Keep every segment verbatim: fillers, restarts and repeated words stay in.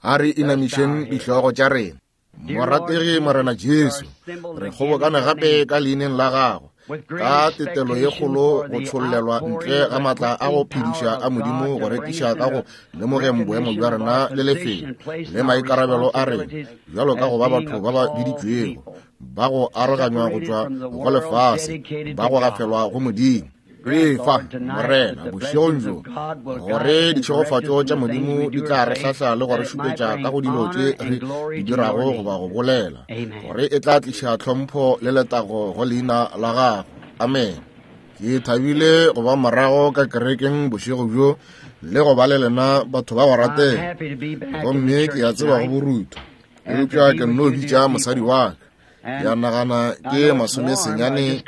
A re inamišeng dihlogo tša rena. Morategi Morena Jesu, re kgobokane gape ka leineng la gago, ka tetelo ye kgolo go tšhollelwa ntle ga maatla a go phediša a Modimo go rekiša ka go lemogeng boemo bja rena le lefelo le maikarabelo a rena bjalo ka go ba batho ba ba biditšwego, ba go aroganywa go tšwa go lefase, ba go gafelwa go Modimo. Re fa, Morena, bošegong bjo, gore ditšhegofatšo tša Modimo di tla re hlahla le go re šupetša ka go dilo tše re di dirago goba go bolela, gore e tla tliša tlhompho le letago go leina la gago. Amen. Ke thabile go ba morago ka kerekeng bošego bjo le go ba le lena batho ba go ratega. Gomme ke a tseba go borutho, eupša ke nno bitša mosadi wa ka. Ya nagana ke masome senyane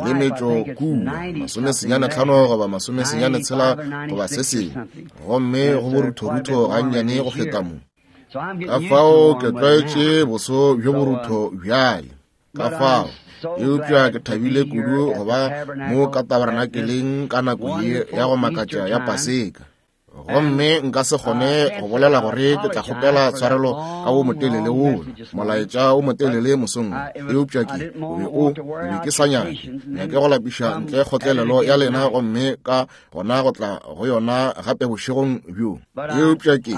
le metšo kua, masome senyane tlhano goba masome senyane tshela goba se sengwe, gomme go boruthorutho gannyane go feta mo. Ka fao ke tlwaetše boso bjo borutho bjale. Ka fao, eupša ke thabile kudu go ba mo ka tabernakeleng ka nako ye ya go makatša ya Paseka. Gomme nka se kgone go bolela gore ke tla kgopela tshwarelo ka wo motelele wola, molaetša wo motelele mosong, eupša ke o be o be ke sa nyake nyake go lapiša ntle kgotlelelo ya lena, gomme ka gona go tla go yona gape bošegong bjo. Eupša ke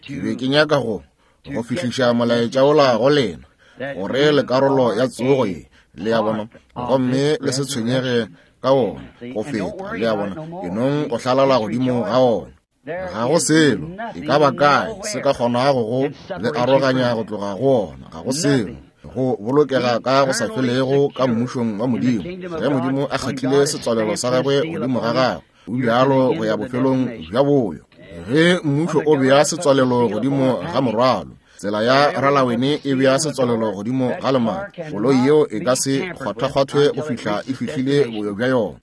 ke be ke nyaka go go fihliša molaetša wola go lena, gore le karolo ya tsogo ye, le a bona, gomme le se tshwenyege ka wona go feta, le a bona, enong go hlalala godimo ga wona. Ga go selo e ka ba kae se ka kgonago go le aroganya go tloga go ona. Ga go selo go bolokega ka go sa felego ka mmušong wa Modimo. Ge Modimo a kgatlile setswalelo sa gagwe godimo ga gagwe, o bjalo go ya bofelong bja boyo. Ge mmušo o bea setswalelo godimo ga morwalo, tsela ya ralawene e bea setswalelo godimo ga lemati, koloi yeo e ka se kgwathakgwathwe go fihla e fihlile boyo bja yona.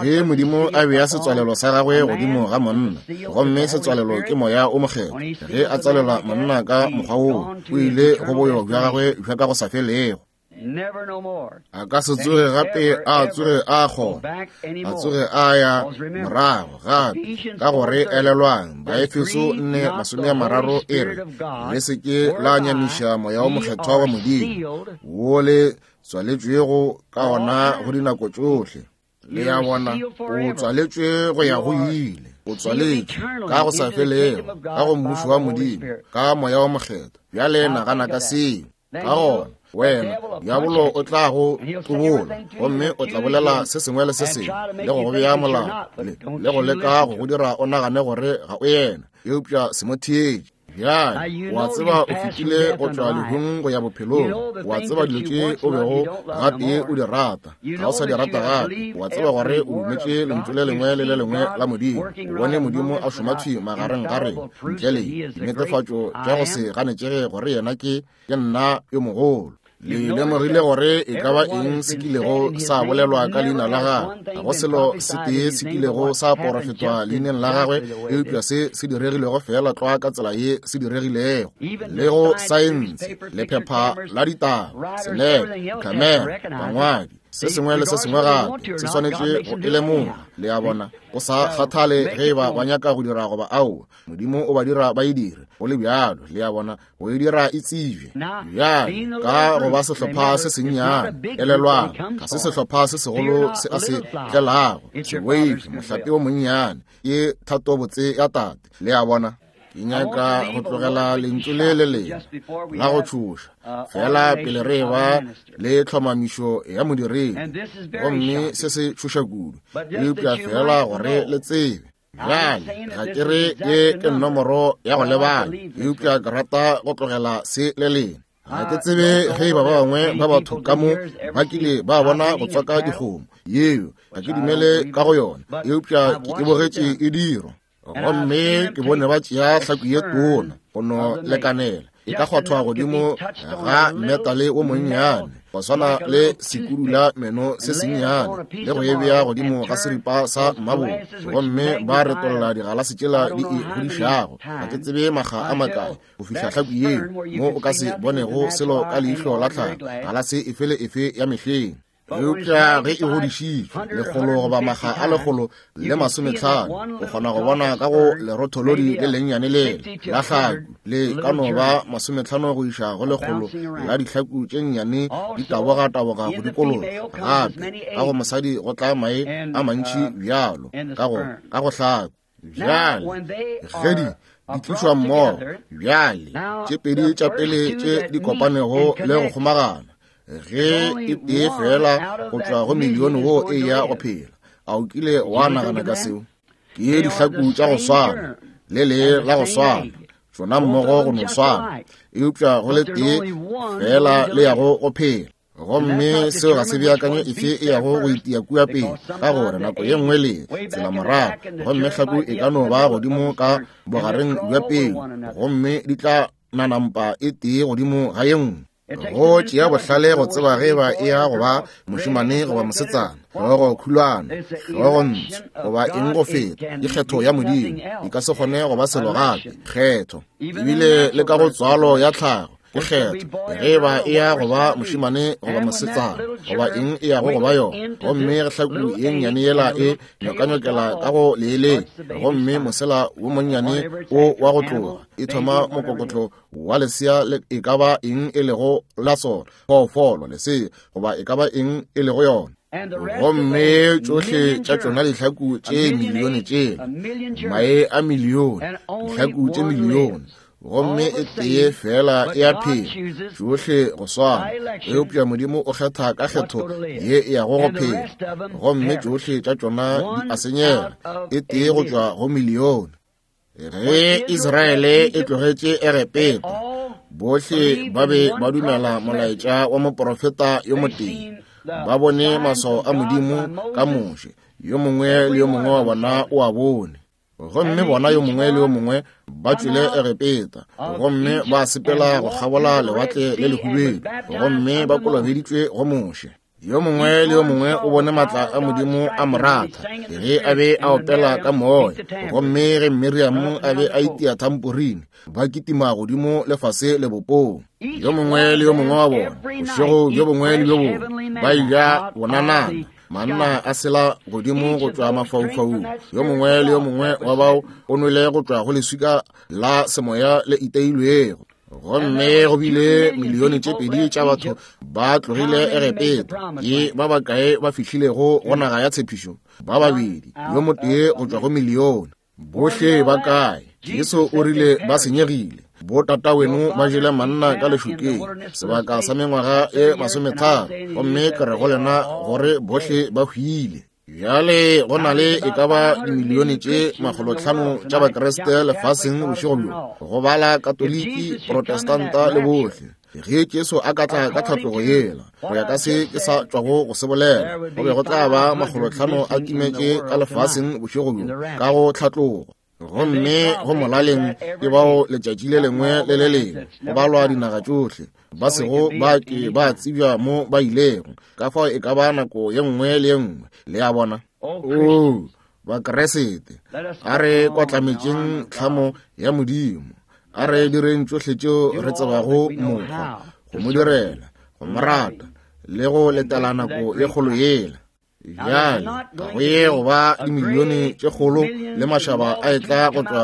Ge Modimo a bea setswalelo sa gagwe godimo ga monna, gomme setswalelo ke moya o mokgethwa, ge a tswalela monna ka mokgwa woo, o ile go boyo bja gagwe bja ka go sa felego. A ka se tsoge gape a tsoge a kgona, a tsoge a ya morago gape, ka gore elelwang Baefeso nne masome a mararo e re, le se ke la nyamiša moya o mokgethwa wa Modimo, wo le tswaletšwego ka ona go dinako tšohle. Le a bona, o tswaletšwe go ya go ile, o tswaletšwe ka go sa felego ka go mmušo wa Modimo ka moya o mokgethwa. Bjale nagana ka seo. Ka gona wena diabolo o tla go tlobola, gomme o tla bolela se sengwe le se sengwe le go go bea molao le, le go leka go go dira o nagane gore ga o yena, eupša se mo theetše. Bjale o a tseba o fetile go tšwa lehung go ya bophelong, o a tseba dilo tše o bego gatee o di rata, ga o sa di rata gape. O a tseba gore o dumetše lentšu le lengwe le le lengwe la Modimo, o bone Modimo a šoma thwi magareng ga rena ntle le dinetefatšo tša go se ganetšege gore yena ke ke nna yo mogolo. Le lemogile gore e ka ba eng se kilego sa bolelwa ka leina la gagwe, ga go selo se tee se kilego sa porofetwa leineng la gagwe, eupša se se diregilego fela tlwa ka tsela ye se diregilego. Le go saense, lephepha la ditaba, selepe, kamera, bangwadi, se sengwe le se sengwe gape se swanetše go e lemoga. Le a bona, go sa kgathale ge e ba ba nyaka go dira goba aowa, Modimo o ba dira ba e dire go le bjalo. Le a bona, go e dira e tsebje. Bjale ka go ba sehlopha se sennyane, elelwang, ga se sehlopha se segolo se a se tlelago, sewave, mohlape o monnyane, ke thatobotse ya tate. Le a bona, ke nyaka go tlogela lentšu le le lengwe la go tšhoša fela pele re ba le tlhomamišo ya modiredi, gomme se se tšhoša kudu, eupša fela gore le tsebe. Bjale ga ke re ye ke nomoro ya go lebala, eupša ke rata go tlogela se le lena. Ga ke tsebe ge e ba ba bangwe ba batho ka mo ba kile ba bona go tswaka dikgomo yeo, ga ke dumele ka go yona, eupša ke e bogetše e dirwa. Gomme ke bone ba tšea hlaku ye tona go no lekanela e ka kgwathwa godimo ga metale o monnyane, go swana le sekurula meno se sennyane, le go e bea godimo ga seripa sa mabolo, gomme ba retolla digalase tšela di e godišago. Ga ke tsebe makga a makae go fihla hlaku yeo mo o ka se bonego selo ka leihlo la tlhago, galase efe le efe ya mehleng. Eupša ge e godišitšwe lekgolo goba makga a lekgolo le masometlhano, o kgona go bona ka go lerotholodi le lennyane lele la hlaku le ka no ba masometlhano go iša go lekgolo la dihlaku tše nnyane di taboga-taboga go dikologa. Gape ka go mosadi go tla mae a mantši bjalo ka go ka go hlaku. Bjale ge di di tlišwa mmogo, bjale tše pedi tša pele tše di kopanego le go kgomagana, ge e tee fela go tšwa go milione wo e ya go phela. A o kile wa nagana ka seo? Ke dihlaku tša go swana, le le la go swana, tšona mmogo go no swana, eupša go le tee fela le yago go phela. Gomme seo ga se beakanyo efe e yago go itia kua pele, ka gore nako ye nngwe le tsela morago, gomme hlaku e ka no ba godimo ka bogareng bja peu, gomme di tla nanampa e tee godimo ga ye nngwe. Go tšea bohlale go tseba ge ba e ya go ba mošemane goba mosetsana, hlogo khulwana, hlogo ntsho, goba eng go feta. Ke kgetho ya Modimo, e ka se kgone go ba selo gape. Kgetho ebile le ka go tswalo ya tlhago ke kgetho, ge ba e ya go ba mošemane goba mosetsana, goba eng e yago go ba yona. Gomme ge hlaku ye nnyane yela e nyokanyokela ka go leeleng, gomme mosela wo monnyane o wa go tloga, e thoma mokokotlo wa lesea le e ka ba eng e lego la sona, phoofolo, lesea, goba e ka ba eng e lego yona. Gomme tšohle tša tšona dihlaku tše milione tšela, mae a milione, dihlaku tše milione, gomme e tee fela e a phela, tšohle go swana. Eupša Modimo o kgetha ka kgetho ye e yago go phela, gomme tšohle tša tšona di a senyega, e tee go tšwa go milione. Ge Israele e tlogetše Egepeta, bohle ba be ba dumela molaetša wa moprofeta yo motee. Ba bone maswao a Modimo ka Moshe, yo mongwe le yo mongwe wa bona o a bone. Gomme bona yo mongwe le yo mongwe ba tšwele Egepeta, gomme ba sepela go kgabola lewatle le lehubedu, gomme ba kolobeditšwe go Moshe. Yo mongwe le yo mongwe o bone matla a Modimo a mo ratha ge a be a opela ka moya, gomme ge Miriam a be a itia thamporine, ba kitima godimo le fase lebopong. Yo mongwe le yo mongwe wa bona, bošego bjo bongwe le bjo bongwe, ba eja bonanana, manna a sela godimo go tšwa mafaufaung. Yo mongwe le yo mongwe wa bao o nwele go tšwa go leswika la semoya le iteilwego. Gomme go bile milione tše pedi tša batho ba tlogile Egepeta. Ke ba bakae ba fihlilego go naga ya tshepišo? Ba babedi, yo motee go tšwa go milione. Bohle ba kae? Jesu o rile ba senyegile. Bo tata weno ba jele manna ka lešokeng sebaka sa mengwaga e masometharo, gomme ke re go lena gore bohle ba hwile. Bjale go na le e ka ba dimilione tše makgolotlhano tša Bakreste lefaseng bošego bjo, go bala Katoliki, Protestanta le bohle. Ge Jesu a ka tla ka tlhatlogo yela, go ya ka se ke sa tšwago go se bolela, go be go tla ba makgolotlhano a timetše ka lefaseng bošego bjo ka go tlhatlogo. Gomme go molaleng ke bao letšatši le lengwe le le lengwe go balwa dinaga tšohle ba sego ba ke ba tsebja mo ba ilego. Ka fao e ka ba nako ye nngwe le ye nngwe, le a bona. Oo, Bakeresete, a re kwatlametšeng tlhamo ya Modimo, a re direng tšohle tšeo re tsebago mokgwa go mo direla, go mo rata le go letela nako ye kgolo yela. Bjale ga go ye go ba dimilione tše kgolo le mašaba a etla go tšwa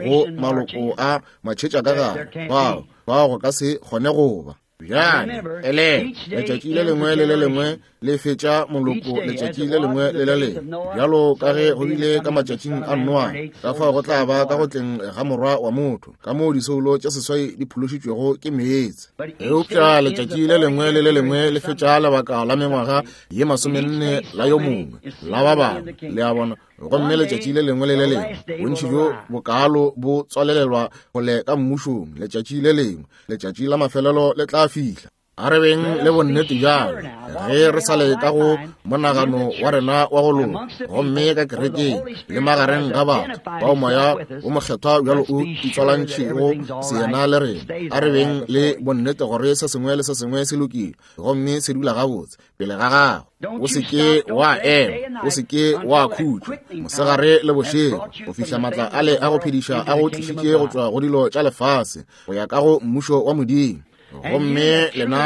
go maloko a matšhetša ka gare, bao bao go ka se kgone go ba. Bjale ele letšatši le lengwe le le lengwe le fetša moloko letšatši le lengwe le le lengwe, bjalo ka ge go bile ka matšatšing a Noa, ka fao go tla ba ka go tleng ga morwa wa motho, ka moo disoulo tše seswai di phološitšwego ke meetse. Eupša letšatši le lengwe le le lengwe le fetša lebaka la mengwaga ye masomenne la yo mongwe la ba bangwe, le a bona. Gomme letšatši le lengwe le le lengwe bontši bjo bokalo bo tswalelelwa gole ka mmušong. Letšatši le lengwe, letšatši la mafelelo le tla fihla. A re beng le bonnete bjalo ge re sa le ka go monagano wa rena wa go loka, gomme ka kerekeng le magareng ga batho bao moya o mokgethwa bjalo o itswalantšhego seyena le rena. A re beng le bonnete gore se sengwe le se sengwe se lokile gomme se dula gabotse pele ga gago. O se ke wa ema, o se ke wa khutša mosegare le bošego, go fihla matla ale a go phediša a go tlišitše go tšwa go dilo tša lefase go ya ka go mmušo wa Modimo. Gomme lena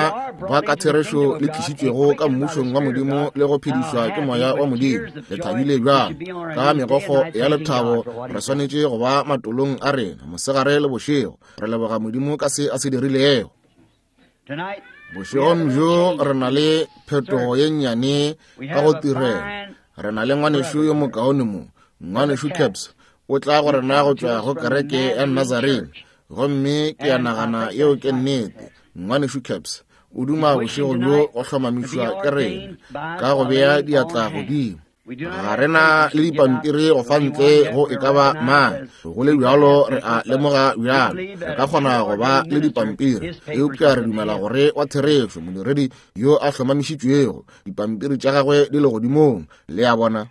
ba ka therešo le tlišitšwego ka mmušong wa Modimo le go phedišwa ke moya wa Modimo, le thabile bjang. Ka megokgo ya lethabo re swanetše go ba matolong a rena mosegare le bošego, re leboga Modimo ka se a se dirilego. Bošegong bjo re na le phetogo ye nnyane ka go tirelo. Re na le ngwanešu yo mokaone mo, ngwanešu Caps, o tla go rena go tšwa go kereke ya Nazarene. Gomme ke a nagana yeo ke nnete. Ngwanešu Caps o duma bošego bjo go hlomamišwa ke rena ka go bea diatla godimo. Ga re na le dipampiri go fa ntle go e ka ba mang. Go le bjalo re a lemoga bjalo re ka kgona go ba le dipampiri, eupša re dumela gore wa therešo modiredi yo a hlomamišitšwego, dipampiri tša gagwe di le godimong, le a bona.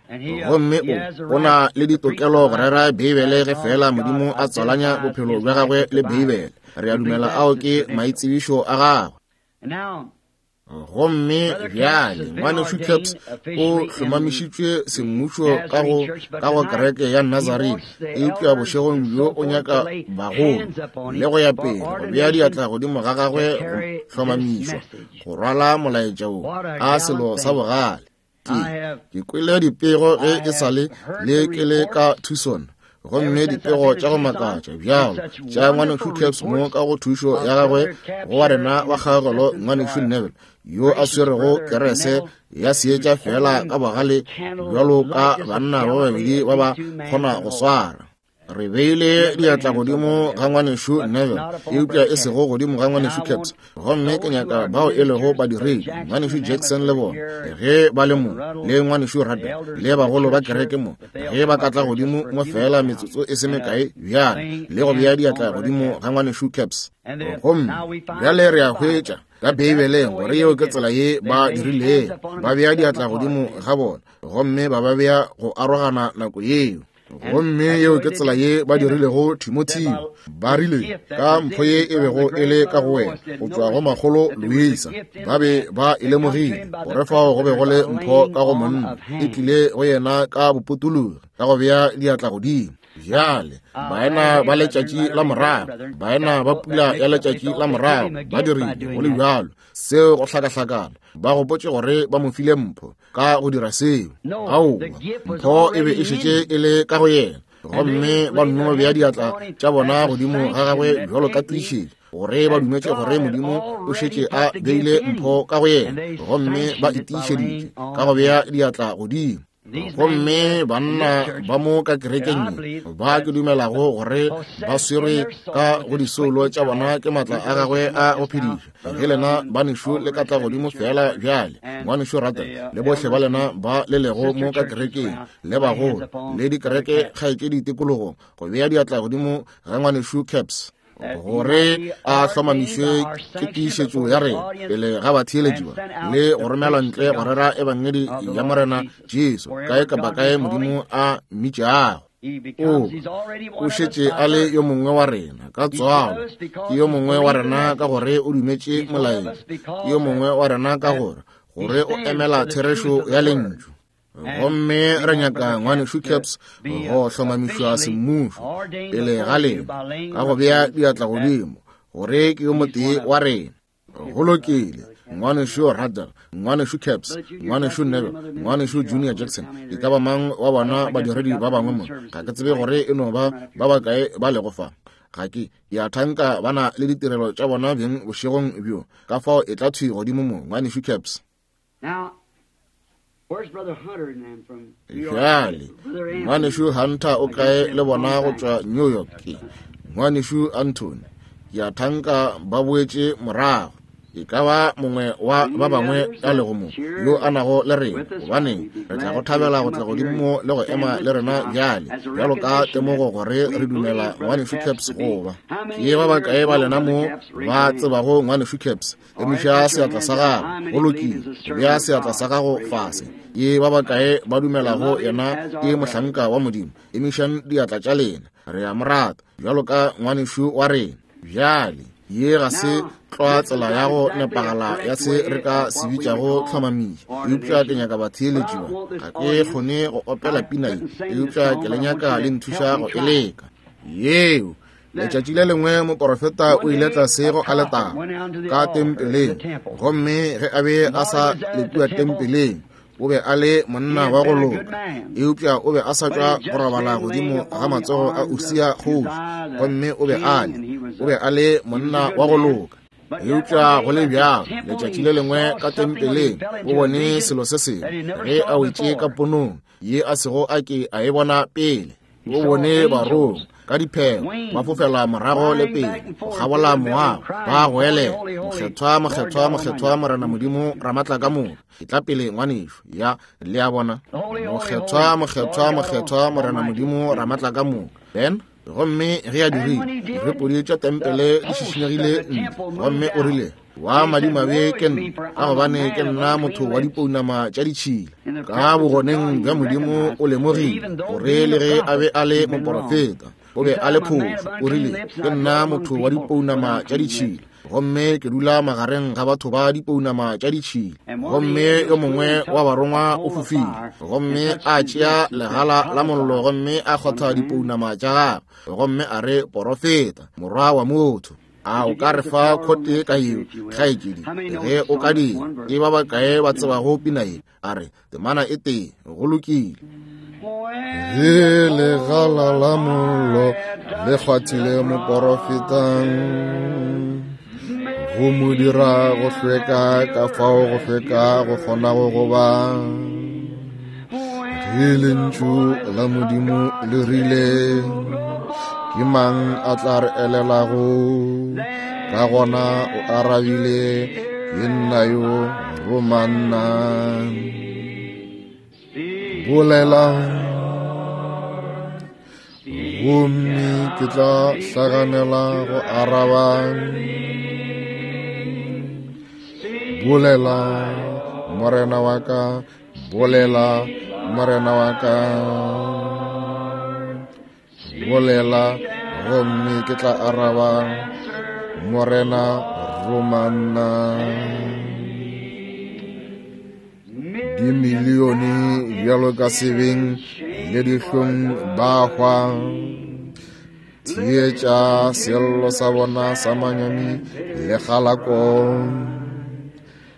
Gomme o o na le ditokelo go rera Beibele ge fela Modimo a tswalanya bophelo bja gagwe le Beibele. Re a dumela ao ke maitsebišo a gagwe. Gomme bjale ngwanešu Caps o hlomamišitšwe semmušo ka go ka go kereke ya Nazarene, eupša bošegong bjo o nyaka bagolo le go ya pele go bea diatla godimo ga gagwe go hlomamišwa go rwala molaetša wo a selo sa bogale. Ke ke kwele dipego ge e sa le le ke le ka Tucson, gomme dipego tša go makatša bjalo tša ngwanešu Caps mo ka go thušo ya gagwe go wa rena wa kgaogelo ngwanešu Neville yo a swerego kerese ya seetša fela ka bogale bjalo ka banna ba babedi ba ba kgona go swara. Re beile diatla godimo ga ngwanešu Neville, eupša e sego godimo ga ngwanešu Caps. Gomme ke nyaka bao e lego badiredi, ngwanešu Jackson le bona ge ba le mo, le ngwanešu Radder le bagolo ba kereke mo, ge ba ka tla godimo mo fela metsotso e se mekae bjale, le go bea diatla godimo ga ngwanešu Caps. Gomme bjale re a hwetša ka Beibeleng gore yeo ke tsela ye ba dirilego, ba bea diatla godimo ga bona gomme ba ba bea go arogana nako yeo. Gomme yeo ke tsela ye ba dirilego Timotheo. Ba rile ka mpho ye e bego e le ka go wena go tšwa go makgolo Luisa, ba be ba e lemogile gore fao go be go le mpho ka go monna, e tlile go yena ka bopotologi ka go bea diatla godimo. Bjale baena ba letšatši la morago, baena ba pula ya letšatši la morago ba dirile go le bjalo seo go hlakahlakana, ba gopotše gore ba mo file mpho ka go dira seo. Aowa, mpho e be e šetše e le ka go yena, gomme ba nno bea diatla tša bona godimo ga gagwe bjalo ka tiišetšo gore ba dumetše gore Modimo o šetše a beile mpho ka go yena, gomme ba e tiišeditše ka go bea diatla godimo. Gomme banna ba mo ka kerekeng ye ba ke dumelago gore ba swerwe ka go disoulo tša bona ke maatla a gagwe a go phediša. Ge lena banešu le ka tla godimo fela bjale, ngwanešu Radder le bohle ba lena ba le lego mo ka kerekeng le bagolo le dikereke kgaetšedi tikologong, go bea diatla godimo ga ngwanešu Caps gore a hlomamišwe ke tiišetšo ya rena pele ga batheeletši ba le go romelwa ntle go rera ebangedi ya Morena Jesu kae kapa kae Modimo a mmitšago. O o šetše a le yo mongwe wa rena ka tswalo, ke yo mongwe wa rena ka gore o dumetše molaetša, ke yo mongwe wa rena ka gore gore o emela therešo ya lentšu. Gomme re nyaka ngwanešu Caps go hlomamišwa semmušo pele ga lena ka go bea diatla godimo gore ke yo motee wa rena. Go lokile, ngwanešu Radder, ngwanešu Caps, ngwanešu Neville, ngwanešu Junior Jackson, e ka ba mang wa bona badiredi ba bangwe mo, ga ke tsebe gore e no ba ba bakae ba lego fa. Ga ke ke a thanka ba na le ditirelo tša bona beng bošegong bjo, ka fao e tla thwi godimo mo, ngwanešu Caps. Bjale ngwanešu Hunter o kae le bona go tšwa New York? Ngwanešu Anthony, ke a thanka ba boetše morago. E ka ba mongwe wa ba bangwe a lego mo yo a nago le rena, gobane re tla go thabela go tla godimo le go ema le rena bjale bjalo ka temogo gore re dumela ngwanešu Caps goba ke ba bakae ba lena mo ba tsebago ngwanešu Caps. Emiša seatla sa gago. Go lokile, bea seatla sa gago fase. Ke ba bakae ba dumelago yena ke mohlanka wa Modimo? Emišang diatla tša lena. Re a mo rata bjalo ka ngwanešu wa rena. Bjale ye ga se tlwa tsela ya go nepagala ya se re ka se bitšago tlhomamiša, eupša ke nyaka batheeletši ba. Ga ke kgone go opela pina ye, eupša ke le nyaka le nthuša go e leka. Yeo Letšatši le lengwe moporofeta o ile tlase go aletara ka tempeleng, gomme ge a be a sa le kua tempeleng, o be a le monna wa go loka, eupša o be a sa tšwa go robala godimo ga matsogo a Usia kgoši, gomme o be a le o be a le monna wa go loka. Eupša go le bjalo, letšatši le lengwe ka tempeleng o bone selo se sengwe ge a wetše ka ponong ye a sego a ke a e bona pele. O bone barongwa ka diphego ba fofela morago le pele go kgabola moago, ba goelela, Mokgethwa, mokgethwa, mokgethwa, Morena Modimo Ramatla ka moka. E tla pele ngwanešu ya le a bona, mokgethwa, mokgethwa, mokgethwa, Morena Modimo Ramatla ka moka. Then gomme ge a dirile, direpodi tša tempele di šišinyegile ntle, gomme o rile, wa madimabe ke nna, ka gobane ke nna motho wa dipounama tša ditšhila. Ka bogoneng bja Modimo o lemogile gore le ge a be a le moporofeta, o be a le phošo. O rile, ke nna motho wa dipounama tša ditšhila, gomme ke dula magareng ga batho ba dipounama tša ditšhila. Gomme yo mongwe wa barongwa o fofile, gomme a tšea legala la mollo, gomme a kgotha dipounama tša gagwe, gomme a re, porofeta, morwa wa motho. A o ka re fa khote ka yeo, kgaetšedi, ge o ka dira? Ke ba bakae ba tsebago pina ye? A re, temana e tee, go lokile. Ge legala la mollo le kgwathile moporofeta, go mo dira go hlweka ka fao go hlweka go kgonago go ba. Ge lentšu la Modimo le rile, ke mang a tla re elelago? Ka gona o arabile, ke nna yo, roma nna. Bolela, gomme ke tla hlaganela go araba. Bolela, Morena wa ka, bolela, Morena wa ka. Bolela, gomme ke tla araba, Morena, roma nna. Dimilione bjalo ka sebeng le dihlong ba hwa. Theetša sello sa bona sa manyami le kgalako.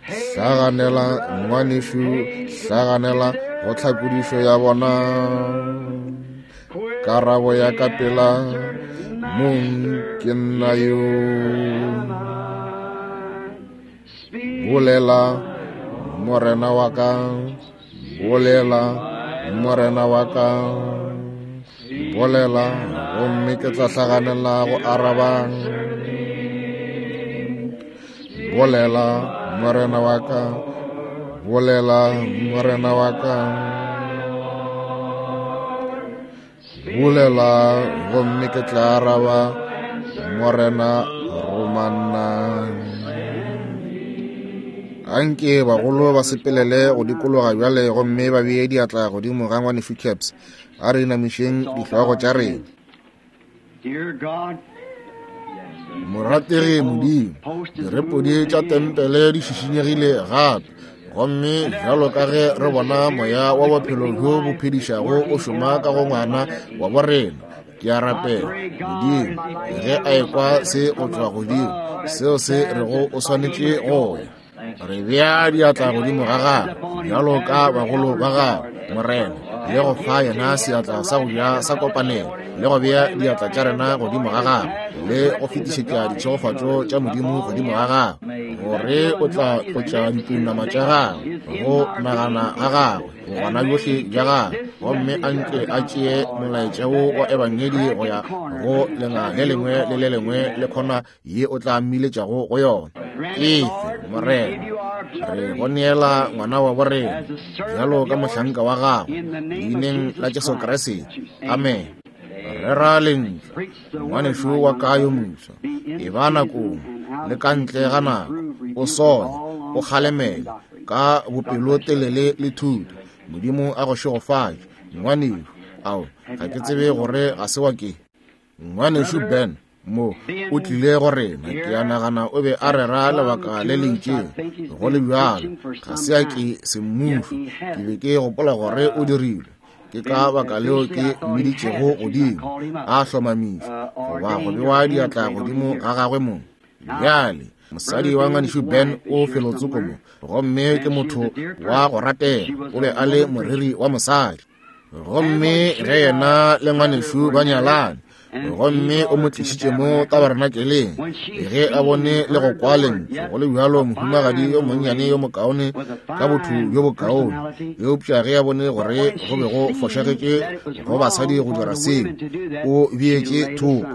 Hlaganela ngwanešu, hlaganela go tlhakodišo ya bona. Karabo ya ka pela, mong ke nna yo. Bolela, Morena wa ka, bolela, Morena wa ka. Bolela, gomme ke tla hlaganela go araba. Bolela, Morena wa ka, bolela, Morena wa ka. Bolela, gomme ke tla araba, Morena, roma nna. Anke bagolo ba sepelele go dikologa bjale, gomme ba bee diatla godimo ga ngwanešu Caps. A re inamišeng dihlogo tša rena. Morategi Modimo, direpodi tša tempele di šišinyegile gape, gomme bjalo ka ge re bona moya wa bophelo bjo bo phedišago o šoma ka go ngwana wa borena, ke a rapela Modimo, ge a ekwa se go tšwa godimo, seo se rego o swanetše go ya. Re bea diatla godimo ga gagwe bjalo ka bagolo ba gagwe, Morena, le go fa yena seatla sa go ja sa kopanelo, le go bea diatla tša rena godimo ga gagwe, le go fetišetša ditšhegofatšo tša Modimo godimo ga gagwe, gore o tla tlotša dipounama tša gagwe go nagana ga gagwe, bogona bjohle bja gagwe, gomme a nke a tšee molaetša wo wa ebangedi go ya go lenga le lengwe le le lengwe le khona ye o tla mmiletšago go yona. Efe, Morena, re go neela ngwana wa borena bjalo ka mohlanka wa gago, leineng la Jesu Kriste, amen. Rera lentšu, ngwanešu wa ka yo moswa, e ba nakong le ka ntle ga nako, o sole, o kgalemele ka bopelotelele le thuto. Modimo a go šegofatše, ngwanešu. Ao, ga ke tsebe gore ga se wa ke. Ngwanešu Ben mo o tlile go rena, ke a nagana o be a rera lebaka le le itšeng. Go le bjalo, ga se a ke semmušo, ke be ke gopola gore o dirile. Ke ka baka leo ke mmiditšego godimo, a hlomamišwa, goba go bewa diatla godimo ga gagwe mong. Bjale, mosadi wa ngwanešu Ben o felotsoko mo, gomme ke motho wa go ratega, o be a le moreri wa mosadi. Gomme ge yena le ngwanešu ba nyalane, gomme o mo tlišitše mo tabernakeleng, ge a bone le go kwa lentšu, go le bjalo mohumagadi yo monnyane yo mokaone ka botho bjo bokaone, eupša ge a bone gore go be go fošagetše go basadi go dira seo, o beetše thoko.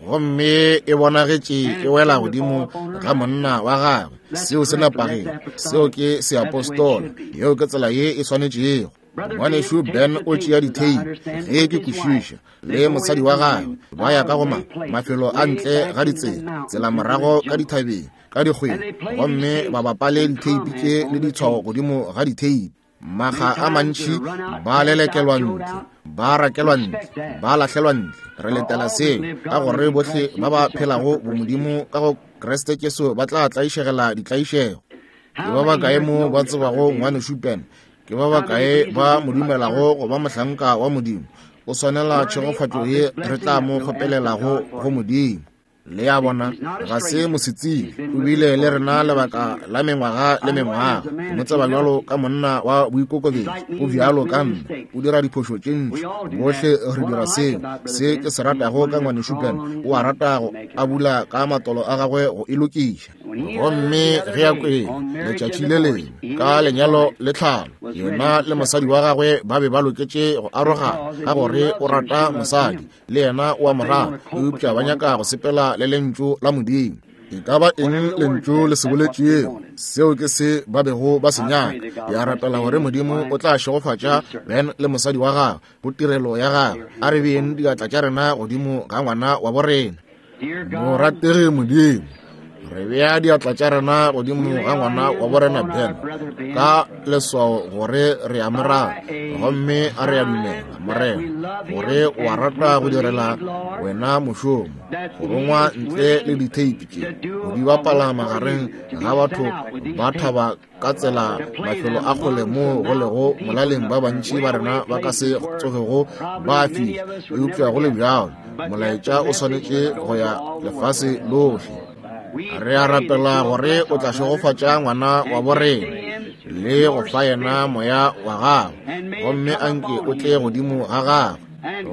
Gomme e bonagetše e wela godimo ga monna wa gagwe. Seo se nepagile, seo ke seapostola, yeo ke tsela ye e swanetšego. Ngwanešu Ben o tšea ditheipi, ge ke kwešiša, le mosadi wa gagwe ba ya ka go ma mafelo a ntle ga ditsela, tsela morago ka dithabeng, ka dikgweng, gomme ba bapale ditheipi tše le ditshwao godimo ga ditheipi. Maga a mantši ba lelekelwa ntle, ba rakelwa ntle, ba lahlelwa ntle. Re letela seo, ka gore bohle ba ba phelago bomodimo ka go Kriste Jesu ba tla tlaišegela ditlaišego. Ke ba bakae mo ba tsebago ngwanešu Ben? Ke ba bakae ba mo dumelago go ba mohlanka wa Modimo? O swanela tšhegofatšo ye re tla mo kgopelelago go Modimo. Le a bona, ga se mosetsebje, o bile le rena lebaka la mengwaga le mengwaga. Ke mo tseba bjalo ka monna wa boikokobetšo, o bjalo ka nna, o dira diphošo tše ntši. Bohle re dira seo. Se ke se ratago ka ngwanešu Ben, o a rata go a bula ka matolo a gagwe go e lokiša. Gomme ge a kwele letšatši le lengwe ka lenyalo le tlhalo, yena le mosadi wa gagwe ba be ba loketše go arogana, ka gore o rata mosadi le yena o a mo rata, eupša ba nyaka go sepela le lentšu la Modimo. E ka ba eng lentšu le se boletšego, seo ke se ba bego ba se nyaka. Ke a rapela gore Modimo o tla šegofatša Ben le mosadi wa gagwe go tirelo ya gagwe. A re beeng diatla tša rena godimo ga ngwana wa borena. Morategi Modimo, re bea diatla tša rena godimo ga ngwana wa borena Ben ka leswao gore re a mo rata, gomme a re a dumela, Morena, gore o a rata go direla wena mošomo, go rongwa ntle le ditheipi tše, go di bapala magareng ga batho ba thaba ka tsela mafelo a kgole moo go lego molaleng ba bantši ba rena ba ka se tsogego ba fihla, eupša go le bjalo molaetša o swanetše go ya lefase lohle. Re a rapela gore o tla šegofatša ngwana wa borena le go fa yena moya wa gagwe, gomme anke o tle godimo ga gagwe,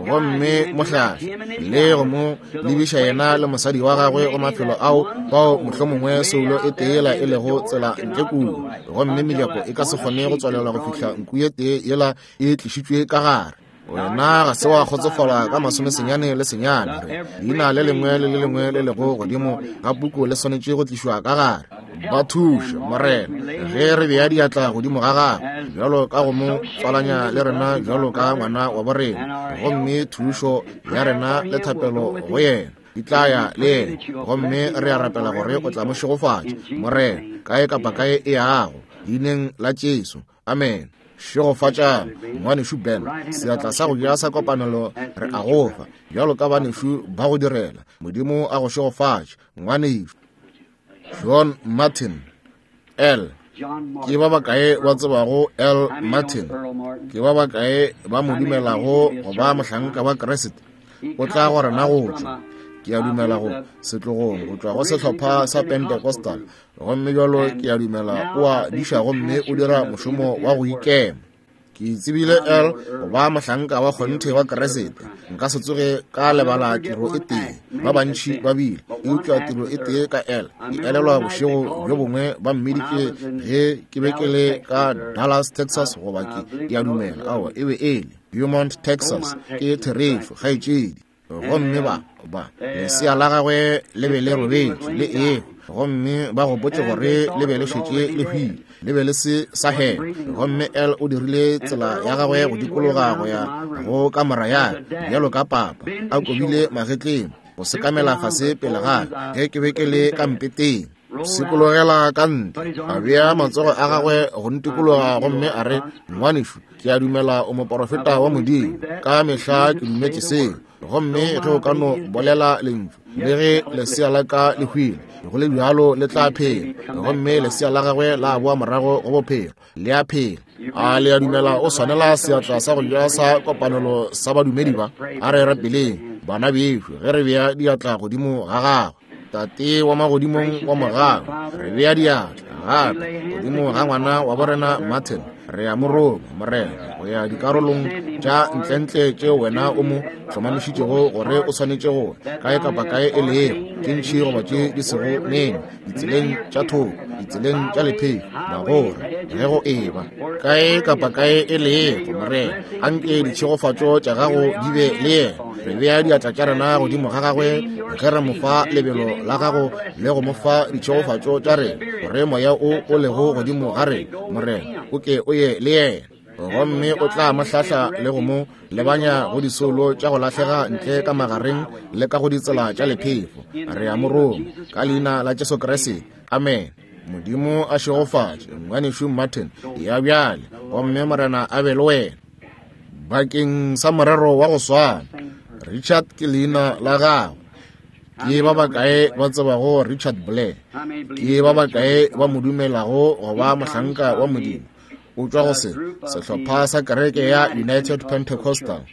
gomme mo hlahle le go mo lebiša yena le mosadi wa gagwe go mafelo ao bao mohlomongwe soulo e tee e lego tsela ntle kudu, gomme mejako e ka se kgone go tswalelwa go fihla nku ye tee yela e tlišitšwe ka gare. Wena ga se wa kgotsofala ka masomesenyane le senyane, re leina le lengwe le le lengwe le lego godimo ga puku le swanetše go tlišwa ka gare. Ba thuše, Morena, ge re bea diatla godimo ga gagwe bjalo ka go mo tswalanya le rena bjalo ka ngwana wa borena, gomme thušo ya rena le thapelo go yena di tla ya le yena, gomme re a rapela gore o tla mo šegofatša, Morena, kae kapa kae e yago, leineng la Jesu. Amen. Šegofatšang ngwanešu Ben, seatla sa go ja sa kopanelo re a go fa bjalo ka banešu ba go direla. Modimo a go šegofatše ngwanešu. John Martin L. Ke ba bakae ba tsebago L. Martin? Ke ba bakae ba mo dumelago go ba mohlanka wa Kriste? O tla go rena go tšwa, ke a dumela go setlogong, go tšwa go sehlopha sa Pentecostal, gomme bjalo ke a dumela o a diša gomme o dira mošomo wa go ikema. Ke tsebile L go ba mohlanka wa kgonthe wa Kriste. Nka se tsoge ka lebala tiro e tee, ba bantši ba bile, eupša tiro e tee ka L. Ke elelwa bošego bjo bongwe ba mmiditše ge ke be ke le ka Dallas, Texas, goba ke ke a dumela aowa e be e le Beaumont, Texas. Ke therešo, kgaetšedi. Gomme ba ba lesea la gagwe le be le robetše le ego, gomme ba gopotše gore le be le šetše le hwile, le be le se sa hema. Gomme L o dirile tsela ya gagwe go dikologa go ya go kamora ya bjalo ka papa, a kobile magetleng go sekamela fase pele ga ge ke be ke le ka mpeteng. Sekologela ka ntle, a bea matsogo a gagwe go ntikologa, gomme a re, ngwanešu, ke a dumela o moporofeta wa Modimo, ka mehla ke dumetše seo, gomme ge o ka no bolela lentšu, le ge lesea la ka le hwile, Go le bjalo le tla phela. Gomme lesea la gagwe la boa morago go bophelo, le a phela. A le a dumela o swanela seatla sa go ja sa kopanelo sa badumedi ba? A re rapeleng, bana bešo, ge re bea diatla godimo ga gagwe. Tate wa magodimong wa mogau, re bea diatla gape godimo ga ngwana wa borena Martin. Re a mo roma, Morena, go ya dikarolong tša ntlentle tšeo wena o mo hlomamišitšego gore o swanetše go kae kapa kae e lego, tše ntši goba tše di sego nene, ditseleng tša thoko, ditseleng tša lepheko, magora, ge go eba kae kapa kae e lego, Morena, anke ditšhegofatšo tša gago di be le yena. Re bea diatla tša rena godimo ga gagwe ge re mo fa lebelo la gago le go mo fa ditšhegofatšo tša rena, gore moya o o lego godimo ga rena, Morena, o ke o ye le yena. Gomme o tla mo hlahla le go mo lebanya go disolo tša go lahlega ntle ka magareng le ka go ditsela tša lephefo. Re a mo roma ka leina la Jesu Kriste, amen. Modimo a šegofatše ngwanešu Martin ya bjale, gomme Morena a be le wena. Bakeng sa morero wa go swana, Richard ke leina la gagwe. Ke ba bakae ba tsebago Richard Blair? Ke ba bakae ba mo dumelago go ba mohlanka wa Modimo? O tšwa go se sehlopha sa kereke ya United Pentecostal.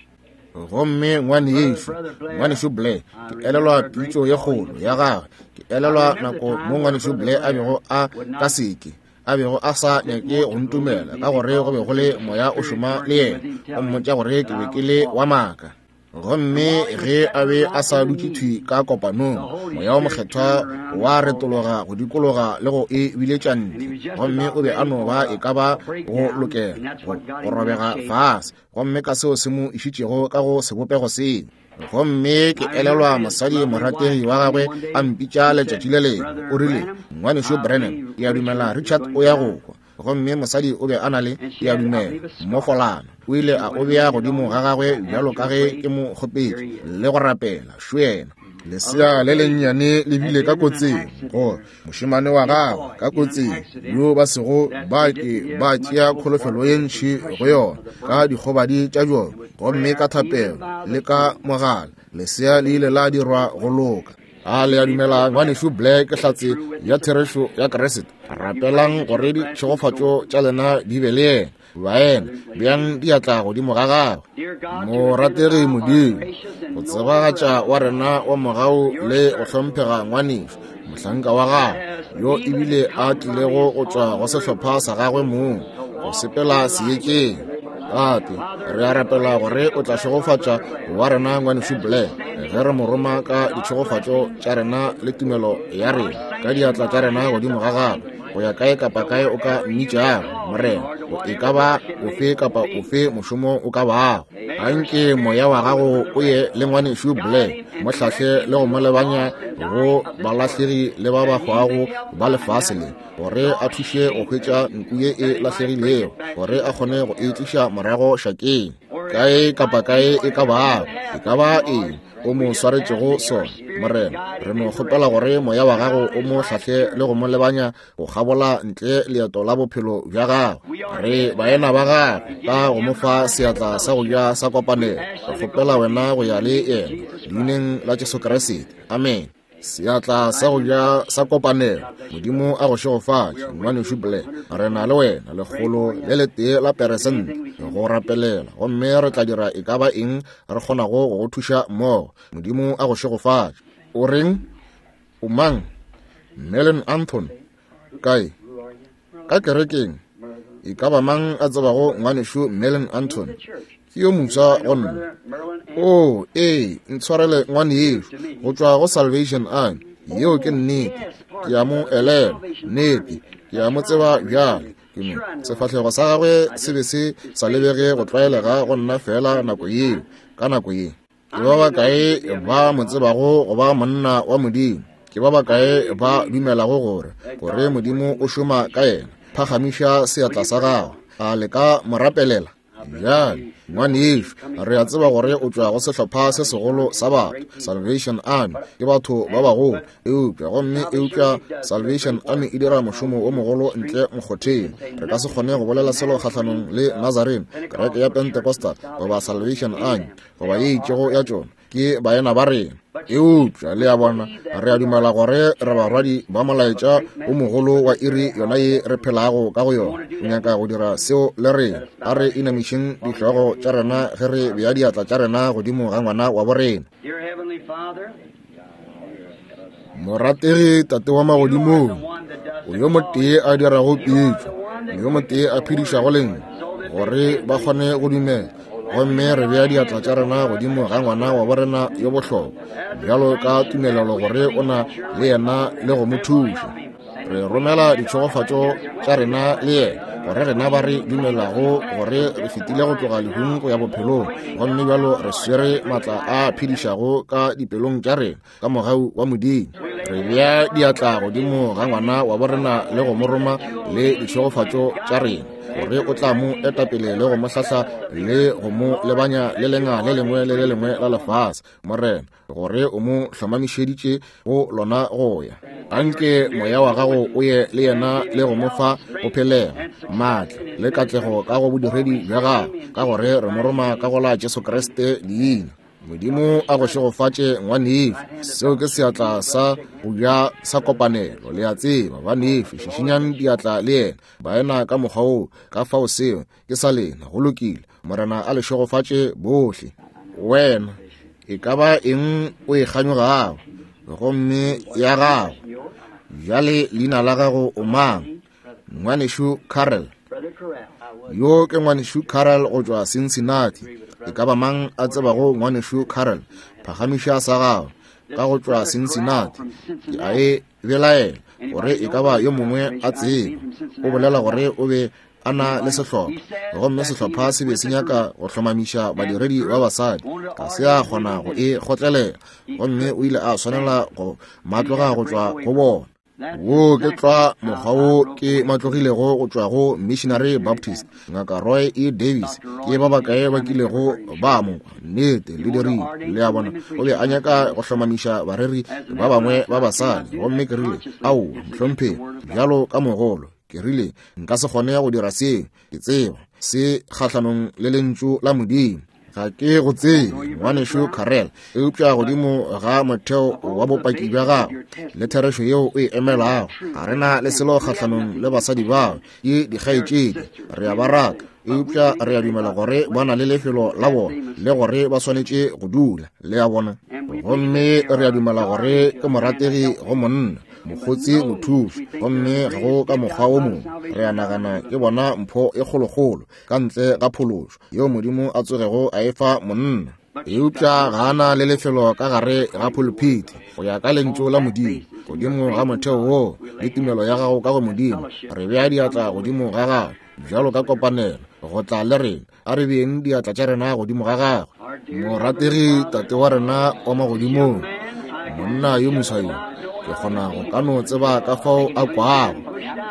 Gomme ngwanešu, ngwanešu Blair, ke elelwa pitšo ye kgolo ya gagwe. Ke elelwa nako mo ngwanešu Blair a bego a ka seke, a bego a sa nyake go ntumela, ka gore go be go le moya o šoma le yena, o mmotša gore ke be ke le wa maaka. Gomme ge a be a sa dutše thwi ka kopanong, moya o mokgethwa wa retologa go dikologa le go e biletša ntle, gomme o be a no ba e ka ba go lokela go, go robega fase, gomme ka seo se mo išitšego ka go sebopego seo. Gomme ke elelwa mosadi morategi wa gagwe a mpitša letšatši le lengwe, o rile, ngwanešu Branham, ke a dumela Richard o ya go hwa. Gomme mosadi o be a na le, ke a dumela, mmofolana. O ile a o bea godimo ga gagwe bjalo ka ge ke mo kgopetše le go rapela. Šo yena. Lesea le lennyane le bile ka kotsing, gore mošemane wa gagwe ka kotsing, yo ba sego ba ke ba tšea kholofelo ye ntši go yona ka dikgobadi tša bjona. Gomme ka thapelo le ka mogala, lesea le ile la dirwa go loka. A le a dumela ngwanešu Blair ke hlatse ya therešo ya Kriste? Rapelang gore ditšhegofatšo tša lena di be le yena. Baena, bjang diatla godimo ga gagwe. Morategi Modimo, go tsebagatša wa rena wa mogau le go hlomphega ngwanešu, mohlanka wa gagwe, yo ebile a tlilego go tšwa go sehlopha sa gagwe mong, go sepela seetšeng. Tate, re a rapela gore o tla šegofatša wa rena ngwanešu Blair ge re mo roma ka ditšhegofatšo tša rena le tumelo ya rena, ka diatla tša rena godimo ga gagwe, go ya kae kapa kae o ka mmitšago, Morena, e ka ba ofe kapa ofe mošomo o ka bago. Anke moya wa gago o ye le ngwanešu Blair, mo hlahle le go mo lebanya go balahlegi le ba ba hwago ba lefase le, gore a thuše go hwetša nku ye e lahlegilego, gore a kgone go e tliša morago šakeng, kae kapa kae e ka bago, e ka ba eng o mo swaretšego sona. Morena, re no kgopela gore moya wa gago o mo hlahle le go mo lebanya go kgabola ntle leeto la bophelo bja gagwe. Re baena ba gagwe ka go mo fa seatla sa go ja sa kopanelo. Re kgopela wena go ya le yena leineng la Jesu Kriste, amen. Seatla sa go ja sa kopanelo, Modimo a go šegofatše, ngwanešu Blair. Re na le wena lekgolo le letee la peresente go rapelela, gomme re tla dira e ka ba eng re kgonago go go thuša mmogo. Modimo a go šegofatše. O reng? O mang? Merlin Anthony. Kae? Ka kerekeng. E ka ba mang a tsebago ngwanešu Merlin Anthony? Ke yo mofsa go nna. Oh, ee, ntshwarele ngwanešu, go tšwa go Salvation Army. Yeo ke nnete. Ke a mo elelwa, nnete. Ke a mo tseba bjale. Ke mo sefahlego sa gagwe se be se sa lebege go tlwaelega go nna fela nako yeo, ka nako ye. Ke ba bakae ba mo tsebago go ba monna wa Modimo? Ke ba bakae ba dumelago gore gore Modimo o šoma ka yena? Phagamiša seatla sa gago. A le ka mo rapelela? Bjale, ngwanešu, re a tseba gore o tšwa go sehlopha se segolo sa batho, Salvation Army, ke batho ba bagolo, eupša gomme eupša Salvation Army e dira mošomo o mogolo ntle mokgotheng. Re ka se kgone go bolela selo kgahlanong le Nazarene, kereke ya Pentecostal, goba Salvation Army, goba ye itšego ya tšona. Ke baena ba rena. Eupša le a bona, re a dumela gore re barwadi ba molaetša o mogolo wa iri yona ye re phelago ka go yona. O nyaka go dira seo le rena. A re inamišeng dihlogo tša rena ge re bea diatla tša rena godimo ga ngwana wa borena. Morategi Tate wa magodimong, o yo motee a dirago pitšo, yo motee a phedišago lengwe, gore ba kgone go dumela. Gomme re bea diatla tša rena godimo ga ngwana wa borena yo bohlokwa, bjalo ka tumelelo gore o na le yena le go mo thuša. Re romela ditšhegofatšo tša rena le yena, gore rena ba re dumelago gore re fetile go tloga lehung go ya bophelong, gomme bjalo re swere matla a phedišago ka dipelong tša rena ka mogau wa Modimo. Re bea diatla godimo ga ngwana wa borena le go mo roma le ditšhegofatšo tša rena, gore o tla mo etapele le go mo hlahla le go mo lebanya le lenga le lengwe le le lengwe la lefase, Morena, gore o mo hlomamišeditše go lona go ya. Anke moya wa gago o ye le yena le go mo fa go phelega, maatla le katlego ka go bodiredi bja gago, ka gore re mo roma ka go la Jesu Kriste leina. Modimo a go šegofatše ngwanešu. Seo ke seatla sa go ja sa kopanelo, le a tseba. Banešu, šišinyang diatla le yena, baena ka mokgwa woo. Ka fao seo ke sa lena. Go lokile. Morena a le šegofatše bohle. Wena e ka ba eng o e kganyogago, gomme ya gago bjale leina la gago o mang? Ngwanešu Carol. Yo ke ngwanešu Carol go tšwa Cincinnati. E ka ba mang a tsebago ngwanešu Carol? Phagamiša sa gago ka go tšwa Cincinnati. Ke a e belaela gore e ka ba yo mongwe a tseba. O bolela gore o be a na le sehlopha, gomme sehlopha se be se nyaka go hlomamiša badiredi ba basadi. Ga se a kgona go e kgotlelela, gomme o ile a swanela go matloga go tšwa go bona. Wo ke tlwa mokgwa wo ke matlogilego go tšwa go Missionary Baptist, Ngaka Roy E. Davis. Ke ba bakae ba kilego ba mo kwa? Nnete, le dirile. Le a bona, o be a nyaka go hlomamiša bareri ba bangwe ba basadi, gomme ke rile, aowa, mohlomphegi, bjalo ka mogolo, ke rile, nka se kgone go dira seo. Ke tseba se kgahlanong le lentšu la Modimo. Ga ke go tsebe, ngwanešu Carel, eupša godimo ga motheo wa bopaki bja gago le therešo yeo o e emelago, ga re na le selo kgahlanong le basadi bao ke dikgaetšedi. Re a ba rata, eupša re a dumela gore ba na le lefelo la bona le gore ba swanetše go dula, le a bona. Gomme re a dumela gore ke morategi go monna, mokgotsi, mothuši, gomme ga go ka mokgwa wo mongwe. Re a nagana ke bona mpho e kgolokgolo ka ntle ga phološo yeo Modimo a tsogego a e fa monna. Eupša ga a na le lefelo ka gare ga pulpiti go ya ka lentšu la Modimo. Godimo ga motheo woo le tumelo ya gago ka go Modimo, re bea diatla godimo ga gago bjalo ka kopanelo go tla le rena. A re beeng diatla tša rena godimo ga gagwe. Morategi Tate wa rena wa magodimong, monna yo moswa yo, ke kgona go ka no tseba ka fao a kwago.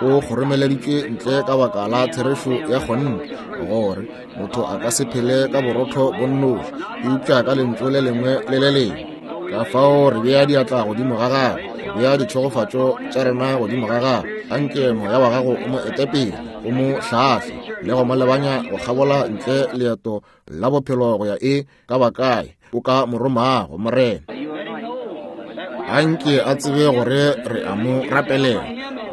O kgoromeleditšwe ntle ka baka la therešo ya kgonthe, gore motho a ka se phele ka borotho bo nnoši, eupša ka lentšu le lengwe le le lengwe. Ka fao re bea diatla godimo ga gagwe, re bea ditšhegofatšo tša rena godimo ga gagwe. Anke moya wa gago o mo etepele, o mo hlahle le go mo lebanya go kgabola ntle leeto la bophelo go ya e ka ba kae o ka mo romago, Morena. Anke a tsebe gore re a mo rapelela,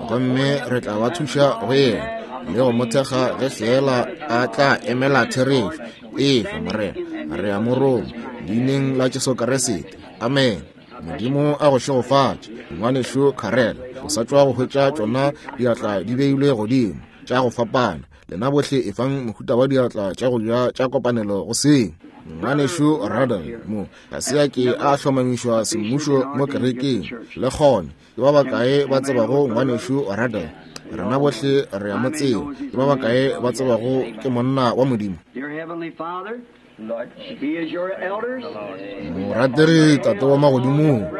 gomme re tla ba thuša go yena le go mo thekga ge fela a tla emela therešo. Efa, Morena, re a mo roma leineng la Jesu Kriste. Amen. Modimo a go šegofatše, ngwanešu Carel. O sa tšwa go hwetša tšona diatla di beilwe godimo tša go fapana. Lena bohle efang mohuta wa diatla tša go ja tša kopanelo go seng. Ngwanešu Radel mo ga se a ke a hlomamišwa semmušo mo kerekeng. Le kgone, ke ba bakae ba tsebago ngwanešu Radel? Rena bohle re a mo tseba. Ke ba bakae ba tsebago ke monna wa Modimo? Morategi Tate wa magodimong,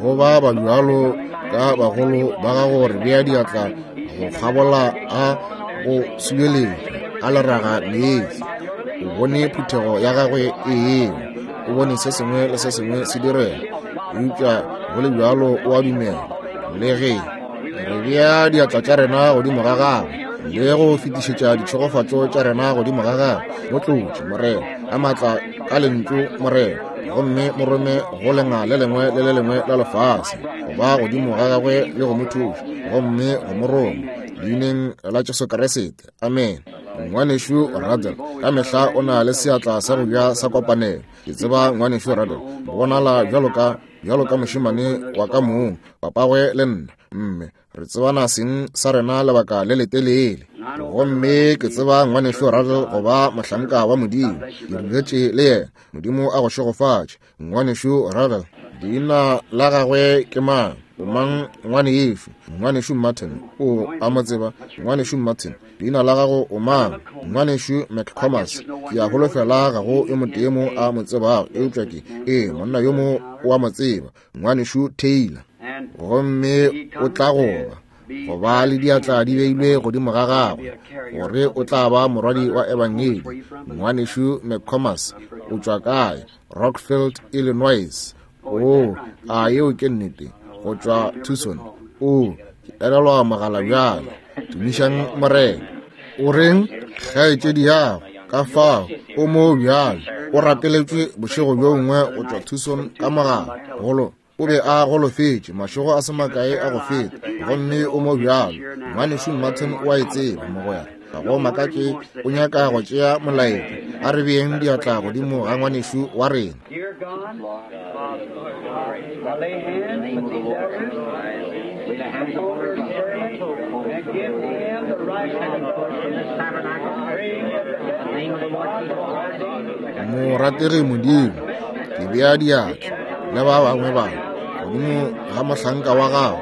go ba ba bjalo ka bagolo ba gago re bea diatla go kgabola a go subeletša a leraga meetse. O bone phuthego ya gagwe e ewa, o bone se sengwe le se sengwe se direga, eupša go le bjalo o a dumela. Le ge re bea diatla tša rena godimo ga gagwe le go fetišetša ditšhegofatšo tša rena godimo ga gagwe, mo tlotše, Morena, ka maatla ka lentšu, Morena, gomme mo rome go lenga le lengwe le le lengwe la lefase, go ba godimo ga gagwe le go mo thuša, gomme go mo roma leineng la Jesu Kriste. Amen. Ngwanešu Ruddell ka mehla o na le seatla sa go ja sa kopanelo. Ke tseba ngwanešu Ruddell bonala bjalo ka bjalo ka mošemane wa ka mong, papagwe le nna, mme re tsebana seng sa rena lebaka le letelele. Gomme ke tseba ngwanešu Ruddell go ba mohlanka wa Modimo, ke ruletše le yena. Modimo a go šegofatše, ngwanešu Ruddell. Leina la gagwe ke mang? O mang ngwanešu? Ngwanešu Martin. O a mo tseba? Ngwanešu Martin. Leina la gago o mang? Ngwanešu McComas. Ke a holofela ga go yo motee mo a mo tsebago, eupša ke ee, monna yo mo o a mo tseba, ngwanešu Taylor. Gomme o tla goba go ba le diatla di beilwe godimo ga gagwe, gore o tla ba morwadi wa ebangedi. Ngwanešu McComas, o tšwa kae? Rockfield, Illinois. O, a yeo ke nnete, go tšwa Tucson. O, ke elelwa mogala bjale. Tumišang Morena. O reng? Kgaetšedi yago ka fao o mo bjale, o rapeletšwe bošego bjo bongwe go tšwa Tucson ka mogala. Golo o be a golofetše mašego a se makae a go feta, gomme o mo bjalo. Ngwanešu Martin o a e tseba, mogwera. Ga go makatše o nyaka go tšea molaetša. A re beeng diatla godimo ga ngwanešu wa rena. Morategi Modimo, ke bea diatla le ba bangwe ba godimo ga mohlanka wa gago,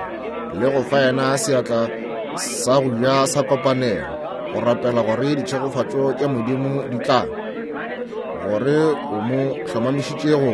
le go fa yena seatla sa go ja sa kopanelo, go rapela gore ditšhegofatšo tša Modimo di tla, gore o mo hlomamišitše go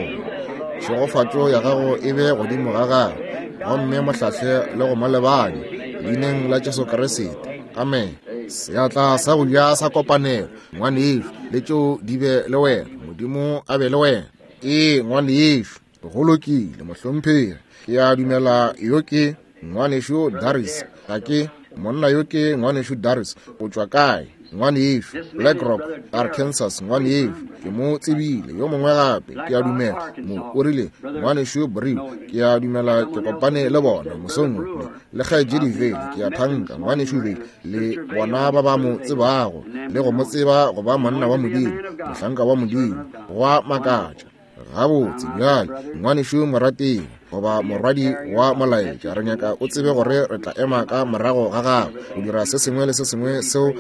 tšhegofatšo ya gago e be godimo ga gagwe, gomme mohlahle le go mo lebanya leineng la Jesu Kriste. Amen. Seatla sa go ja sa kopanelo, ngwanešu, le tšeo di be le wena. Modimo a be le wena. Ee, ngwanešu, go lokile, mohlomphegi. Ke a dumela yo ke ngwanešu Daris. Ga ke monna yo ke ngwanešu Daris. O tšwa kae? Ngwanešu Black Rock, Arkansas. Ngwanešu, ke mo tsebile. Yo mongwe gape, ke a dumela mo o rile ngwanešu Brew. Ke a dumela ke kopane le bona mosong wo, le kgaetšedi Vale. Ke a thanka ngwanešu Vale le bona ba ba mo tsebago le go mo tseba go ba monna wa Modimo, mohlanka wa Modimo. Go a makatša. Gabotse bjale, ngwanešu morategi goba morwadi wa molaetša, re nyaka o tsebe gore re tla ema ka morago ga gago go dira se sengwe le se sengwe seo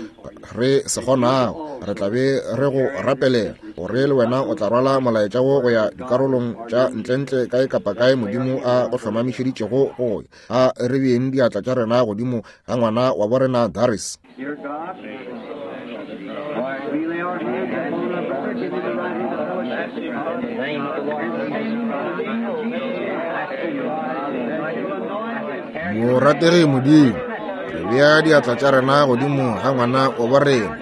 re se kgonago. Re tla be re go rapelela gore le wena o tla rwala molaetša wo go ya dikarolong tša ntlentle kae kapa kae Modimo a go hlomamišeditšego go ya. A re beeng diatla tša rena godimo ga ngwana wa borena Daris. Morategi Modimo, re bea diatla tša rena godimo ga ngwana wa borena,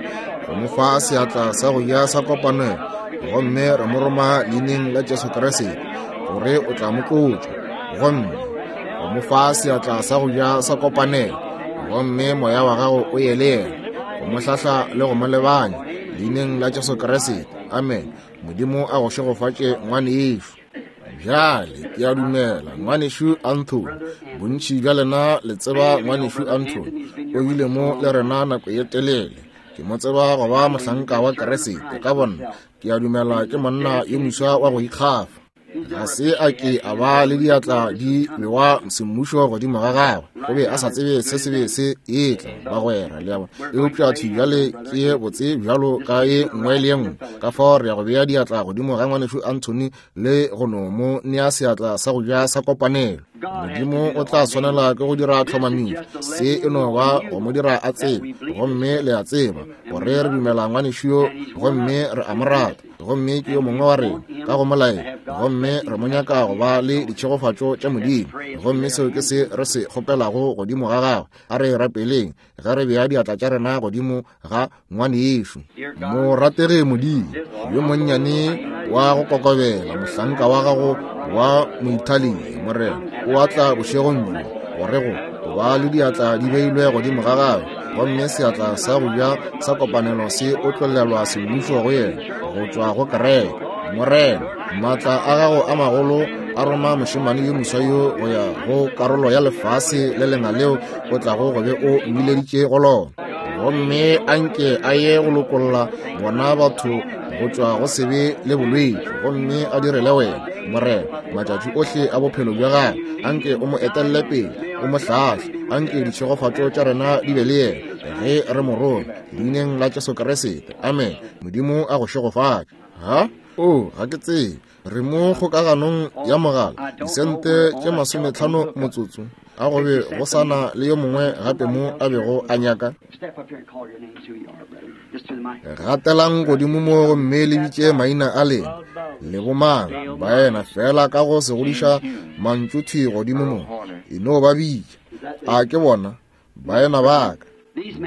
go mo fa seatla sa go ja sa kopanelo, gomme re mo roma leineng la Jesu Kriste gore o tla mo tlotša, gomme go mo fa seatla sa go ja sa kopanelo, gomme moya wa gago o ye le yena, go mo hlahla le go mo lebanya leineng la Jesu Kriste. Amen. Modimo a go šegofatše ngwanešu. Bjale ke a dumela ngwanešu Anthony. Bontši bja lena le tseba ngwanešu Anthony, o bile mo le rena nako ye telele. Ke mo tseba go ba mohlanka wa Kriste ka bonna. Ke a dumela ke monna yo moswa wa go ikgafa. Ga se a ke a ba le diatla di bewa semmušo godimo ga gagwe, o be a sa tsebe se se be se etla, bagwera, le a bona. Eupša thwi bjale ke ye botse bjalo ka ye nngwe le ye nngwe. Ka fao re ya go bea diatla godimo ga ngwanešu Anthony le go no mo nea seatla sa go ja sa kopanelo. Modimo o tla swanela ke go dira tlhomamišo, se e no ba go mo dira a tsebe, gomme le a tseba gore re dumela ngwanešu yo, gomme re a mo rata, gomme ke yo mongwe wa rena ka go molaela, gomme re mo nyaka go ba le ditšhegofatšo tša Modimo, gomme seo ke se re se kgopelago godimo ga gagwe. A re rapeleng ge re bea diatla tša rena godimo ga ngwanešu. Morategi Modimo yo monnyane wa go kokobela, mohlanka wa gago wa Moitalia, Morena, o a tla bošegong bjo gore go ba le diatla di beilwe godimo ga gagwe, gomme seatla sa go ja sa kopanelo se otlolelwa semmušo go yena go tšwa go kereke. Morena, maatla a gago a magolo a roma mošemane yo moswa yo go ya go karolo ya lefase le lenga leo o tlago go be o mmileditše go lona. Gomme anke a ye go lokolla bona batho go tšwa go sebe le bolwetši, gomme a direle wena, Morena, matšatši ohle a bophelo bja gagwe. Anke o mo etelle pele, o mo hlahle. Anke ditšhegofatšo tša rena di be le yena ge re mo roma, leineng la Jesu Kriste. Amen. Modimo a go šegofatše. Ha? O, ga ke tsebe. Re mo kgokaganong ya mogala, disente tše masometlhano motsotso. A go be go sana le yo mongwe gape mo a bego a nyaka. Gatelang godimo mo gomme le bitše maina a lena le bomang, baena, fela ka go se godiša mantšu thwi godimo mo. E no ba bitša. A ke bona baena ba ka,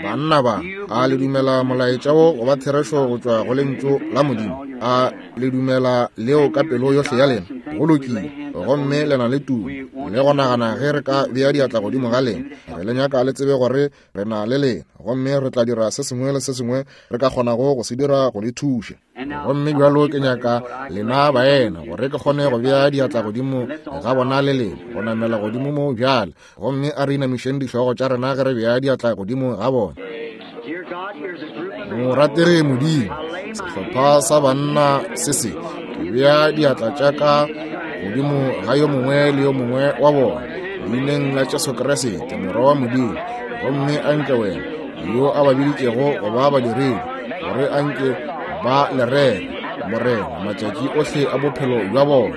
banna ba, a le dumela molaetša wo go ba therešo go tšwa go lentšu la Modimo? A le dumela leo ka pelo yohle ya lena? Go lokile. Gomme le na le tumo le go nagana ge re ka bea diatla godimo ga lena. Re le nyaka le tsebe gore re na le lena, gomme re tla dira se sengwe le se sengwe re ka kgonago go se dira go le thuša. Gomme bjalo ke nyaka lena baena gore ke kgone go bea diatla godimo ga bona le lena, go namela godimo mo bjale. Gomme a re inamišeng dihlogo tša rena ge re bea diatla godimo ga bona. Morategi Modimo, sehlopha sa banna se se, ke bea diatla tša ka godimo ga yo mongwe le yo mongwe wa bona, leineng la Jesu Kriste, Morwa wa Modimo. Gomme anke wena yo a ba biditšego go ba badiredi, gore anke ba le rere, Morena, matšatši ohle a bophelo bja bona.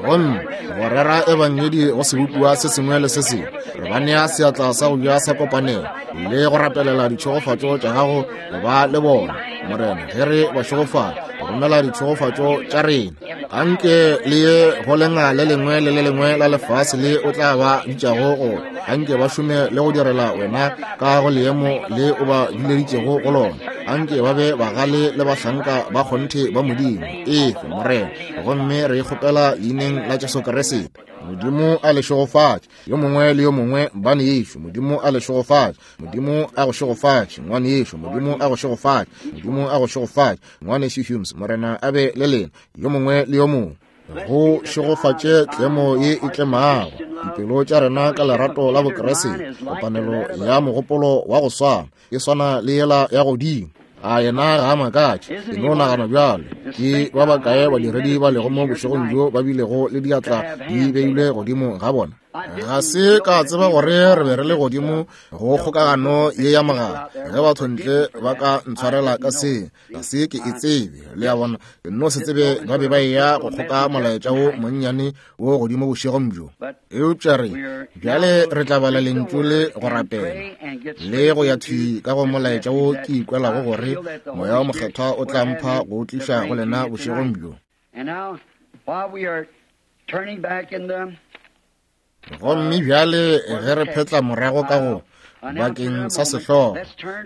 Gomme go rera ebangedi go sebopiwa se sengwe le se sengwe, re ba nea seatla sa go ja sa kopanelo le go rapelela ditšhegofatšo tša gago go ba le bona. Morena, ge re ba šegofatša, romela ditšhegofatšo tša rena. Anke le ye go lenga le lengwe le le lengwe la lefase le o tla ba bitšago go. Anke ba šome le go direla wena ka go leemo le o ba bileditšego go lona. Anke ba be bagale le bahlanka ba kgonthe ba Modimo. Efe, Morena. Gomme re kgopela leineng la Jesu Kriste. Modimo a le šegofatše, yo mongwe le yo mongwe, bane yešo. Modimo a le šegofatše. Modimo a go šegofatše, ngwane yešo. Modimo a go šegofatše. Modimo a go šegofatše, ngwanešu Humes. Morena a be le lena, yo mongwe le yo mongwe. Go šegofatše tlemo ye e tlemago dipelo tša rena ka lerato la Bokriste, kopanelo ya mogopolo wa go swana, e swana le yela ya godimo. A yena ga a makatše, ke no nagana bjalo. Ke ba bakae badiredi ba lego mo bošegong bjo ba bilego le diatla di beilwe godimo ga bona? Ga se ka tseba gore re be re le godimo go kgokagano ye ya mogala. Ge batho ntle ba ka ntshwarela ka se, ga se ke e tsebe. Le a bona, ke no se tsebe ba be ba eya go kgoka molaetša wo monnyane wo godimo bošegong bjo. Eupša re bjale re tla bala lentšu le go rapela le go ya thwi ka go molaetša wo ke ikwelago gore Moya wo Mokgethwa o tla mpha go o tliša go lena bošegong bjo. Gomme bjale ge re phetla morago ka go bakeng sa sehlogo,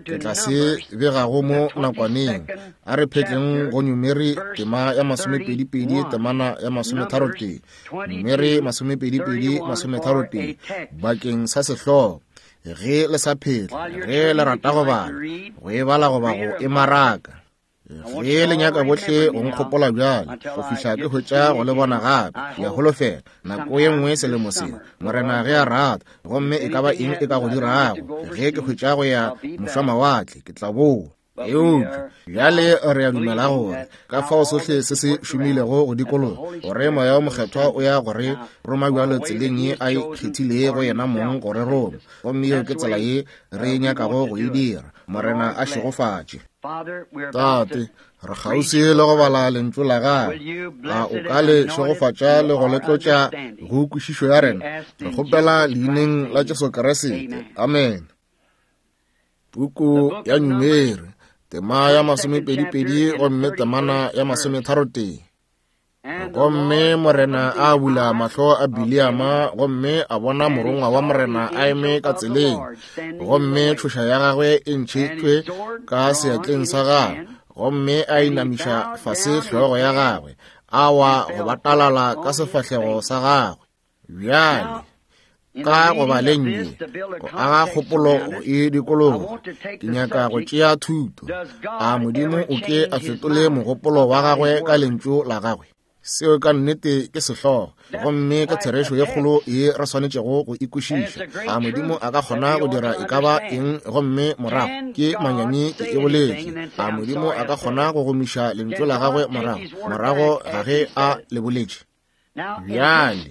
ke tla se begago mo nakwaneng. A re phetleng go Numeri tema ya masomepedi-pedi temana ya masometharotee. Numeri masomepedi-pedi masometharotee bakeng sa sehlogo. Ge le sa phetla, ge le rata go bala, go e bala goba go e maraka. Ge le nyaka bohle go nkgopola bjale, go fihla ke hwetša go le bona gape. Ke a holofela nako ye nngwe selemo se, Morena ge a rata, gomme e ka ba eng e ka go dirago, ge ke hwetša go ya mošwamawatle, ke tla boa. Eupša bjale re a dumela gore ka fao sohle se se šomilego go dikologa, gore Moya wo Mokgethwa o ya gore roma bjalo tseleng ye a e kgethilego yena mong gore roma, gomme yeo ke tsela ye re nyakago go e dira. Morena a šegofatše. Tate, re kgauswi le go bala lentšu la gagwe. A o ka le šegofatša le go le tlotša go kwešišo ya rena? Re kgopela leineng la Jesu Kriste. Amen. Puku ya Numeri, tema ya masomepedi-pedi gomme temana ya masometharotee. Gomme Morena a bula mahlo a Bileama, gomme a bona morongwa wa Morena a eme ka tseleng, gomme tšhoša ya gagwe e ntšhitšwe ka seatleng sa gagwe, gomme a inamiša fase hlogo ya gagwe, a wa go batalala ka sefahlego sa gagwe. Bjale Ka go baleng ye, go aga kgopolo go e dikologa, ke nyaka go tšea thuto. A Modimo o ke a fetole mogopolo wa gagwe ka lentšu la gagwe? Seo ka nnete ke sehlogo, gomme ke therešo ye kgolo ye re swanetšego go e kwešiša. A Modimo a ka kgona go dira e ka ba eng gomme morago ke manyami ke e boletše? A Modimo a ka kgona go gomiša lentšu la gagwe morago, morago ga ge a le boletše? Bjale,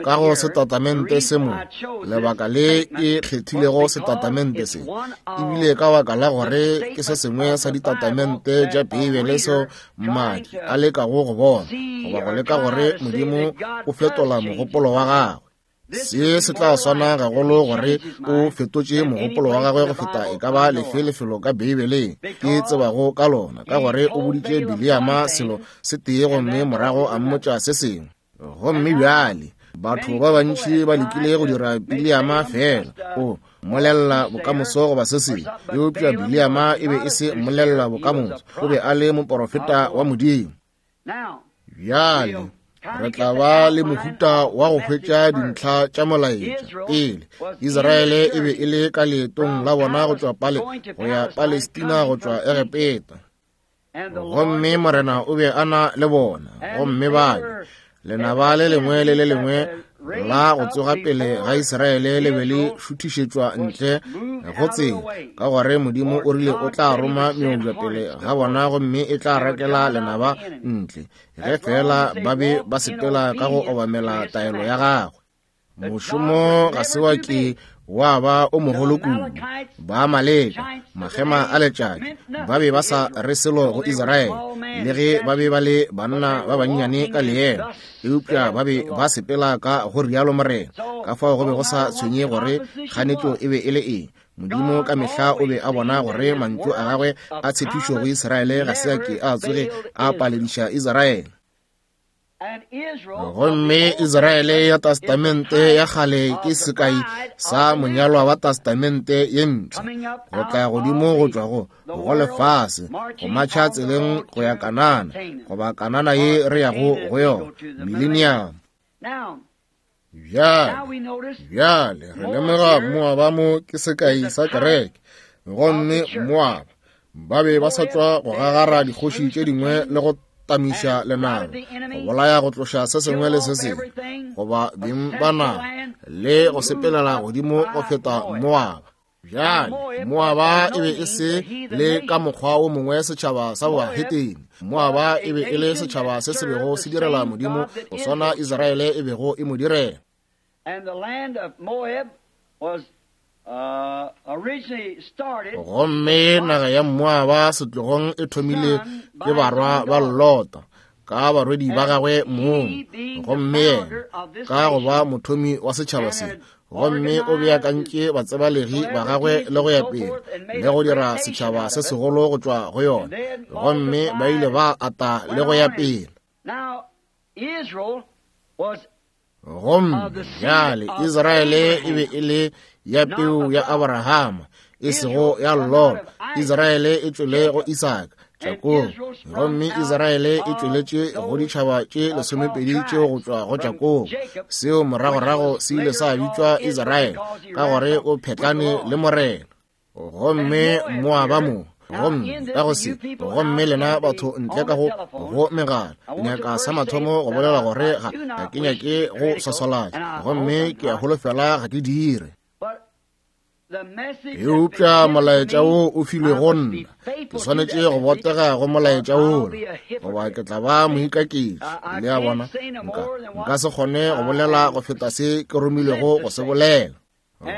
ka go setatamente se mo, lebaka le ke kgethilego setatamente se, ebile ka baka la gore ke se sengwe sa ditatamente tša Beibele seo mmadi a lekago go bona, goba go leka gore Modimo o fetola mogopolo wa gagwe. Se se tla swana gagolo gore o fetotše mogopolo wa gagwe go feta e ka ba lefe lefelo ka Beibeleng ke tsebago ka lona, ka gore o boditše Bileama selo se tee gomme morago a mmotša se sengwe. Gomme bjale, batho ba bantši ba lekile go dira Bileama fela, o mmolella bokamoso goba se sengwe, eupša Bileama e be e se mmolella bokamoso, o be a le moporofeta wa Modimo. Bjale, re tla ba le mohuta wa go hwetša dintlha tša molaetša. Pele, Israele e be e le ka leetong la bona go tšwa Pale go ya Palestina go tšwa Egepeta. Gomme Morena o be a na le bona, gomme ba lenaba le lengwe le le lengwe la go tsoga pele ga Israele le be le šuthišetšwa ntle go tsela, ka gore Modimo o rile o tla roma meobja pele ga bona gomme e tla rakela lenaba ntle, ge fela ba be ba sepela ka go obamela taelo ya gagwe. Mošomo ga se wa ke wa ba o mogolo kudu. Ba Amaleka, makgema a letšatši, ba be ba sa re selo go Israele, le ge ba be ba le banna ba bannyane ka leemo, eupša ba be ba sepela ka go rialo Morena. Ka fao go be go sa tshwenye gore kganetšo e be e le eng. Modimo ka mehla o be a bona gore mantšu a gagwe a tshepišo go Israele ga se a ke a tsoge a palediša Israele. Gomme Israele ya Testamente ya kgale ke sekai sa monyalwa wa Testamente ye mpsha, go tla godimo go tšwa go go lefase, go matšha tseleng go ya Kanana, goba Kanana ye re yago go yona, millennium. Bjale, bjale re lemoga Moaba mo ke sekai sa kereke, gomme Moaba ba be ba sa tšwa go gagara dikgoši tše dingwe le go tamiša lenaba, go bolaya go tloša se sengwe le se sengwe, goba beng ba naga, le go sepelela godimo go feta Moaba. Bjale, Moaba e be e se le ka mokgwa o mongwe setšhaba sa boahetene. Moaba e be e le setšhaba se se bego se direla Modimo go swana Israele e bego e mo direla. Gomme naga ya Moaba setlogong e thomile ke barwa ba Lota ka barwedi ba gagwe mong, gomme yena ka go ba mothomi wa setšhaba se, gomme o beakantše batsebalegi ba gagwe le go ya pele le go dira setšhaba se segolo go tšwa go yona, gomme ba ile ba ata le go ya pele. Gomme bjale Israele e be e le ya peu ya Abrahama, e sego ya Lot. Israele e tšwele go Isaka, Jakobo, gomme Israele e tšweletše go ditšhaba tše lesomepedi tšeo go tšwa go Jakobo. Seo moragorago se ile sa bitšwa Israele, ka gore o phetlane le Morena. Gomme Moaba mo, gomme ka go se, gomme lena batho ntle ka go go megala, nyaka sa mathomo go bolela gore ga ga ke nyake go swaswalatša, gomme ke a holofela ga ke dire. Eupša molaetša wo o filwe go nna, ke swanetše go botega go molaetša wola, goba ke tla ba moikaketši. Le a bona, nka nka se kgone go bolela go feta se ke romilwego go se bolela.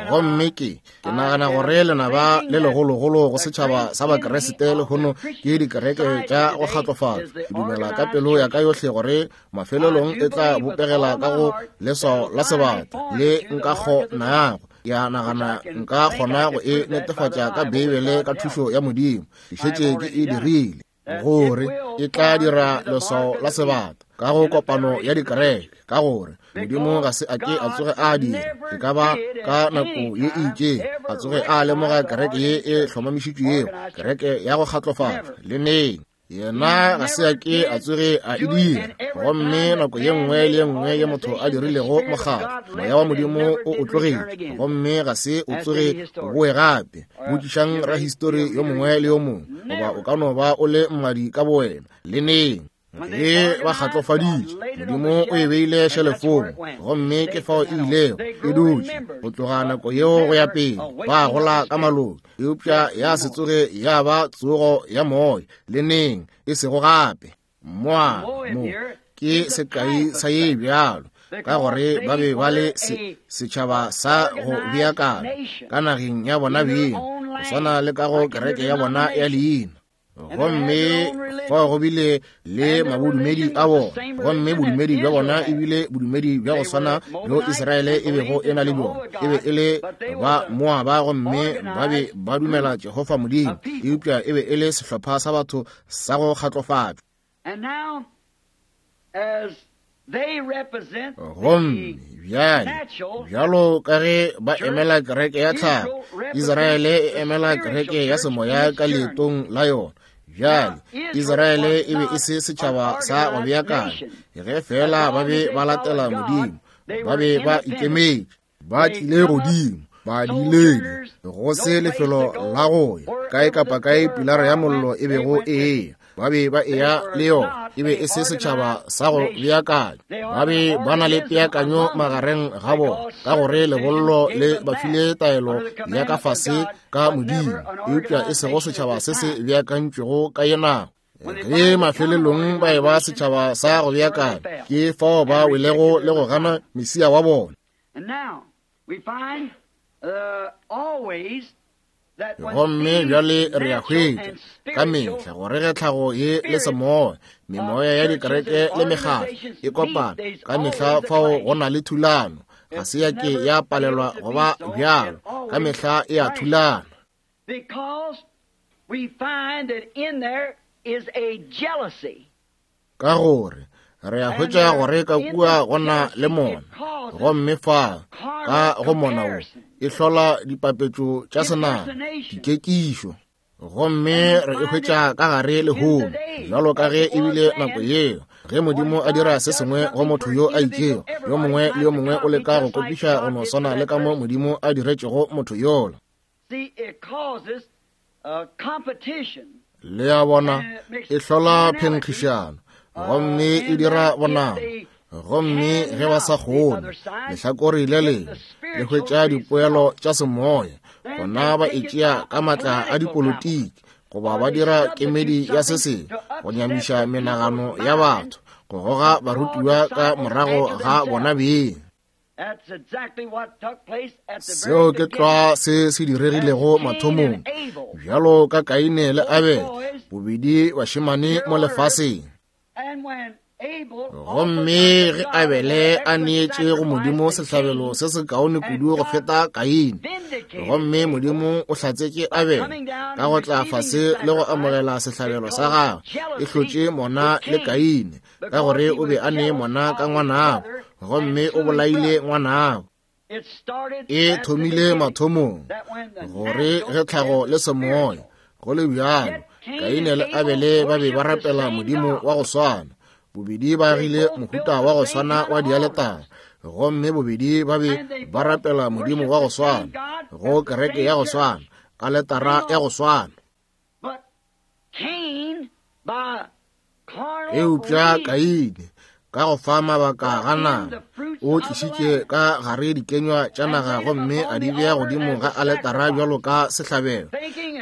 Gomme ke ke nagana gore lenaba le legologolo go setšhaba sa Bakeresete lehono ke dikereke tša go kgatlofatšwa. Ke dumela ka pelo ya ka yohle gore mafelelong e tla bopegela ka go leswao la sebata le nka kgonago. Ya nagana nka kgona go e netefatša ka Beibele ka thušo ya Modimo. Ke šetše ke e dirile, gore e tla dira leswao la sebata ka go kopano ya dikereke, ka gore Modimo ga se a ke a tsoge a dira e ka ba ka nako ye e itšeng a tsoge a lemoga kereke ye e hlomamišitšwego, kereke ya go kgatlofatšwa le neng. Yena ga se a ke a tsoge a e dira. Gomme nako ye nngwe le ye nngwe ye motho a dirilego mokgatlo, moya wa Modimo o o tlogetše, gomme ga se o tsoge o boe gape. Botšišang rahistori yo mongwe le yo mongwe, goba o ka no ba o le mmadi ka bowena, le neng. Ge ba kgatlofaditše, Modimo o e beile šelefong, gomme ke fao e ilego e dutše go tloga nako yeo go ya pele. Ba gola ka maloki, eupša ya se tsoge ya ba tsogo ya moya le neng, e sego gape. Moaba mo ke sekai sa ye bjalo, ka gore ba be ba le se, setšhaba sa go beakana ka nageng ya bona beng, go swana le ka go kereke ya bona ya leina. Gomme fao go bile le mabodumedi a bona, gomme bodumedi bja bona e bile bodumedi bja go swana bjo Israele e bego e na le bjona. E be e le ba Moaba, gomme ba be ba dumela Jehofa Modimo, eupša e be e le sehlopha sa batho sa go kgatlofatšwa. Gomme bjale, bjalo ka ge ba emela kereke ya tlhago, Israele e emela kereke ya semoya ka leetong la yona. Bjale, Israele e be e se setšhaba sa go beakanya, ge fela ba be ba latela Modimo, ba be ba ikemetše, ba tlile godimo, ba diledi, go se lefelo la go ya kae kapa kae pilara ya mollo e bego e eya, ba be ba eya le yona. E be e se setšhaba sa go beakanya, ba be ba na le peakanyo magareng ga bona, ka gore lebollo le ba file taelo ya ka fase ka Modimo, eupša e sego setšhaba se se beakantšwego ka ye nako. Ge mafelelong ba e ba setšhaba sa go beakanya, ke fao ba welego le go gana Mesia wa bona. Gomme bjale re a hwetša ka mehla gore ge tlhago ye le semoya, memoya ya dikereke le mekgatlo e kopana, ka mehla fao go na le thulano. Ga se ya ke ya palelwa go ba bjalo, ka mehla e a thulana. Ka gore re a hwetša gore ka kua go na le mona, gomme fa ka go mona wo e hlola dipapetšo tša senama, dikekišo. Gomme re e hwetša ka gare lehono, bjalo ka ge e bile nako yeo ge Modimo a dira se sengwe go motho yo a itšego, yo mongwe le yo mongwe o leka go kopiša go no swana le ka mo Modimo a diretšego motho yola. Le a bona, e hlola phenkgišano, gomme e dira bonama. Gomme ge ba sa kgone lehlakore le lengwe le hwetša dipoelo tša semoya, gona ba e tšea ka matla a dipolitiki, goba ba dira kemedi ya se sengwe go nyamiša menagano ya batho, go goga barutiwa ka morago ga bona beng. Seo ke tlwa se se diregilego mathomong, bjalo ka Kaine le Abele, bobedi bašemane mo lefaseng. Gomme ge Abele a neetše go Modimo sehlabelo se se kaone kudu go feta Kaine, gomme Modimo o hlatsetše Abele ka go tla fase le go amogela sehlabelo sa gagwe, e hlotše mona le Kaine, ka gore o be a ne mona ka ngwanabo, gomme o bolaile ngwanabo. E thomile mathomong, gore ge tlhago le semoya go le bjalo, Kaine le Abele ba be ba rapela Modimo wa go swana. Bobedi ba agile mohuta wa go swana wa dialetara, gomme bobedi ba be ba rapela Modimo wa go swana, go kereke ya go swana, aletara ya go swana. Eupša Kaine, ka go fa mabaka ga nama, o tlišitše ka gare dikenywa tša naga gomme a di bea godimo ga aletara bjalo ka sehlabelo,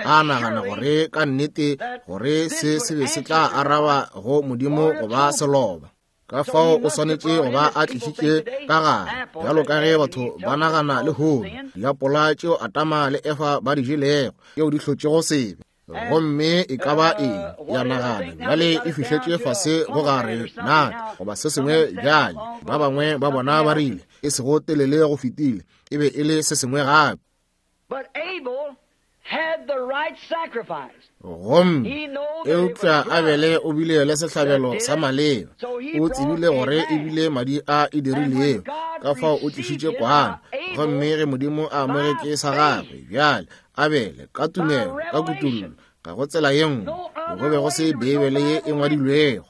a nagana gore ka nnete gore se se be se tla araba go Modimo go ba seloba. Ka fao o swanetše go ba a tlišitše ka gare, bjalo ka ge batho ba nagana lehono, diapola tšeo Adama le Efa ba di jelego, tšeo di hlotšego sebe. Gomme e ka ba eng ya nagana bjale e fihletše fase go gare nata goba se sengwe bjale. Ba bangwe ba bona ba rile e sego telele go fetile, e be e le se sengwe gape. Gomme eupša Abele o bile le sehlabelo sa maleba, o tsebile gore e bile madi a e dirilego, ka fao o tlišitše kwana. Gomme ge Modimo a amogetše sa gagwe, bjale Abele ka tumelo, ka kutullo, Ga go tsela ye nngwe, go be go se Beibele ye e ngwadilwego.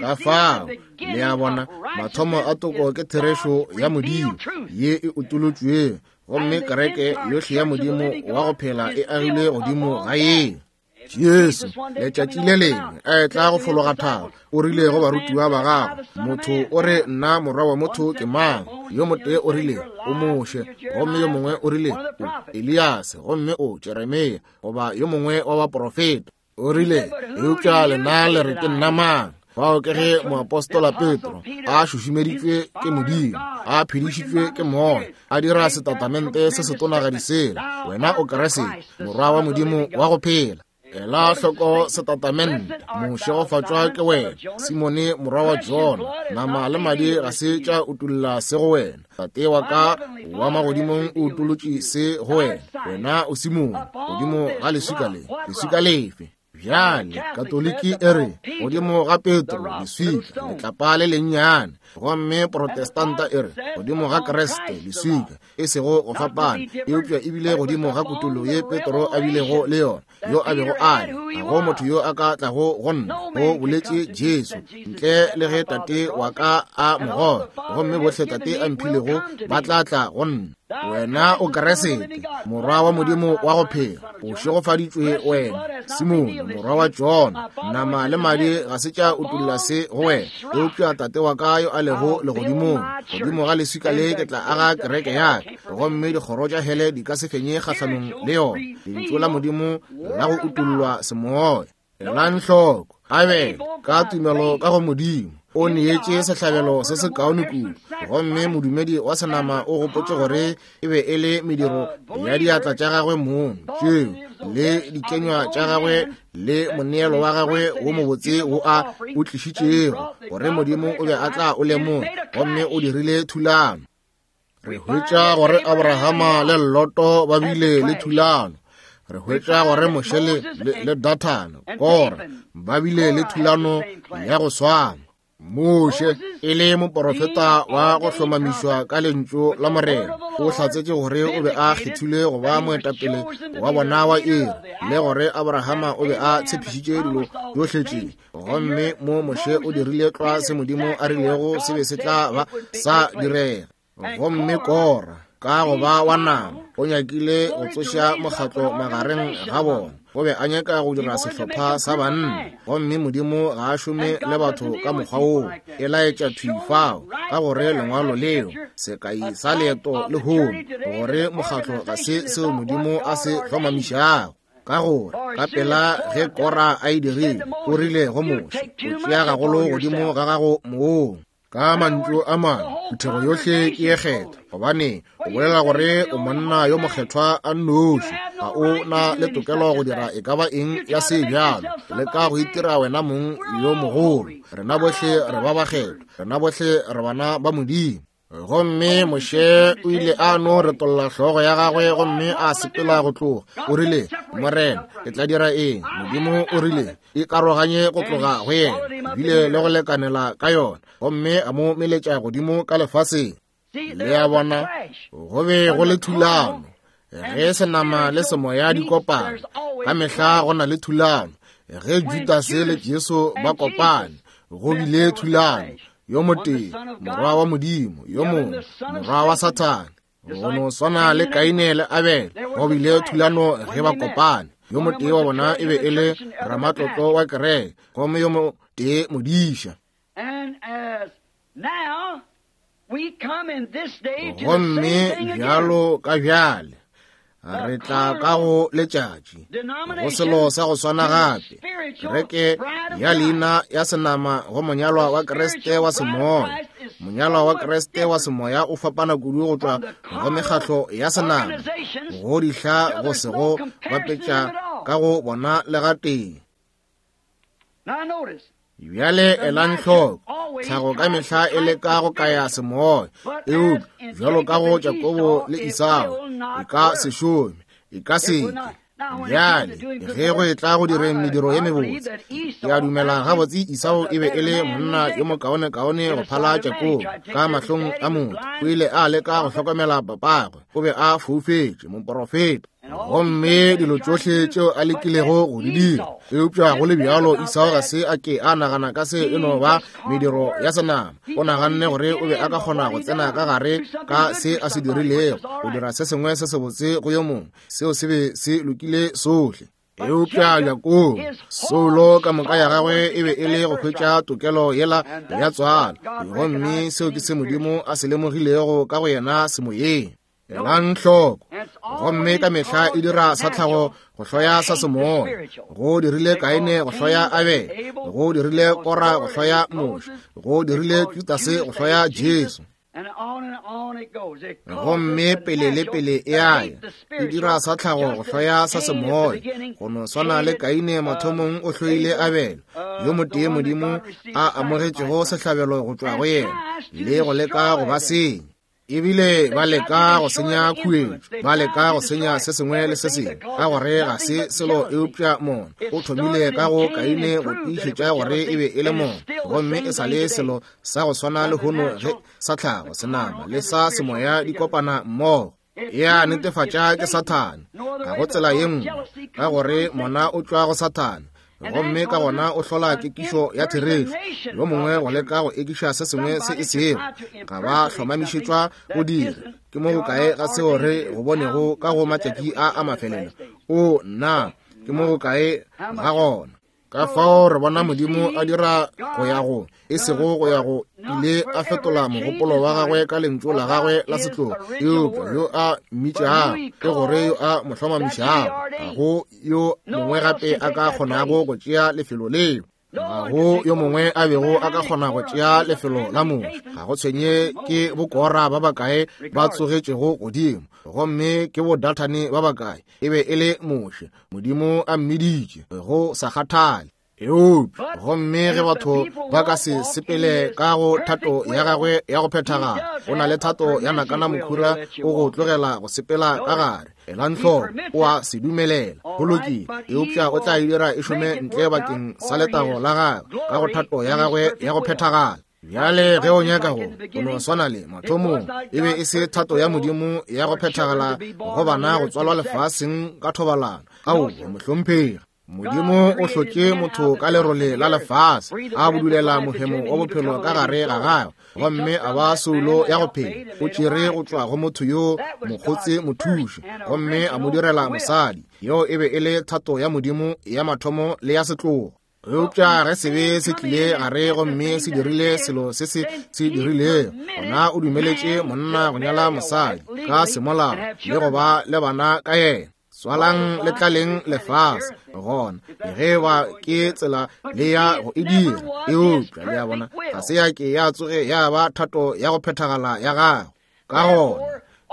Ka fao, le a bona, mathomo a toko ke therešo ya Modimo ye e utolotšwego, gomme kereke yohle ya Modimo wa go phela e agilwe godimo ga yeo. Jesu, letšatši le lengwe a etla go fologa thaba, o rile go barutiwa ba gagwe, motho o re nna morwa wa motho ke mang? Yo motee o rile o Moshe, gomme yo mongwe o rile o Eliase, gomme o Jeremia, goba yo mongwe wa baprofeta. O rile, eupša lena le re ke nna mang? Fao ke ge moapostola Petro a šušumeditšwe ke Modimo, a phedišitšwe ke Moya, a dira setatamente se setonagadi sela, wena o Kriste, morwa wa Modimo wa go phela. Ela hloko setatamente, mošegofatšwa ke wena, Simone morwa wa Jona, nama le madi ga se tša utolla se go wena, Tate wa ka wa magodimong o utolotše se go wena, wena o Simone, godimo ga leswika le, leswika lefe? Bjale, Katoliki e re, godimo ga Petro, leswika, letlapa le lennyane, gomme Protestanta e re, godimo ga Kriste, leswika, e sego go fapana, eupša ebile godimo ga kutollo ye Petro a bilego le yona, yo a bego a le, ga go motho yo a ka tlago go nna, go boletše Jesu, ntle le ge Tate wa ka a mo goga, gomme bohle Tate a mphilego ba tla tla go nna. Wena o Kriste, morwa wa Modimo wa go phela, o šegofaditšwe wena, Simone, morwa wa Jona, nama le madi ga se tša utolla se go wena, eupša Tate wa ka yo a lego legodimong, godimo ga leswika le ke tla aga kereke ya ka, gomme dikgoro tša hele di ka se fenye kgahlanong le yona. Lentšu la Modimo la go utollwa semoya. Elang hloko, Abele ka tumelo ka go Modimo o neetše sehlabelo se se kaone kudu, gomme modumedi wa senama o gopotše gore e be e le mediro ya diatla tša gagwe mong tšeo le dikenywa tša gagwe le moneelo wa gagwe wo mobotse wo a o tlišitšego, gore Modimo o be a tla o lemoga, gomme o dirile thulano. Re hwetša gore Abrahama le Loto ba bile le thulano. Re hwetša gore Moshe le, le, le Dathane, Kora, ba bile le thulano ya go swana. Moshe e le moporofeta wa go hlomamišwa ka lentšu la Morena, o hlatsetše gore o be a kgethilwe go ba moetapele wa bona wa iri, le gore Abrahama o be a tshepišitše dilo tšohle tše. Gomme mo Moshe o dirile tlwa se Modimo a rilego se be se tla ba sa direga. Gomme Kora, ka go ba wa nama, o nyakile go tsoša mokgatlo magareng ga bona. O be a nyaka go dira sehlopha sa banna, gomme Modimo ga a šome le batho ka mokgwa woo. E laetša thwi fao, ka gore lengwalo leo, sekai sa leeto le hono, gore mokgatlo ga se seo Modimo a se hlomamišago. Ka gore ka pela ge Kora a e dirile, o rile go Moshe, o tšea gagolo godimo ga gago mong. Ka mantšu a mangwe, phuthego yohle ke ye kgethwa, gobane o bolela gore o monna yo mokgethwa a nnoši, ga o na le tokelo go dira e ka ba eng ya se bjalo, le ka go itira wena mong yo mogolo. Rena bohle re ba bakgethwa, rena bohle re bana ba Modimo. Gomme Moshe o ile a no retolla hlogo ya gagwe gomme a sepela go tloga. O rile, Morena, ke tla dira eng? Modimo o rile, ikaroganye go tloga go yena, bile le go lekanela ka yona, gomme a mo meletša godimo ka lefaseng. Le a bona, go be go le thulano. Ge senama le semoya di kopana, ka mehla go na le thulano. Ge Judase le Jesu ba kopane, go bile thulano. Yo motee, morwa wa Modimo, yo mongwe, morwa wa Sathane. Go no swana le Kaine le Abele, go bile thulano ge ba kopane. Yo motee wa bona e be e le ramatlotlo wa kereke, gomme yo motee modiša. Gomme bjalo ka bjale, re tla ka go letšatši go selo sa go swana gape, kereke ya leina ya senama go monyalwa wa Kriste wa semoya. Monyalwa wa Kriste wa semoya o fapana kudu go tšwa go mekgatlo ya senama, go dihla go se go bapetša ka go bona le gatee. Bjale elang hloko, tlhago ka mehla e leka go kaya semoya, eupša bjalo ka go Jakobo le Esau, e ka se šome, e ka se ke. Bjale ge go etla go direng mediro ye mebotse, ke a dumela gabotse Esau e be e le monna yo mokaonekaone go phala Jakobo ka mahlong a motho. O ile a leka go hlokomela papagwe, o be a foufetše, moporofeta. Gomme dilo tšohle tšeo a lekilego go di dira, eupša go le bjalo Esau ga se a ke a nagana ka se e no ba mediro ya senama. O naganne gore o be a ka kgona go tsena ka gare ka se a se dirilego, go dira se sengwe se sebotse go yo mongwe, seo se be se lokile sohle. Eupša Jakobo, soulo ka moka ya gagwe e be e le go hwetša tokelo yela ya tswalo, gomme seo ke se Modimo a se lemogilego ka go yena semoyeng. Elang hloko, gomme ka mehla e dira sa tlhago go hloya sa semoya. Go dirile Kaine go hloya Abele, go dirile Kora go hloya Moshe, go dirile Judase go hloya Jesu. Gomme pele le pele e a ya, e dira sa tlhago go hloya sa semoya. Go no swana le Kaine mathomong o hloile Abele, yo motee Modimo a amogetšego sehlabelo go tšwa go yena, le go leka go ba senya. Ebile ba leka go senya khuetšo, ba leka go senya se sengwe le se sengwe, ka gore ga se selo eupša mona. O thomile ka go Kaine go tiišetša gore e be e le mona, gomme e sa le selo sa go swana le hono ge sa tlhago senama le sa semoya di kopana mmogo. Ya netefatša ke Sathane, ga go tsela ye nngwe, ka gore mona o tšwa go Sathane, gomme ka gona o hlola kekišo ya therešo. Yo mongwe go leka go ekiša se sengwe se e sego, ga ba hlomamišetšwa go dira. Ke mo gokae ga seo re go bonego ka go matšatši a a mafelelo? O nna, ke mo gokae ga gona? Ka fao re bona Modimo a dira go ya go, e sego go ya go ile a fetola mogopolo wa gagwe ka lentšu la gagwe la setlogo, eupša yo a mmitšago, ke gore yo a mo hlomamišago, ga go yo mongwe gape a ka kgonago go tšea lefelo leo. Ga go yo mongwe a bego a ka kgona go tšea lefelo la Moshe. Ga go tshwenye ke bokora ba bakae ba tsogetšego godimo, gomme ke bodathane ba bakae, e be e le Moshe. Modimo a mmiditše, go sa kgathale. Eupša gomme ge batho ba ka se sepele ka go thato ya gagwe ya go phethagala, o na le thato ya nakana mokhura o go tlogela go sepela ka gare. Elang hloko, o a se dumelela, go lokile, eupša o tla e dira e šome ntle bakeng sa letago la gagwe ka go thato ya gagwe ya go phethagala. Bjale ge o nyaka go, o no swana le mathomong, e be e se thato ya Modimo ya go phethagala go bana go tswalwa lefaseng ka thobalano. Aowa, mohlomphegi. Modimo o hlotše motho ka lerole la lefase, a budulela mohemo wa bophelo ka gare ga gagwe, gomme a ba soulo ya go phela. O tšere go tšwa go motho yo mokgotse mothuši, gomme a mo direla mosadi. Yeo e be e le thato ya Modimo ya mathomo le ya setlogo. Eupša ge sebe se tlile gare gomme se dirile selo se se se dirilego, gona o dumeletše monna go nyala mosadi ka semolao le go ba le bana ka yena. Tswalang le tlaleng lefase, gona ge ba ke tsela le ya go e dira. Eupša le ya bona ga se ya ke ya tsoge ya ba thato ya go phethagala ya gagwe. Ka gona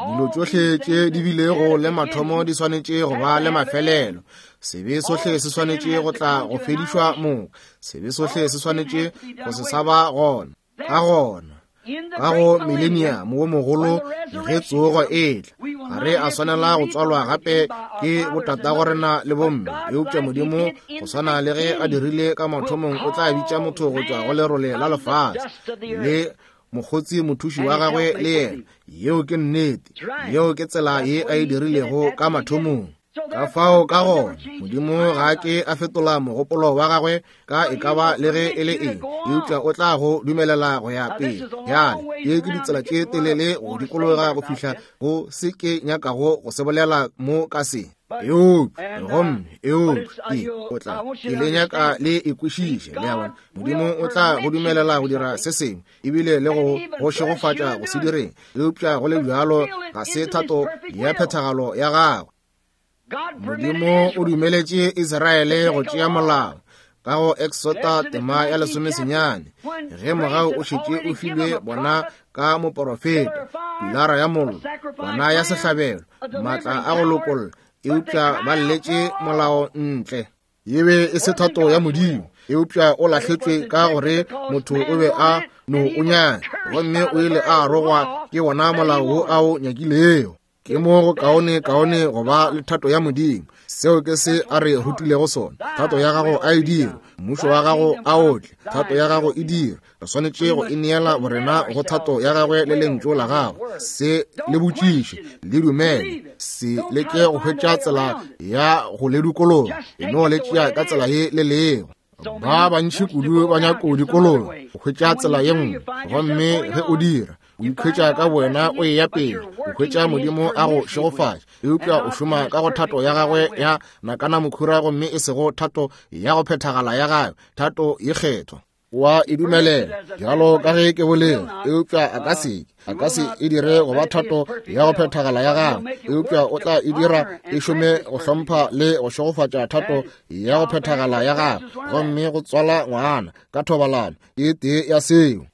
dilo tšohle tše di bilego le mathomo di swanetše go ba le mafelelo. Sebe sohle se swanetše go tla go fedišwa moka. Sebe sohle se swanetše go se sa ba gona. Ka gona ka go millennium wo mogolo ge tsogo e tla, ga re a swanela go tswalwa gape ke botatago rena le bomme, eupša Modimo go swana le ge a dirile ka mathomong o tla bitša motho go tšwa go lerole la lefase le mokgotsi mothuši wa gagwe le yena. Yeo ke nnete, yeo ke tsela ye a e dirilego ka mathomong. Ka fao ka gona Modimo ga ke a fetola mogopolo wa gagwe ka e ka ba le ge e le eng, eupša o tla go dumelela go ya pele. Bjale ye ke ditsela tše telele go dikologa go fihla go se ke nyakago go se bolela mo ka se. Eupša gomme eupša ke o tla ke le nyaka le e kwešiše, le a bona. Modimo o tla go dumelela go dira se sengwe, ebile le go go šegofatša go se direng, eupša go le bjalo ga se thato ya phethagalo ya gagwe. Modimo o dumeletše Israele go tšea molao ka go Exota tema ya lesomesenyane, ge mogau o šetše o filwe bona ka moporofeta, pilara ya mollo, kwana ya sehlabelo, maatla a go lokolla, eupša ba lletše molao ntle. E be e se thato ya Modimo, eupša o lahletšwe ka gore motho o be a no o nyaka, gomme o ile a rogwa ke wona molao wo a o nyakilego. Ke mo go kaone kaone go ba le thato ya Modimo. Seo ke se a re rutilego sona. Thato ya gago a e dire, mmušo wa gago a o tle, thato ya gago e dire. Re swanetše go ineela borena go thato ya gagwe le lentšu la gagwe. Se le botšiše, le dumele, se leke go hwetša tsela ya go le dikologa, e no le tšea ka tsela ye le lego. Ba bantši kudu ba nyaka go dikologa, go hwetša tsela ye nngwe, gomme ge o dira, o ikhwetša ka wena o eya pele, o hwetša Modimo a go šegofatša, eupša o šoma ka go thato ya gagwe ya nakana mokhura gomme e sego thato ya go phethagala ya gagwe, thato ye kgethwa. Wa e dumelela bjalo ka ge ke bolela, eupša a ka se a ka se e dire go ba thato ya go phethagala ya gagwe, eupša o tla e dira e šome go hlompha le go šegofatša thato ya go phethagala ya gagwe, gomme go tswala ngwana ka thobalano e tee ya seo.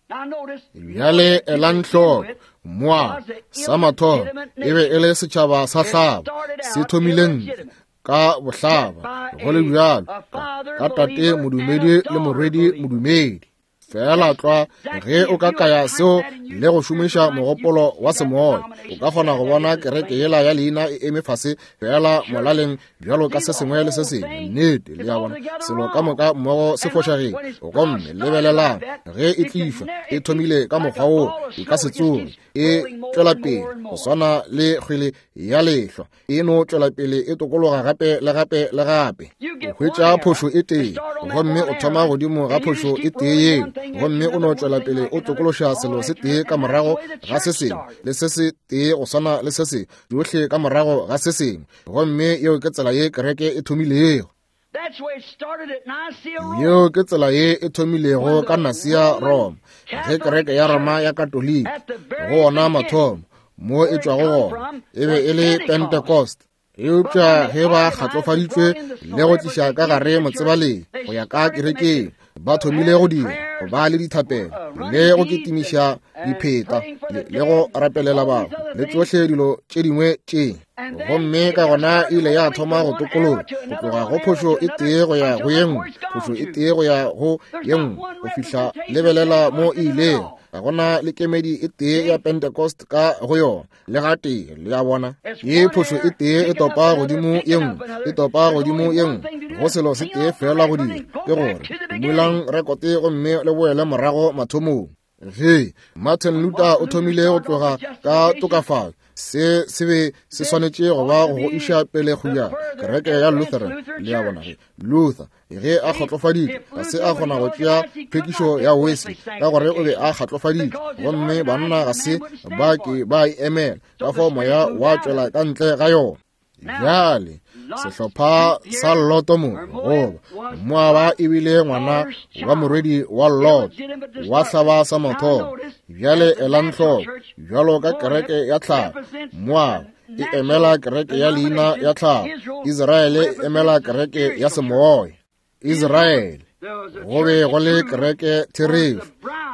Bjale elang hloko, Moaba sa mathomo e be e le setšhaba sa hlaba, se thomile ntle ka bohlaba, go le bjalo ka tate modumedi le morwedi modumedi. Fela tlwa ge o ka kaya seo le go šomiša mogopolo wa semoya, o ka kgona go bona kereke yela ya leina e eme fase fela molaleng bjalo ka se sengwe le se sengwe. Nnete, le a bona, selo ka moka mmogo se fošagetše. Gomme lebelelang ge e tlišwa, e thomile ka mokgwa woo, e ka se tsoge e tšwela pele go swana le kgwele ya lehlwa, e no tšwela pele e tokologa gape le gape le gape. O hwetša phošo e tee, gomme o thoma godimo ga phošo e tee yeo, gomme o no tšwela pele o tokološa selo se tee ka morago ga se sengwe, le se se tee go swana le se sengwe, tšohle ka morago ga se sengwe. Gomme yeo ke tsela ye kereke e thomilego. Yeo ke tsela ye e thomilego ka Nicaea, Roma, ge kereke ya Roma ya Katoliki, go ona mathomo mo e tšwago gona, e be e le Pentecost. Eupša ge ba kgatlofaditšwe le go tliša ka gare motsebaleng go ya ka kerekeng, ba thomile go dira go ba le dithapelo le go kitimiša dipheta le go rapelela batho le tšohle dilo tše dingwe tše. Gomme ka gona e ile ya thoma go tokologa go tloga go phošo e tee go ya go ye nngwe, phošo e tee go ya go ye nngwe, go fihla lebelela mo e ilego. Ga gona le kemedi e tee ya Pentecost ka go yona le gatee, le a bona. Ye phošo e tee e topa godimo ye nngwe, e topa godimo ye nngwe, go selo se tee fela go dira ke gore dumelang rekote gomme le boele morago mathomong. Ge Martin Luther o thomile go tloga ka tokafatšo, se se be se swanetše go ba go iša pele go ya kereke ya Lutheran, le a bona. Ge Luther ge a kgatlofaditšwe, ga se a kgona go tšea phekišo ya Wesley ka gore o be a kgatlofaditšwe, gomme banna ga se ba ke ba e emela, ka fao moya wa tšwela ka ntle ga yona. Bjale sehlopha sa Loto mo, goba Moaba ebile ngwana wa morwedi wa Lot wa hlaba sa mathomo. Bjale elang hloko, bjalo ka kereke ya tlhago, Moaba e emela kereke ya leina ya tlhago, Israele e emela kereke ya semoya. Israele go be go le kereke therešo,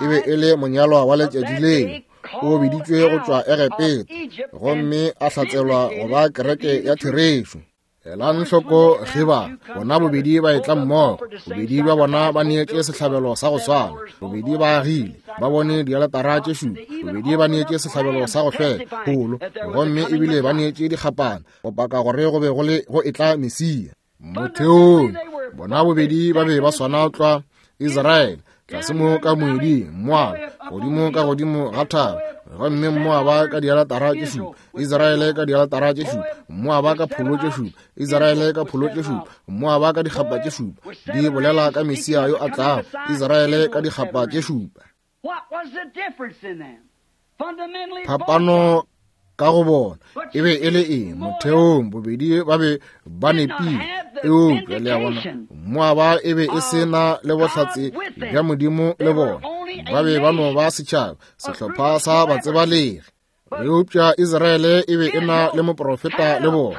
e be e le monyalwa wa letšatši leo, o biditšwe go tšwa Egepeta gomme a hlatselwa go ba kereke ya therešo. Elang hloko ge ba bona bobedi ba etla mmogo, bobedi bja bona ba neetše sehlabelo sa go swana, bobedi ba agile, ba bone dialetara tše šupa, bobedi ba neetše sehlabelo sa go hlweka pholo, gomme ebile ba neetše dikgapana go paka gore go be go le go etla Mesia. Motheong bona bobedi ba be ba swana tlwa. Israele tlase mo ka moeding, Moaba godimo ka godimo ga thaba, gomme Moaba ka dialetara tše šupa, Israele ka dialetara tše šupa, Moaba ka pholo tše šupa, Israele ka pholo tše šupa, Moaba ka dikgapa tše šupa, di bolela ka Mesia yo a tlago, Israele ka dikgapa tše šupa. Phapano ka go bona e be e le eng? Motheong bobedi ba be ba nepile, eupša le a bona, Moaba e be e se na le bohlatse bja Modimo le bona, ba be ba no ba setšhaba, sehlopha sa batsebalegi. Eupša Israele e be e na le moprofeta le bona,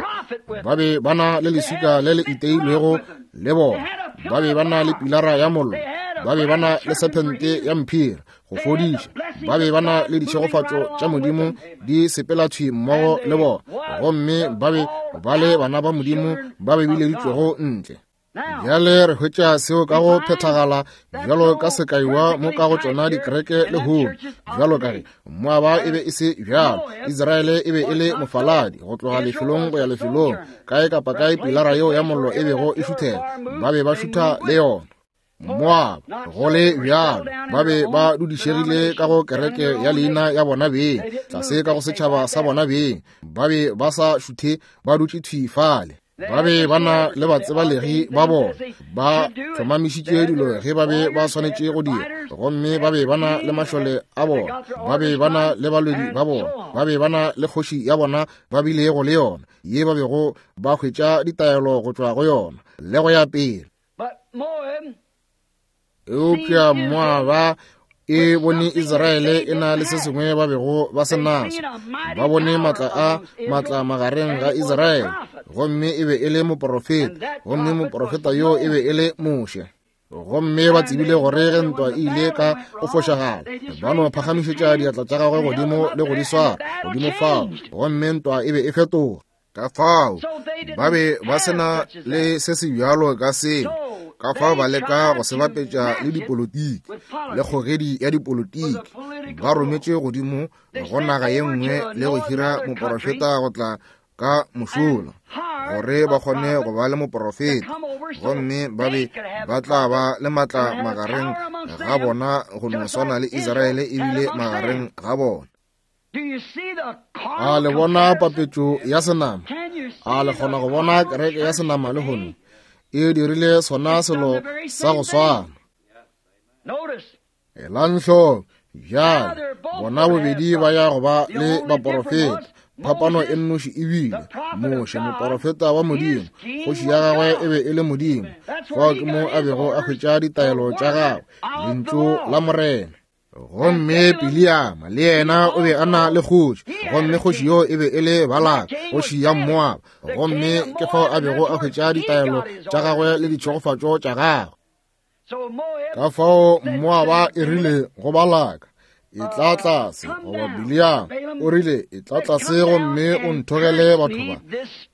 ba be ba na le leswika le le iteilwego le bona, ba be ba na le pilara ya mollo, ba be ba na le sephente ya mphiri go fodiša, ba be ba na le ditšhegofatšo tša Modimo di sepela thwi mmogo le bona, gomme ba be ba le bana ba Modimo ba be bileditšwego ntle. Bjale re hwetša seo ka go phethagala bjalo ka sekaiwa mo ka go tšona dikereke lehono. Bjalo ka ge Moaba e be e se bjalo, Israele e be e le mofaladi go tloga lefelong go ya lefelong, kae kapa kae pilara yeo ya mollo e bego e šuthela, ba be ba šutha le yona. Moaba go le bjalo ba be ba dudišegile ka go kereke ya leina ya bona beng, tlase ka go setšhaba sa bona beng, ba be ba sa šuthe, ba dutše thwi fale. Ba be ba na le batsebalegi ba bona, ba hlomamišitše dilo ge ba be ba swanetše go dira, gomme ba be ba na le mašole a bona, ba be ba na le balwedi ba bona, ba be ba na le kgoši ya bona ba bilego le yona, ye ba bego ba hwetša ditaelo go tšwa go yona, le go ya pele. Eupša Moaba e bone Israele e na le se sengwe ba bego ba se naso. Ba bone matla a matla magareng ga Israele, gomme e be e le moporofeta, gomme moporofeta yo e be e le Moshe. Gomme ba tsebile gore ge ntwa e ile ka go fošagala, ba no phagamišetša diatla tša gagwe godimo le go di swara godimo fao, gomme ntwa e be e fetoga. Ka fao ba be ba se na le se se bjalo ka seo, ka fao ba leka go se bapetša le dipolotiki le kgogedi ya dipolotiki. Ba rometše godimo go naga ye nngwe le go hira moporofeta go tla ka mošola, gore ba kgone go ba le moporofeta, gomme ba be ba tla ba le matla magareng ga bona go no swana le Israele ebile magareng ga bona. A le bona papetšo ya senama? A le kgona go bona kereke ya senama lehono e dirile sona selo sa go swana? Elang hloko bjale, bona bobedi ba ya go ba le baporofeta. Phapano e nnoši ebile Moshe, moporofeta wa Modimo, kgoši ya gagwe e be e le Modimo. Fao ke mo a bego a hwetša ditaelo tša gagwe, lentšu la Morena. Gomme Biliama le yena o be a na le kgoši, gomme kgoši yo e be e le Balaka, kgoši ya Moaba, gomme ke fao a bego a hwetša ditaelo tša gagwe le ditšhegofatšo tša gagwe. Ka fao Moaba e rile go Balaka, e tla tlase, goba Biliama o rile, e tla tlase gomme o nthogele batho ba,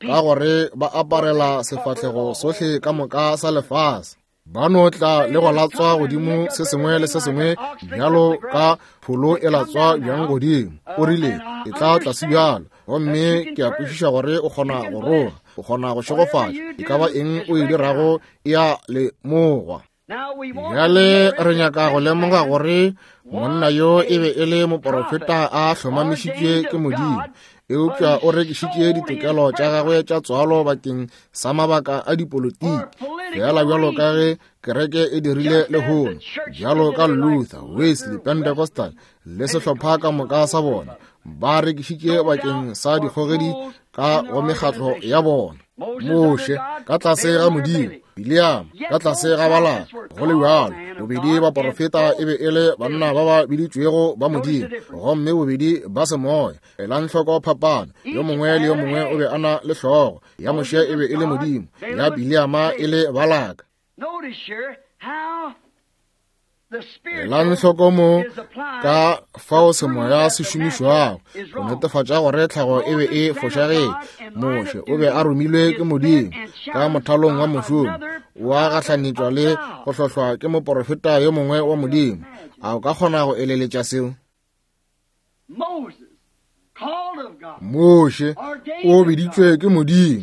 ka gore ba aparela sefahlego sohle ka moka sa lefase. Ba no tla le go latswa godimo se sengwe le se sengwe bjalo ka pholo e latswa bjang godimo. O rile, e tla tlase bjalo, gomme ke a kwešiša gore o kgona go roga, o kgona go šegofatša, e ka ba eng o e dirago e a lemogwa. Bjale re nyaka go lemoga gore monna yo e be e le moporofeta a hlomamišitšwe ke Modimo, eupša o rekišitše ditokelo tša gagwe tša tswalo bakeng sa mabaka a dipolotiki, fela bjalo ka ge kereke e dirile lehono, bjalo ka Luther, Wesley, Pentecostal le sehlopha ka moka sa bona, ba rekišitše bakeng sa dikgogedi ka go mekgatlo ya bona. Moshe ka tlase ga Modimo, Biliama ka tlase ga Balaka, go le bjalo bobedi baporofeta e be e le banna ba ba biditšwego ba Modimo, gomme bobedi ba semoya. Elang hloko phapano, yo mongwe le yo mongwe o be a na le hlogo. Ya Moshe e be e le Modimo, ya Biliama e le Balaka. Elang hloko mo ka fao semoya se šomišwago go netefatša gore tlhago e be e fošagetše. Moshe o be a romilwe ke Modimo ka mothalong wa mošomo, wa gahlanetšwa le go hlohlwa ke moporofeta yo mongwe wa Modimo. A o ka kgona go eleletša seo? Moshe o biditšwe ke Modimo,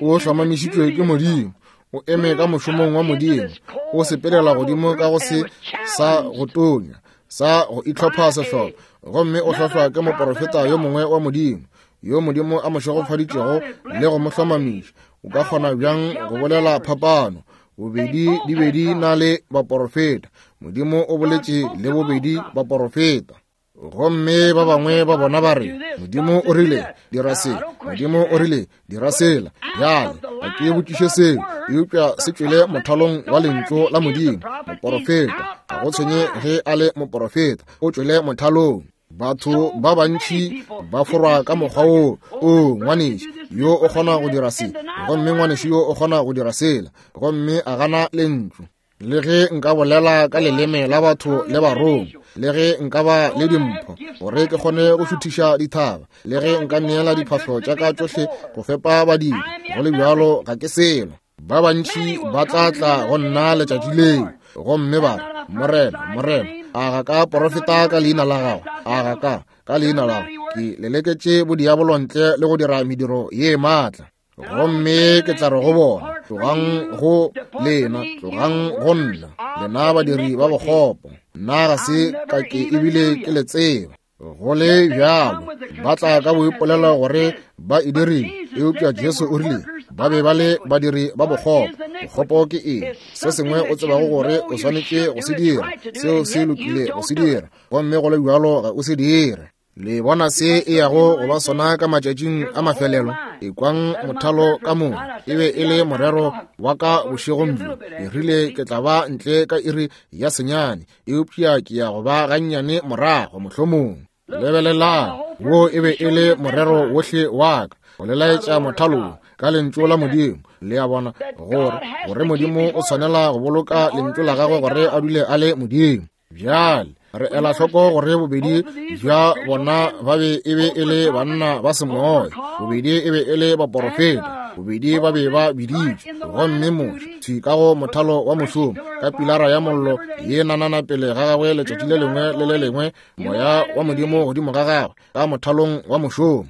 o hlomamišitšwe ke Modimo, o eme ka mošomong wa Modimo, o sepelela godimo ka go se sa go tonya, sa go itlhopha sehlopha, gomme o hlohlwa ke moporofeta yo mongwe wa Modimo, yo Modimo a mo šegofaditšego le go mo hlomamiša. O ka kgona bjang go bolela phapano? Bobedi di be di na le baporofeta. Modimo o boletše le bobedi baporofeta. Gomme ba bangwe ba bona ba re, Modimo o rile dira se, Modimo o rile dira sela. Bjale ga ke botšiše seo, eupša se tšwele mothalong wa lentšu la Modimo. Moporofeta, ga go tshwenye ge a le moporofeta, o tšwele mothalong. Batho ba bantši ba forwa ka mokgwa wo. O ngwanešu yo o kgona go dira se, gomme ngwanešu yo o kgona go dira sela, gomme a gana lentšu. Le ge nka bolela ka leleme la batho le barongwa, le ge nka ba le dimpho gore ke kgone go šuthiša dithaba, le ge nka neela diphahlo tša ka tšohle go fepa badiri, go le bjalo ga ke selo. Ba bantši ba tla tla go nna letšatši leo, gomme ba re, Morena, Morena, a ga ka porofeta ka leina la gago? A ga ka ka leina la gago ke leleketše bodiabolo ntle le go dira mediro ye maatla? Gomme ke tla re go bona, tlogang go lena, tlogang go nna, lena badiri ba bokgopo, nna ga se ka ke ebile ke le tseba. Go le bjalo ba tla ka boipolelo gore ba e dirile, eupša Jesu o rile ba be ba le badiri ba bokgopo. Bokgopo ke eng? Se sengwe o tsebago gore o swanetše go se dira, seo se lokile go se dira, gomme go le bjalo ga o se dire. Le bona se e yago go ba sona ka matšatšing a mafelelo? Ekwang mothalo ka moka. E be e le morero wa ka bošegong bjo. Ke rile ke tla ba ntle ka iri ya senyane, eupša ke ya go ba gannyane morago mohlomong. Lebelelang, wo e be e le morero wohle wa ka, go le laetša mothalo ka lentšu la Modimo. Le a bona gore gore Modimo o swanela go boloka lentšu la gagwe gore a dule a le Modimo. Bjale re ela hloko gore bobedi bja bona ba be e be e le banna ba semoya, bobedi e be e le baporofeta, bobedi ba be ba biditšwe. Gomme Moshe thwi ka go mothalo wa mošomo ka pilara ya mollo ye nanana pele ga gagwe letšatši le lengwe le le lengwe, moya wa Modimo godimo ga gagwe ka mothalong wa mošomo.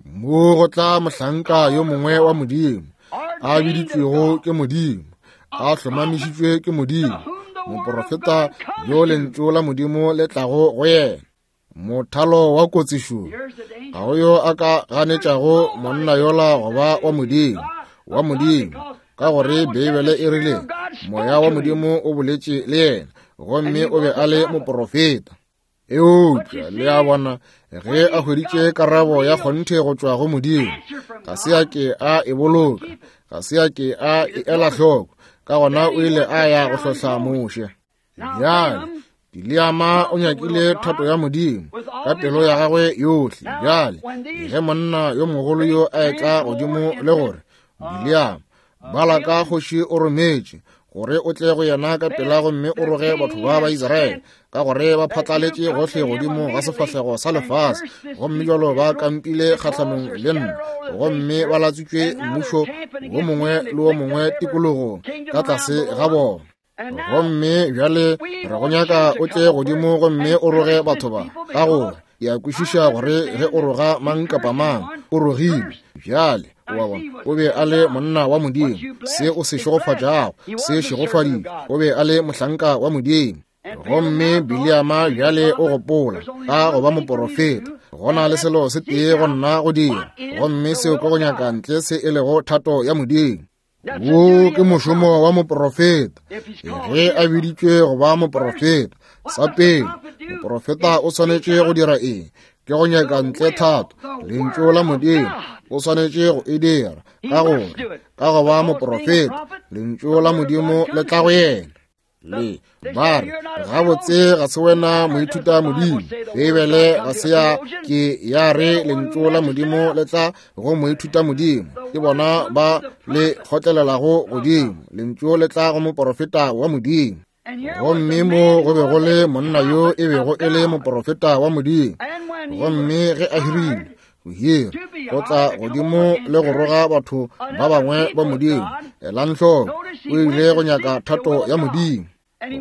Mo go tla mohlanka yo mongwe wa Modimo, a biditšwego ke Modimo, a hlomamišitšwe ke Modimo, moporofeta yo lentšu la Modimo le tlago go yena. Mothalo wa kotsišo, ga go yo a ka ganetšago monna yola go ba wa Modimo, wa Modimo, ka gore Beibele e rile moya wa Modimo o boletše le yena, gomme o be a le moporofeta. Eupša le a bona, ge a hweditše karabo ya kgonthe go tšwa go Modimo, ga se a ke a e boloka, ga se a ke a e ela hloko, ka gona o ile a ya go hlohla Moshe. Bjale Bileama o nyakile thato ya Modimo ka pelo ya gagwe yohle. Bjale ge monna yo mogolo yo a etla godimo le gore, Bileama, Balaka kgoši o rometše gore o tle go yena ka pela gomme o roge batho ba ba Israele, ka gore ba phatlaletše gohle godimo ga sefahlego sa lefase, gomme jalo ba kampile kgahlanong le nna, gomme ba latswitšwe mmušo wo mongwe le wo mongwe tikologong ka tlase ga bona. Gomme bjale re go nyaka o tle godimo gomme o roge batho ba, ka gore ke a kwešiša gore ge o roga mang kapa mang o rogilwe. Bjale wa bona, o be a le monna wa Modimo, se o se šegofatšago se šegofaditšwe. O be a le mohlanka wa Modimo. Gomme Bileama bjale o gopola ka go ba moporofeta, go na le selo se tee go nna go dira, gomme seo ke go nyaka ntle se e lego thato ya Modimo. Wo ke mošomo wa moporofeta ge a biditšwe go ba moporofeta. Sa pele, moporofeta o swanetše go dira eng? Ke go nyaka ntle thato, lentšu la Modimo. O swanetše go e dira, ka gore ka go ba moporofeta, lentšu la Modimo le tla go yena. Le ba re, gabotse ga se wena moithuta Modimo. Beibele ga se ya ke ya re lentšu la Modimo le tla go moithuta Modimo. Ke bona ba le kgotlelelago godimo. Lentšu le tla go moporofeta wa Modimo. Gomme mo go be go le monna yo e bego e le moporofeta wa Modimo. Gomme ge a hirilwe go hira go tla godimo le go roga batho ba bangwe ba Modimo, elang hloko, o ile go nyaka thato ya Modimo.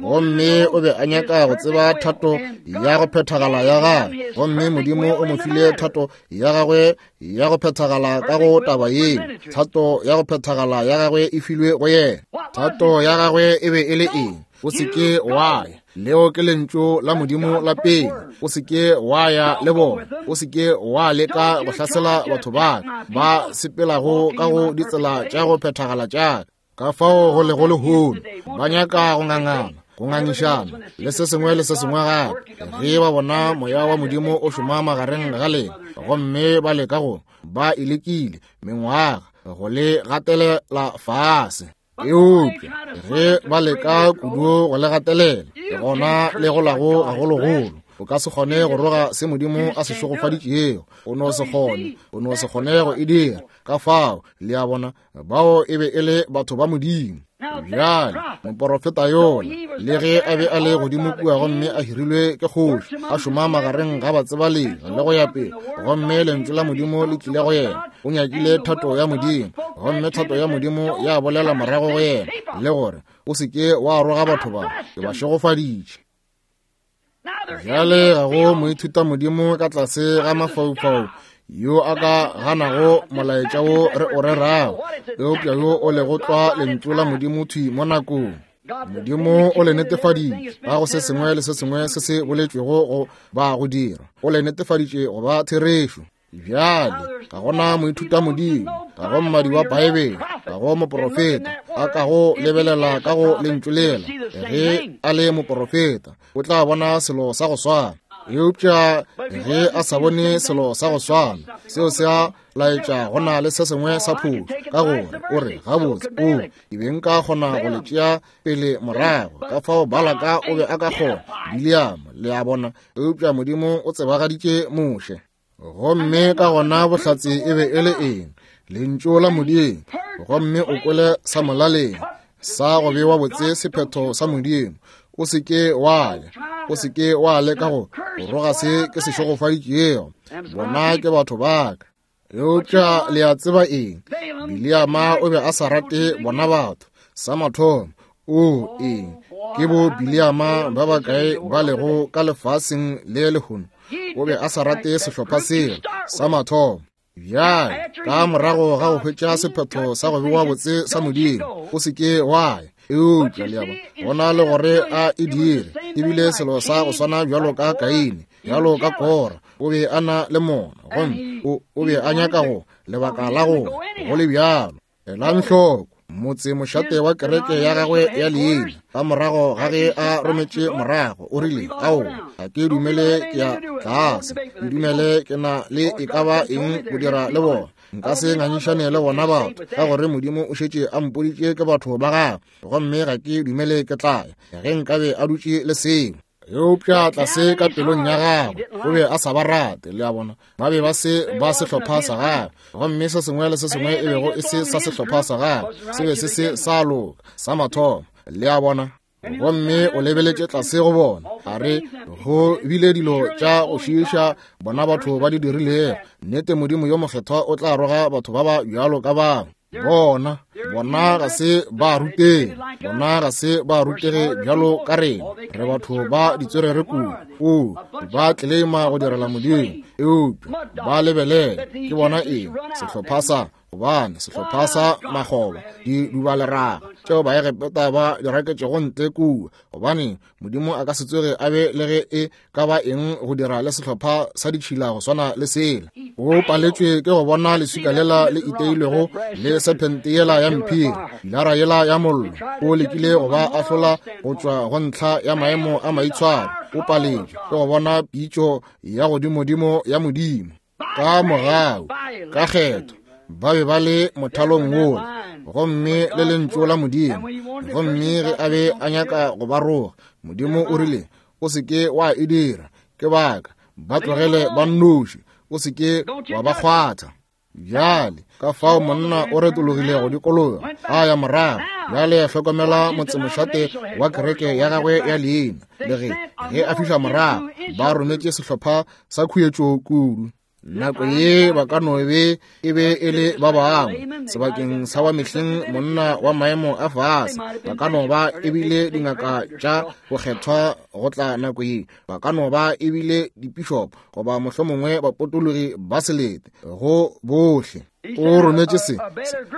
Gomme o be a nyaka go tseba thato ya go phethagala ya gagwe, gomme Modimo o mo file thato ya gagwe ya go phethagala ka go taba yeo. Thato ya go phethagala ya gagwe e filwe go yena. Thato ya gagwe e be e le eng? O se ke wa ya. Leo ke lentšu la Modimo la pele. O se ke wa ya le bona. O se ke wa leka go hlasela batho ba ba sepelago ka go ditsela tša go phethagala tša ka. Ka fao go lego lehono, ba nyaka go ngangana, go ngangišana le se sengwe le se sengwe gape. Ge ba bona moya wa Modimo o šoma magareng ga lena, gomme ba leka go ba e lekile mengwaga go le gatelela fase. Eupša ge ba leka kudu go le gatelela, gona le golago gagologolo. O ka se kgone go roga se Modimo a se šegofaditšego. O no se kgone, o no se kgone go e dira. Ka fao le a bona, bao e be e le batho ba Modimo. Bjale moporofeta yola, le ge a be a le godimo kua gomme a hirilwe ke kgoši, a šoma magareng ga batsebalegi le go ya pele, gomme lentšu la Modimo le tlile go yena. O nyakile thato ya Modimo, gomme thato ya Modimo ya bolela morago go yena le gore o se ke wa roga batho ba, ke ba šegofaditše. Bjale ga go moithuta Modimo ka tlase ga mafaufau yo a ka ganago molaetša wo re o rerago, eupša yo o lego tlwa lentšu la Modimo thwi mo nakong. Modimo o le netefaditše ka go se sengwe le se sengwe se se boletšwego go ba go dira, o le netefaditše go ba therešo. Bjale ga gona moithuta Modimo, ga go mmadi wa Paebele, ga go moporofeta a ka go lebelela ka go lentšu lela. Ge a le moporofeta o tla bona selo sa go swana, eupša ge a sa bone selo sa go swana, seo se a laetša go na le se sengwe sa phošo, ka gore o re gabotse o ke be nka kgona go le tšea pele morago, ka fao Balaka o be a ka kgona Bileama, le a bona, eupša Modimo o tsebagaditše Moshe. Gomme ka gona bohlatse e be e le eng? Lentšu la Modimo. Gomme o kwele sa molaleng sa go bewa botse sephetho sa Modimo. O se ke wa ya, o se ke wa leka go roga se ke se šegofaditšego, bona ke batho ba ka. Eupša le a tseba eng? Bileama o be a sa rate bona batho. Sa mathomo, o eng? Ke bo Bileama ba bakae ba lego ka lefaseng le lehono? O be a sa rate sehlopha sela sa mathomo. Bjale ka morago ga go hwetša sephetho sa go bewa botse sa Modimo, o se ke wa ya. Eupša le a bona, go na le gore a e dire, ebile selo sa go swana bjalo ka Kaine, bjalo ka Kora, o be a na le mona, gomme o, o be a nyaka go lebaka la go go le bjalo. Elang hloko motse mošate wa kereke ya gagwe ya leina, ka morago ga ge a rometše morago, o rile, ao, ga ke dumele ke ya tlase, ke dumele ke na le e ka ba eng go dira le bona, nka se ngangišane le bona batho, ka gore Modimo o šetše a mpoditše ke batho ba gagwe, gomme ga ke dumele ke tla ya. Ge nkabe a dutše le seo, eupša tlase ka pelong ya gagwe o be a sa ba rate, le a bona, ba be ba se ba sehlopha sa gagwe, gomme se sengwe le se sengwe e bego e se sa sehlopha sa gagwe se be se se sa loka sa mathomo, le a bona. Gomme o lebeletše tlase go bona, a re go bile dilo tša go šiiša bona batho ba di dirilego. Nnete Modimo yo mokgethwa o tla roga batho ba ba bjalo ka bangwe. Bona, bona ga se ba rutege, bona ga se ba rutege bjalo ka rena, re batho ba ditswerere kudu. O ba tleleima go direla Modimo, eupša ba lebelele ke bona eng? Sehlopha sa gobane sehlopha sa makgoba di dubaleraga tšeo Baegepeta ba di raketšego ntle kua, gobane Modimo a ka se tsoge a be le ge e ka ba eng go dira le sehlopha sa ditšhila go swana le sela. O paletšwe ke go bona leswika lela le iteilwego le sephente yela ya mphiri, pilara yela ya mollo. O lekile go ba ahlola go tšwa go ntlha ya maemo a maitshwaro. O paletšwe ke go bona pitšo ya godimodimo ya Modimo. Ka mogau, ka kgetho, ba be ba le mothalong wola, gomme le lentšu la Modimo. Gomme ge a be a nyaka go ba roga, Modimo o rile, o se ke wa e dira, ke baka, ba tlogele ba nnoši, o se ke wa ba kgwatha. Bjale ka fao monna o retologile go dikologa a ya morago. Bjale hlokomela motsemošate wa kereke ya gagwe ya leina, le ge ge a fihla morago ba rometše sehlopha sa khuetšo kudu. Nako ye ba ka no be e be e le ba bangwe sebakeng sa wa mehleng monna wa maemo a fase, ba ka no ba ebile dingaka tša go kgethwa go tla nako ye, ba ka no ba ebile dipišopo goba mohlomongwe bapotologi ba selete go bohle. O rometše se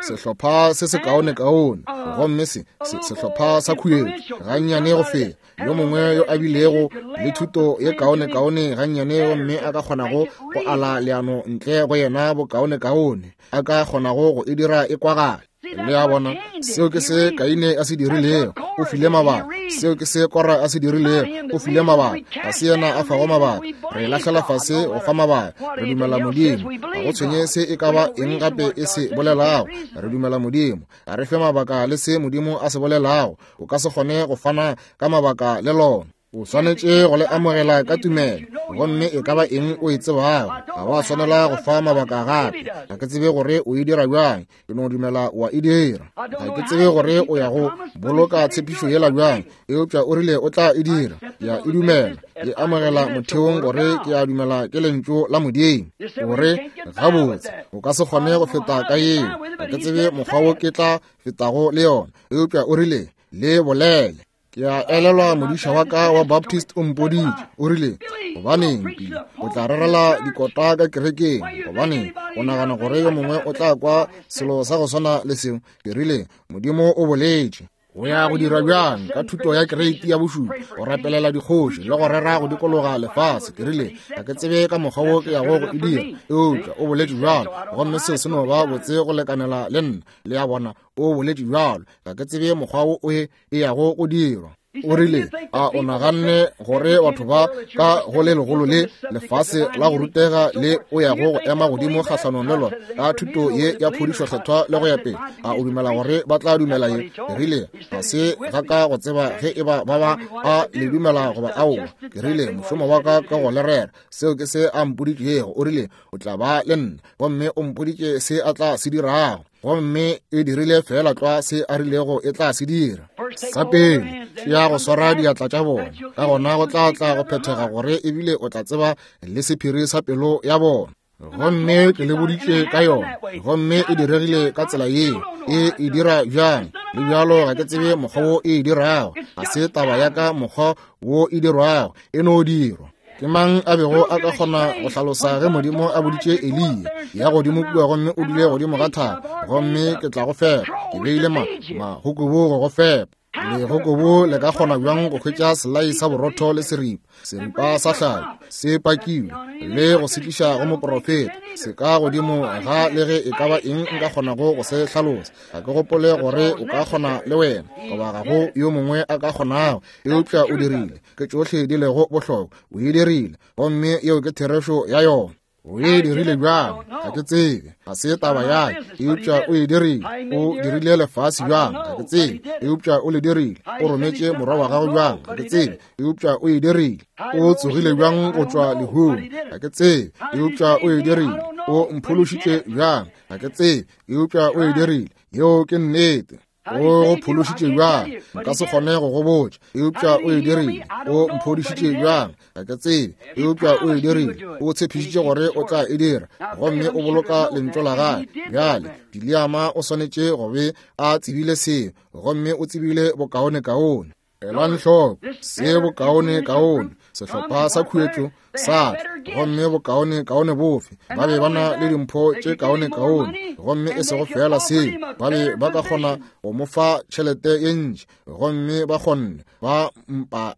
sehlopha se se kaone-kaone, gomme se sehlopha sa khuetšo gannyane go feta yo mongwe yo a bilego le thuto ye kaone-kaone gannyane, gomme a ka kgonago go ala leano ntle go yena bokaone-kaone, a ka kgonago go e dira e kwagale. Le a bona, seo ke se Kaine a se dirilego, o file mabaka. Seo ke se Kora a se dirilego, o file mabaka. Ga se yena a fago mabaka, re lahlela fase go fa mabaka. Re dumela Modimo, ga go tshwenye se e ka ba eng gape e se bolelago, re dumela Modimo. Ga re fe mabaka le se Modimo a se bolelago, o ka se kgone go fana ka mabaka le lona. O swanetše go le amogela ka tumelo, gomme e ka ba eng o e tsebago. Ga wa swanela go fa mabaka gape. Ga ke tsebe gore o e dira bjang, ke no dumela wa e dira. Ga ke tsebe gore o ya go boloka tshepišo yela bjang, eupša o rile o tla e dira. Ke a e dumela, ke amogela motheong gore ke a dumela ke lentšu la Modimo. Gore gabotse o ka se kgone go feta ka yeo. Ga ke tsebe mokgwa wo ke tla fetago le yona, eupša o rile le bolele. Ke a elelwa modiša wa ka wa Baptist o mpoditše, o rile, gobaneng Pili o tla rerela dikota ka kerekeng, gobaneng o nagana gore yo mongwe o tla kwa selo sa go swana le seo? Ke rile, Modimo o boletše. O ya go dira bjang ka thuto ya kereiti ya bošupa, go rapelela dikgoši le go rera go dikologa lefase? Ke rile, ga ke tsebe ka mokgwa wo ke yago go e dira, eupša o boletše bjalo, gomme seo se no ba botse go lekanela le nna. Le a bona, o boletše bjalo, ga ke tsebe mokgwa wo o e yago go dirwa. O rile, a o naganne gore batho ba ka go le legolo le lefase la go rutega le o yago go ema godimo kgahlanong le lona ka thuto ye ya phodišo kgethwa le go ya pele, a o dumela gore ba tla dumela ye? Ke rile, ga se ga ka go tseba ge e ba ba ba a le dumela goba aowa. Ke rile, mošomo wa ka ka go le rera, seo ke se a mpoditšego. O rile, o tla ba le nna, gomme o mpoditše se a tla se dirago, gomme e dirile fela tlwa se a rilego e tla se dira. Sa pele, tšea go swara diatla tša bona, ka gona go tla tla go phethega gore ebile o tla tseba le sephiri sa pelo ya bona. Gomme ke le boditše ka yona, gomme e diregile ka tsela yeo. E e dira bjang? Le bjalo ga ke tsebe mokgwa wo e e dirago. Ga se taba ya ka mokgwa wo e dirwago, e no dirwa. Ke mang a bego a ka kgona go hlalosa ge Modimo a boditše Eliya, ya godimo kua gomme o dule godimo ga thaba, gomme ke tla go fepa, ke beile ma magokobo go go fepa. Legokobo le ka kgona bjang go hwetša selai sa borotho le seripa, seripa sa hlapi se pakilwe, le go se tliša go moprofeta? Se ka godimo ga le ge e ka ba eng nka kgonago go se hlalosa. Ga ke gopole gore o ka kgona le wena, goba ga go yo mongwe a ka kgonago, eupša o dirile. Ke tšohle di lego bohlokwa, o e dirile, gomme yeo ke therešo ya yona. O e dirile bjang? Ga ke tsebe, ga se taba ya ka, eupša o e dirile. O dirile lefase bjang? Ga ke tsebe, eupša o le dirile. O rometše morwa wa gagwe bjang? Ga ke tsebe, eupša o e dirile. O tsogile bjang go tšwa lehung? Ga ke tsebe, eupša o e dirile. O mphološitše bjang? Ga ke tsebe, eupša o e dirile. Yeo ke nnete. O go phološitše bjang? Nka se kgone go go botša, eupša o e dirile. O mphodišitše bjang? Ga ke tsebe, eupša o e dirile. O tshepišitše gore o tla e dira, gomme o boloka lentšu la gagwe. Bjale Bileama o swanetše go be a tsebile seo, gomme o tsebile bokaonekaone. Elang hloko se bokaonekaone, sehlopha sa khuetšo sa tla, gomme bokaonekaone bofe? Ba be ba na le dimpho tše kaonekaone, gomme e sego fela seo, ba be ba ka kgona go mo fa tšhelete ye ntši, gomme ba kgonne, ba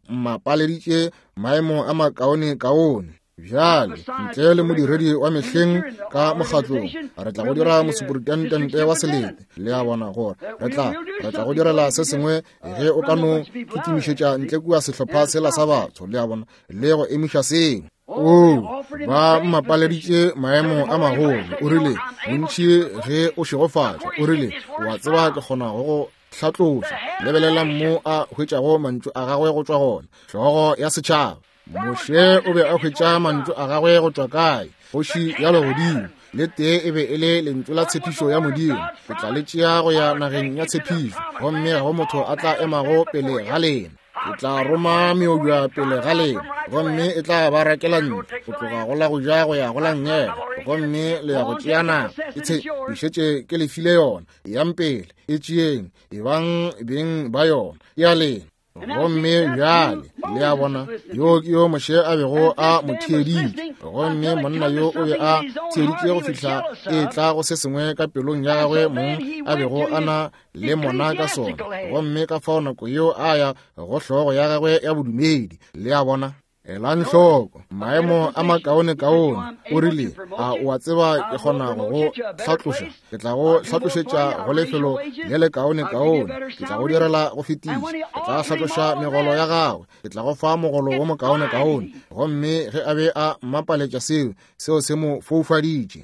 mmapaleditše maemo a makaonekaone. Bjale, ntle le modiredi wa mehleng ka mokgatlong, re tla go dira mosuperintendente wa selete. Le a bona gore re tla re tla go direla se sengwe ge o ka no kitimišetša ntle kua sehlopha sela sa batho, le a bona, le go emiša seo. O ba mmapaleditše maemo a magolo. O rile, bontši ge o šegofatšwa, o rile, o a tseba ke kgona go go hlatloša. Lebelelang mo a hwetšago mantšu a gagwe go tšwa gona, hlogo ya setšhaba. Moshe o be a hwetša mantšu a gagwe go tšwa kae? Kgoši ya legodimo. Le tee e be e le lentšu la tshepišo ya Modimo. Ke tla le tšea go ya nageng ya tshepišo, gomme ga go motho a tla emago pele ga lena. Ke tla roma meobja pele ga lena, gomme e tla ba rakela ntlo go tloga go la go ja go ya go la nngele, gomme le ya go tšea naga. Ke tshepišetše ke le file yona. Eyang pele, e tšeeng, ebang beng ba yona, ke ya lena. Gomme bjale le a bona, yo ke yo Moshe a bego a mo theeditše, gomme monna yo o be a theeditše go fihla e tla go se sengwe ka pelong ya gagwe mong a bego a na le mona ka sona, gomme ka fao nako yeo a ya go hlogo ya gagwe ya bodumedi. Le a bona, Elang hloko maemo a makaonekaone. O rile, a o a tseba ke kgona go go hlatloša? Ke tla go hlatlošetša go lefelo le lekaonekaone. Ke tla go direla go fetiša. Ke tla hlatloša megolo ya gagwe. Ke tla go fa mogolo wo mokaonekaone. Gomme ge a be a mmapaletša seo, seo se mo foufaditše.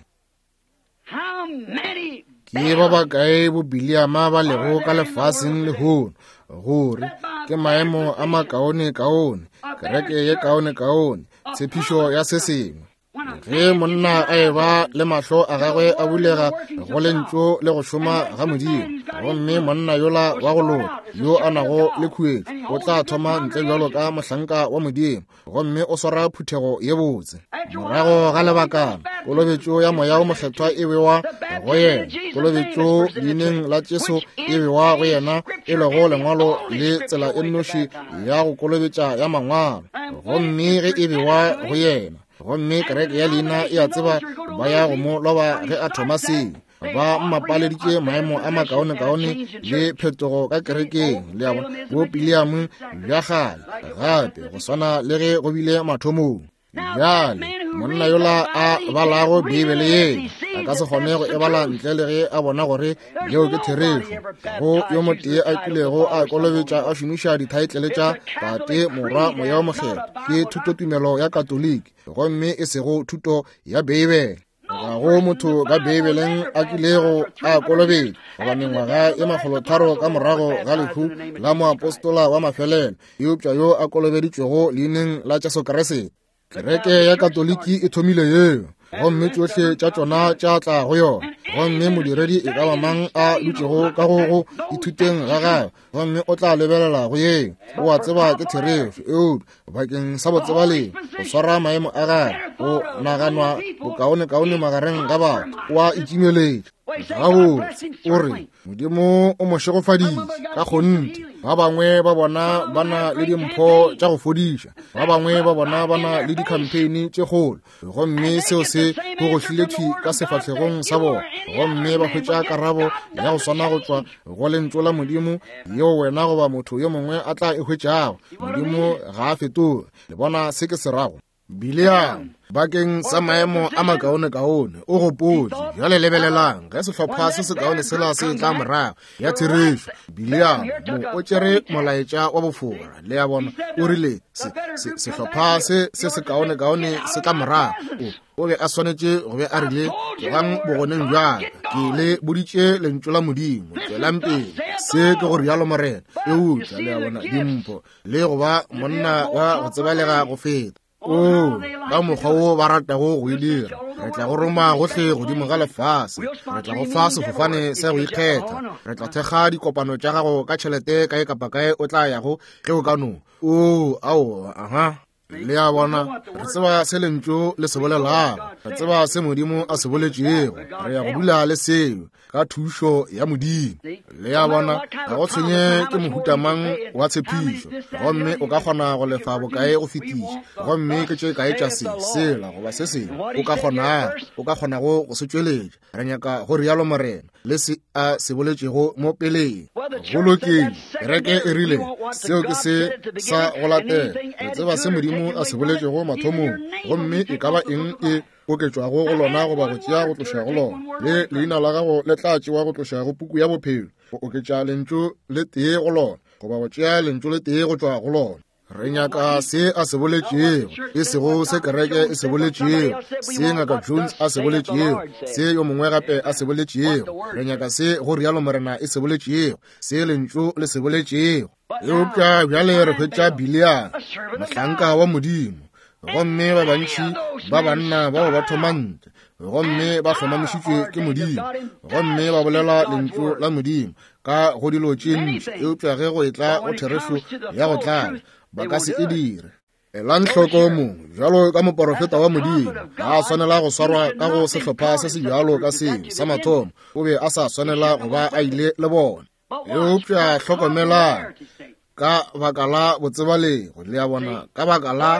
Ke ba bakae bo Biliama ba lego ka lefaseng lehono, gore ke maemo a makaone-kaone, kereke ye kaone-kaone, tshepišo ya se sengwe. Ge monna a eba le mahlo a gagwe a bulega go lentšu le go šoma ga Modimo, gomme monna yola wa go loka yo a nago le khuetšo o tla thoma ntle bjalo ka mohlanka wa Modimo, gomme o swara phuthego ye botse. Morago ga lebakana, kolobetšo ya Moya o Mokgethwa e bewa go yena, kolobetšo leineng la Jesu e bewa go yena, e lego lengwalo le tsela e nnoši ya go kolobetša ya mangwalo, gomme ge e bewa go yena, gomme kereke ya leina e a tseba ba ya go mo loba ge a thoma seo. Ba mmapaleditše maemo a makaonekaone le phetogo ka kerekeng, le a bona, bo Biliamu bja kgale gape go swana le ge go bile mathomong. Bjale monna yola a balago Beibele ye a ka se kgone go e bala ntle le ge a bona gore yeo ke therešo. Go yo motee a kilego a kolobetša a šomiša dithaetlele tša Tate, Morwa, Moya o Mokgethwa, ke thutotumelo ya Katoliki, gomme e sego thuto ya Beibele. Ga go motho ka Beibeleng a kilego a kolobetša goba mengwaga e makgolotharo ka morago ga lehu la moapostola wa mafelelo, eupša yo a kolobeditšwego leineng la Jesu Kriste. Kereke ya Katoliki e thomile yeo, gomme tšohle tša tšona tša tla go yona. Gomme modiredi e ka ba mang a dutšego ka go go ithuteng ga gagwe, gomme o tla lebelela go yeo, o a tseba ke therešo, eupša bakeng sa botsebaleng go swara maemo a gagwe, go naganwa bokaonekaone magareng ga batho, o a itšimeletša. Gabotse, o re Modimo o mo šegofaditše ka kgonthe. Ba bangwe ba bona ba na le dimpho tša go fodiša, ba bangwe ba bona ba na le di-campaign tše kgolo, gomme seo se gogohlile thwi ka sefahlegong sa bona, gomme ba hwetša karabo ya go swana go tšwa go lentšu la Modimo yeo wena goba motho yo mongwe a tla e hwetšago. Modimo ga a fetoge. Le bona se ke se rago? Biliam bakeng sa maemo a makaonekaone o gopotše. Bjale lebelelang ge sehlopha se sekaone sela se tla morago ya therešo. Biliam mo o tšere molaetša wa bofora, le a bona, o rile se, se, sehlopha se se sekaonekaone se tla morago. O, o be a swanetše go be a rile, tlogang bogoneng bjaka, ke le boditše lentšu la Modimo, tšwelang pele, se ke go rialo Morena. Eupša le a bona dimpho le go ba monna wa go tsebalega go feta. O, ka mokgwa wo ba ratago go e dira, re tla go roma gohle godimo ga lefase, re tla go fa sefofane sa go ikgetha, re tla thekga dikopano tša gago ka tšhelete kae kapa kae o tla yago ge o ka no. O, ao, aha. Le a bona, re tseba se lentšu le se bolelago, re tseba se Modimo a se boletšego, re ya go dula le seo ka thušo ya Modimo. Le a bona, ga go tshwenye ke mohuta mang wa tshepišo, gomme o ka kgona go lefa bokae go fetiša, gomme ke tše kae tša se, sela goba se sengwe o ka kgonago, o ka kgonago go se tšweletša. Re nyaka go rialo Morena le se a se boletšego mo peleng. Go lokile, kereke e rile seo ke se sa go latela. Re tseba se Modimo a se boletšego mathomong, gomme e ka ba eng e oketšwago go lona goba go tšea go tloša go lona, le leina la gago le tla tšewa go tloša go puku ya bophelo, go oketša lentšu le tee go lona goba go tšea lentšu le tee go tšwa go lona. Re nyaka se a se boletšego, e sego se kereke e se boletšego, se Ngaka Jones a se boletšego, se yo mongwe gape a se boletšego. Re nyaka se go rialo Morena e se boletšego, se lentšu le se boletšego. Eupša bjale re hwetša Biliam, mohlanka wa Modimo, gomme ba bantši ba banna bao ba thoma ntle, gomme ba hlomamišitšwe ke Modimo, gomme ba bolela lentšu la Modimo ka go dilo tše ntši, eupša ge go etla go therešo ya go tlala, ba ka se e dire. Elang hloko mongwe bjalo ka moporofeta wa Modimo ga a swanela go swarwa ka go sehlopha se se bjalo ka seo sa mathomo, o be a sa swanela go ba a ile le bona. Eupša hlokomelang, ka baka la botsebalego, le a bona, ka baka la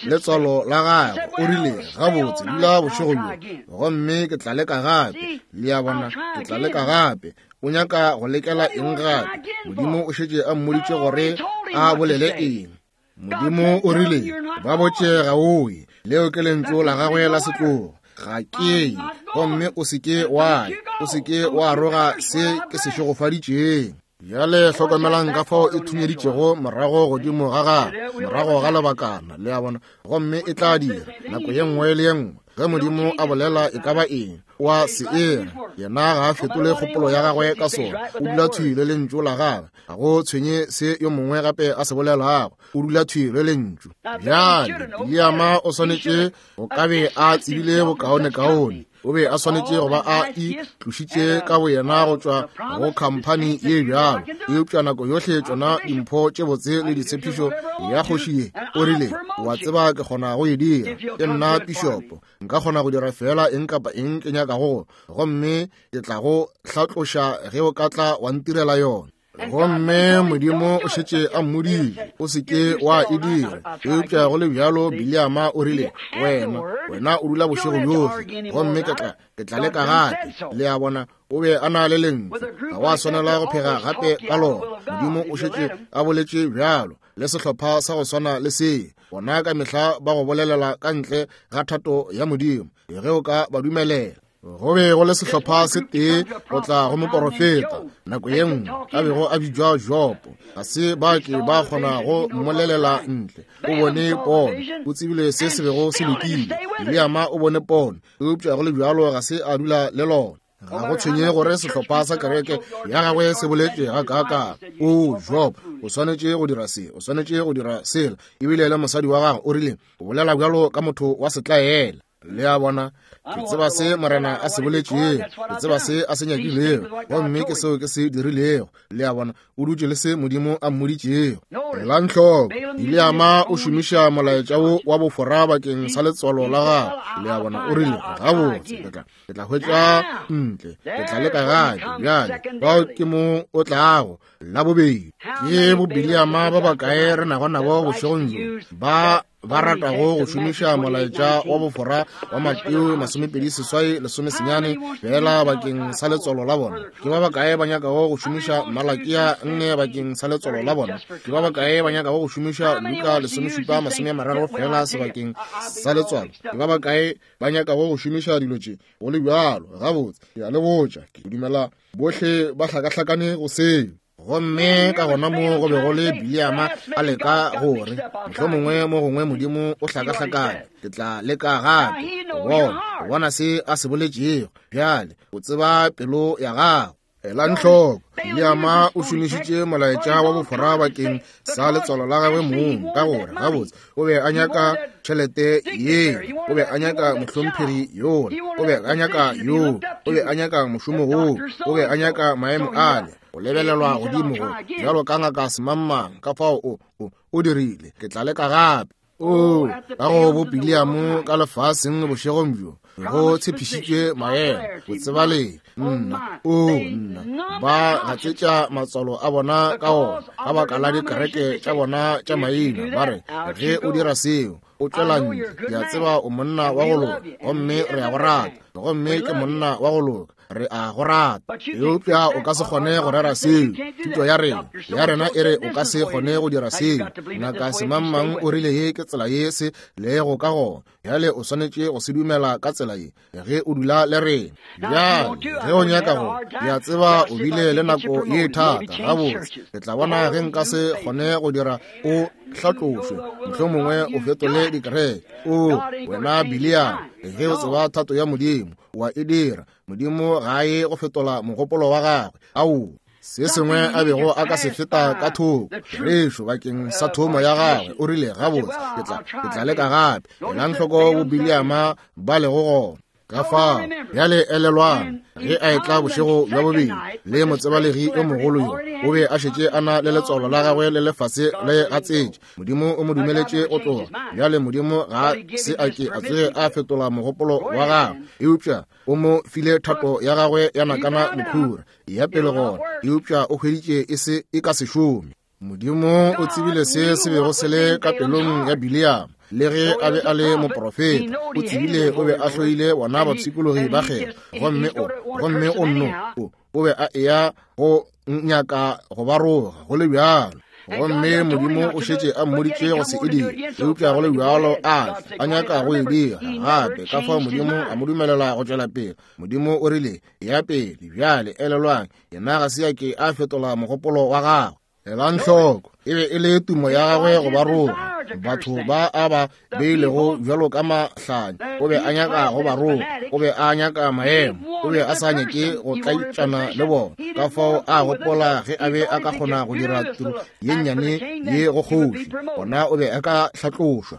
letswalo la gagwe, o rile, gabotse, dula bošego bjo, gomme ke tla leka gape. Le a bona, ke tla leka gape. O nyaka go lekela eng gape? Modimo o šetše a mmoditše gore a bolele eng. Modimo o rile, ba botše ga o ye. Leo ke lentšu la gagwe la setlogo. Ga ke ye, gomme o se ke wa ya, o se ke wa roga se ke se šegofaditšeng. Bjale hlokomelang ka fao e thunyeditšego morago godimo ga gagwe, morago ga lebakana, le a bona, gomme e tla dira nako ye nngwe le ye nngwe ge Modimo a bolela e ka ba eng, wa se era. Yena ga a fetole kgopolo ya gagwe ka sona. O dula thwi le lentšu la gagwe. Ga go tshwenye se yo mongwe gape a se bolelago. O dula thwi le lentšu. Bjale Biliama o swanetše go ka be a tsebile bokaonekaone. O be a swanetše go ba a itlošitše ka boyena go tšwa go khamphani ye bjalo. Eupša nako yohle tšona dimpho tše botse le ditshepišo ya kgoši ye, o rile, wa tseba ke kgona go e dira. Ke nna pišopo. Nka kgona go dira fela eng kapa eng ke nyakago, gomme ke tla go hlatloša ge o ka tla wa ntirela yona. Gomme Modimo o šetše a mmodile, o se ke wa e dira. Eupša go le bjalo Biliama o rile, wena, wena o dula bošego bjohle, gomme ke tla, ke tla leka gape. Le a bona, o be a na le lentšu. Ga wa swanela go phega gape ka lona. Modimo o šetše a boletše bjalo. Le sehlopha sa go swana le se, bona ka mehla ba go bolelela ka ntle ga thato ya Modimo, ge o ka ba dumelela. Go be go le sehlopha se tee go tla go moporofeta nako ye nngwe a bego a bitšwa Jopo. Ga se ba ke ba kgona go mmolelela ntle. O bone pono, o tsebile se se bego se lokile. Biliama o bone pono, eupša go le bjalo ga se a dula le lona. Ga go tshwenye gore sehlopha sa kereke ya gagwe se boletše gakaakang. O Job, o swanetše go dira se, o swanetše go dira sela. Ebile le mosadi wa gagwe o rile, o bolela bjalo ka motho wa setlaela. Le a bona, ke tseba se Morena a se boletšego, ke tseba se a se nyakilego, gomme ke seo ke se dirilego. Le a bona, o dutše le se Modimo a mmoditšego. Elang hloko, Biliama o šomiša molaetša wo wa bofora bakeng sa letswalo la gagwe. Le a bona, o rile, gabotse, ke tla, ke tla hwetša ntle, ke tla leka gape. Bjale, bao ke mo o tlago la bobedi. Ke bo Biliama ba bakae re nago nabo bošegong bjo, ba ba ratago go šomiša molaetša wa bofora wa Mateo masomepedi seswai lesome senyane fela bakeng sa letswalo la bona. Ke ba bakae ba nyakago go šomiša Malakia nne bakeng sa letswalo la bona? Ke ba bakae ba nyakago go šomiša Luka lesomešupa masome a mararo fela sebakeng sa letswalo? Ke ba bakae ba nyakago go šomiša dilo tše go le bjalo? Gabotse, ke a le botša, ke dumela bohle ba hlakahlakane go seo. Gomme ka gona mo go be go le Biliama a leka gore mohlomongwe mo gongwe Modimo o hlakahlakane, ke tla leka gape go bona, go bona se a se boletšego. Bjale o tseba pelo ya gago. Elang hloko, Biliama o šomišitše molaetša wa bofora bakeng sa letswalo la gagwe mong, ka gore gabotse o be a nyaka tšhelete ye, o be a nyaka mohlomphegi yola, o be a nyaka yo, o be a nyaka mošomo woo, o be a nyaka maemo ale, o lebelelwa godimo go bjalo ka ngaka semangmang. Ka fao o, o, o dirile, ke tla leka gape. O, ka go bo Biliamo ka lefaseng bošegong bjo, go tshepišitšwe maemo, botsebalegi. Nna, o nna, ba gatsetša matswalo a bona ka ona, ka baka la dikereke tša bona tša maina. Ba re, ge o dira seo, o tšwela ntle. Ke a tseba o monna wa go loka, gomme re a go rata, gomme ke monna wa go loka, re a go rata. Eupša o ka se kgone go rera seo. Thuto ya rena, ya rena e re o ka se kgone go dira seo. Ngaka semangmang o rile ye ke tsela ye se lego ka gona. Bjale o swanetše go se dumela ka tsela ye ge o dula le rena. Bjale ge o nyaka go, ke a tseba o bile le nako ye thata. Gabotse, ke tla bona ge nka se kgone go dira o hlatlošwe, mohlomongwe o fetole dikereke. O wena Biliama, ge o tseba thato ya Modimo, wa e dira. Modimo ga a ye go fetola mogopolo wa gagwe. Ao, se sengwe a bego a ka se feta ka thoko rešo bakeng sa thomo ya gagwe. O rile, gabotse, ke tla, ke tla leka gape. Elang hloko bo Biliama ba lego gona. Ka fao, bjale elelwang, ge a etla bošego bja bobedi le motsebalegi yo mogolo yo, o be a šetše a na le letswalo la gagwe le lefase le gatsetše. Modimo o mo dumeletše go tloga. Bjale Modimo ga se a ke a tsoge a fetola mogopolo wa gagwe, eupša o mo file thato ya gagwe ya nakana mokhura ya pele gona, eupša o hweditše e se e ka se šome. Modimo o tsebile se se bego se le ka pelong ya Biliama. Le ge a be a le moprofeta, o tsebile o be a hloile bona bapshikologi ba kgetho, gomme o, gomme o nno, o, o be a eya go nyaka go ba roga go le bjalo. Gomme Modimo o šetše a mmoditše go se e dire, eupša go le bjalo a a nyaka go e dira gape. Ka fao Modimo a mo dumelela go tšwela pele. Modimo o rile, ya pele. Bjale elelwang, yena ga se a ke a fetola mogopolo wa gagwe. Elang hloko, e be e le tumo ya gagwe go ba roga. Batho ba a ba beilego bjalo ka mahlanya, o be a nyaka go ba roga, o be a nyaka maemo, O be a sa nyake go tlaitšana le bona. Ka fao a gopola ge a be a ka kgona go dira tiro ye nnyane ye go kgoši, gona o be a ka hlatlošwa.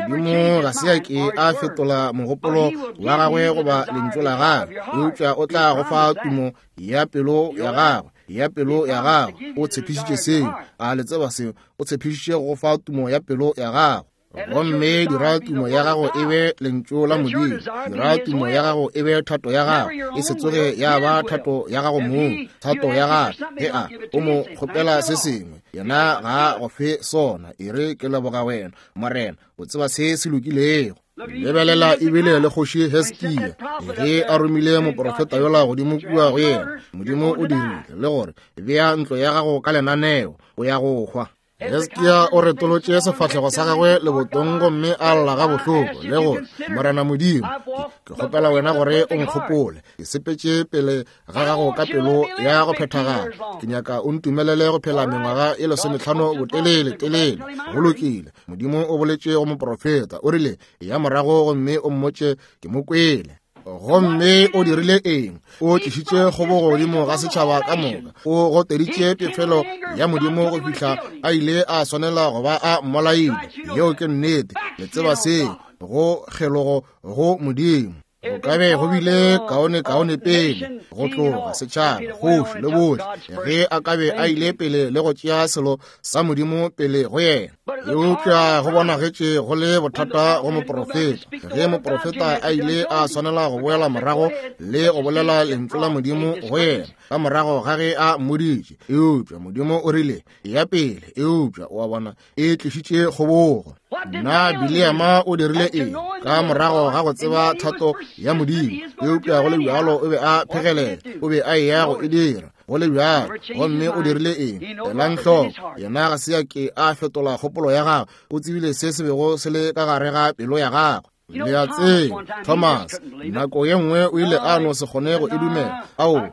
Modimo ga se a ke a fetola mogopolo wa gagwe goba lentšu la gagwe, eupša o tla go fa tumo ya pelo ya gagwe, ya pelo ya gagwe. O tshepišitše seo. A le tseba seo? O tshepišitše go fa tumo ya pelo ya gagwe. Gomme dira tumo ya gago e be lentšu la Modimo. Dira tumo ya gago e be thato ya gago, e se tsoge ya ba thato ya gago mong, thato ya gagwe. Ge a o mo kgopela se sengwe, yena ga a go fe sona. E re, ke leboga wena, Morena, o tseba se se lokilego. Lebelela ebile le kgoši Hesekia ge a romile moprofeta yola godimo kua go yena. Modimo o dirile le gore bea ntlo ya gago ka lenaneo, o ya go hwa. Hesekia o retolotše sefahlego sa gagwe lebotong gomme a lla ga bohloko le gore, Morena Modimo, ke kgopela wena gore o nkgopole. Ke sepetše pele ga gago ka pelo ya go phethagala. Ke nyaka o ntumelele go phela mengwaga e lesometlhano botelele telele. Go lokile. Modimo o boletše go moprofeta, o rile, ya morago gomme o mmotše ke mo kwele. Gomme o dirile eng? O tlišitše kgobogo godimo ga setšhaba ka moka. O goteditše pefelo ya Modimo go fihla a ile a swanela go ba a mmolaile. Yeo ke nnete. Le tseba seo, go kgelogo go Modimo. Go ka be go bile kaone kaone pele go tloga setšhaba, kgoši le bohle, ge a ka be a ile pele le go tšea selo sa Modimo pele go yena. Eupša go bonagetše go le bothata go moprofeta. Ge moprofeta a ile a swanela go boela morago le go bolela lentšu la Modimo go yena ka morago ga ge a mmoditše, eupša Modimo o rile ya pele, eupša o a bona e tlišitše kgobogo. Na Bileama o dirile eng ka morago ga go tseba thato ya Modimo? Eupša go le bjalo o be a phegelela, o be a eya go e dira go le bjalo. Gomme o dirile eng? Elang hloko, yena ga se a ke a fetola kgopolo ya gagwe. O tsebile se se bego se le ka gare ga pelo ya gagwe. Le a tseba, Thomas nako ye nngwe o ile a no se kgone go e dumela. Ao,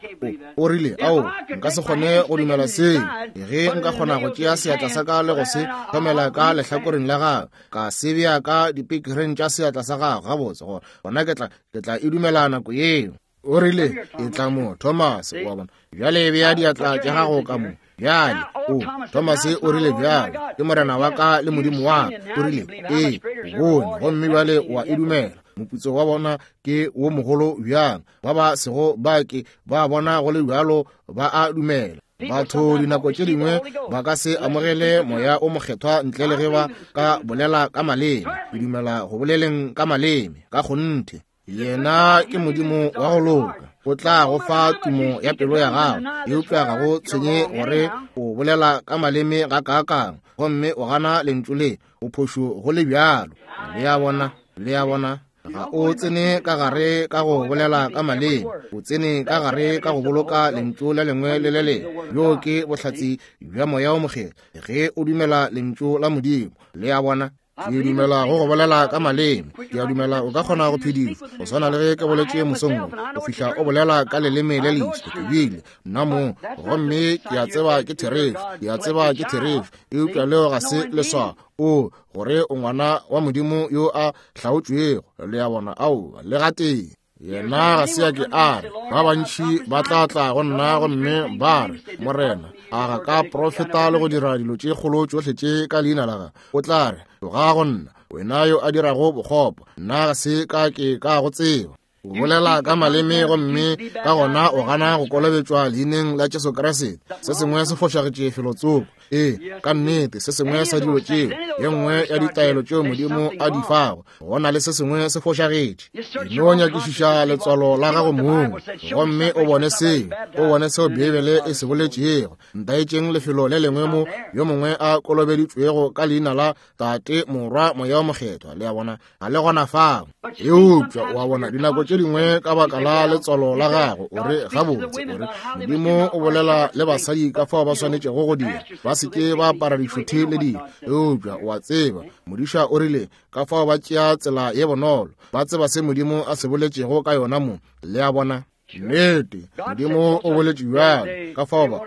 o rile, ao, nka se kgone go dumela seo. Ge nka kgona go tšea seatla sa ka le go se hlomela ka lehlakoreng la gagwe, ka se bea ka dipekereng tša seatla sa gagwe gabotse, gore gona ke tla ke tla e dumela nako yeo. O rile, e tla mo, Thomas, wa bona. Bjale bea diatla tša gago ka mo. Bjale, o, Thomas o rile, bjale ke Morena wa ka le Modimo wa ka. O rile, ee, o bone, gomme bjale wa e dumela. Moputso wa bona ke wo mogolo bjang. Ba ba sego ba ke ba bona go le bjalo ba a dumela. Batho dinako tše dingwe ba ka se amogele moya o mokgethwa ntle le ge ba ka bolela ka maleme. Ke dumela go boleleng ka maleme ka kgonthe. Yena ke Modimo wa go loka. O tla go fa tumo ya pelo ya gago, eupša ga go tshwenye gore o bolela ka maleme ga kaakang gomme o gana lentšu le, o phošo go le bjalo. Le a bona, le a bona, ga o tsene ka gare ka go bolela ka maleme, o tsene ka gare ka go boloka lentšu le lengwe le le lengwe. Bjo ke bohlatse bja moya o mokgethwa ge o dumela lentšu la Modimo. Le a bona. Ke dumela go go bolela ka maleme. Ke a dumela o ka kgona go phedišwa, go swana le ge ke boletše mosong wo, go fihla o bolela ka leleme le leso. Ke bile nna mong, gomme ke a tseba ke therešo, ke a tseba ke therešo, eupša leo ga se leswao o gore o ngwana wa Modimo yo a hlaotšwego. Le a bona? Aowa, le gatee. Yena ga se a ke a re, ba bantši ba tla tla go nna gomme ba re, Morena, a ga ka profeta le go dira dilo tše kgolo tšohle tše ka leina la gago? O tla re, tloga go nna, wena yo a dirago bokgopo, nna ga se ka ke ka go tseba. O bolela ka maleme gomme ka gona o gana go kolobetšwa leineng la Jesu Kriste. Se sengwe se fošagetše felotsoko. Ee, ka nnete, se sengwe sa dilo tšeo, ye nngwe ya ditaelo tšeo Modimo a di fago, go na le se sengwe se fošagetše. No nyakišiša letswalo la gago mong gomme o bone seo, o bone seo Beibele e se boletšego. Ntaetšeng lefelo le lengwe mo yo mongwe a kolobeditšwego ka leina la Tate, Morwa, Moya o Mokgethwa. Le a bona, ga le gona fao. Eupša o a bona, dinako tše dingwe ka baka la letswalo la gago, o re gabotse, o re Modimo o bolela le basadi ka fao ba swanetšego go dira, ba se ke ba apara dišuthi le dilo. Eupša o a tseba, modiša o rile ka fao ba tšea tsela ye bonolo, ba tseba se Modimo a se boletšego ka yona mo. Le a bona? Nnete, Modimo o boletše bjalo. Ka fao ba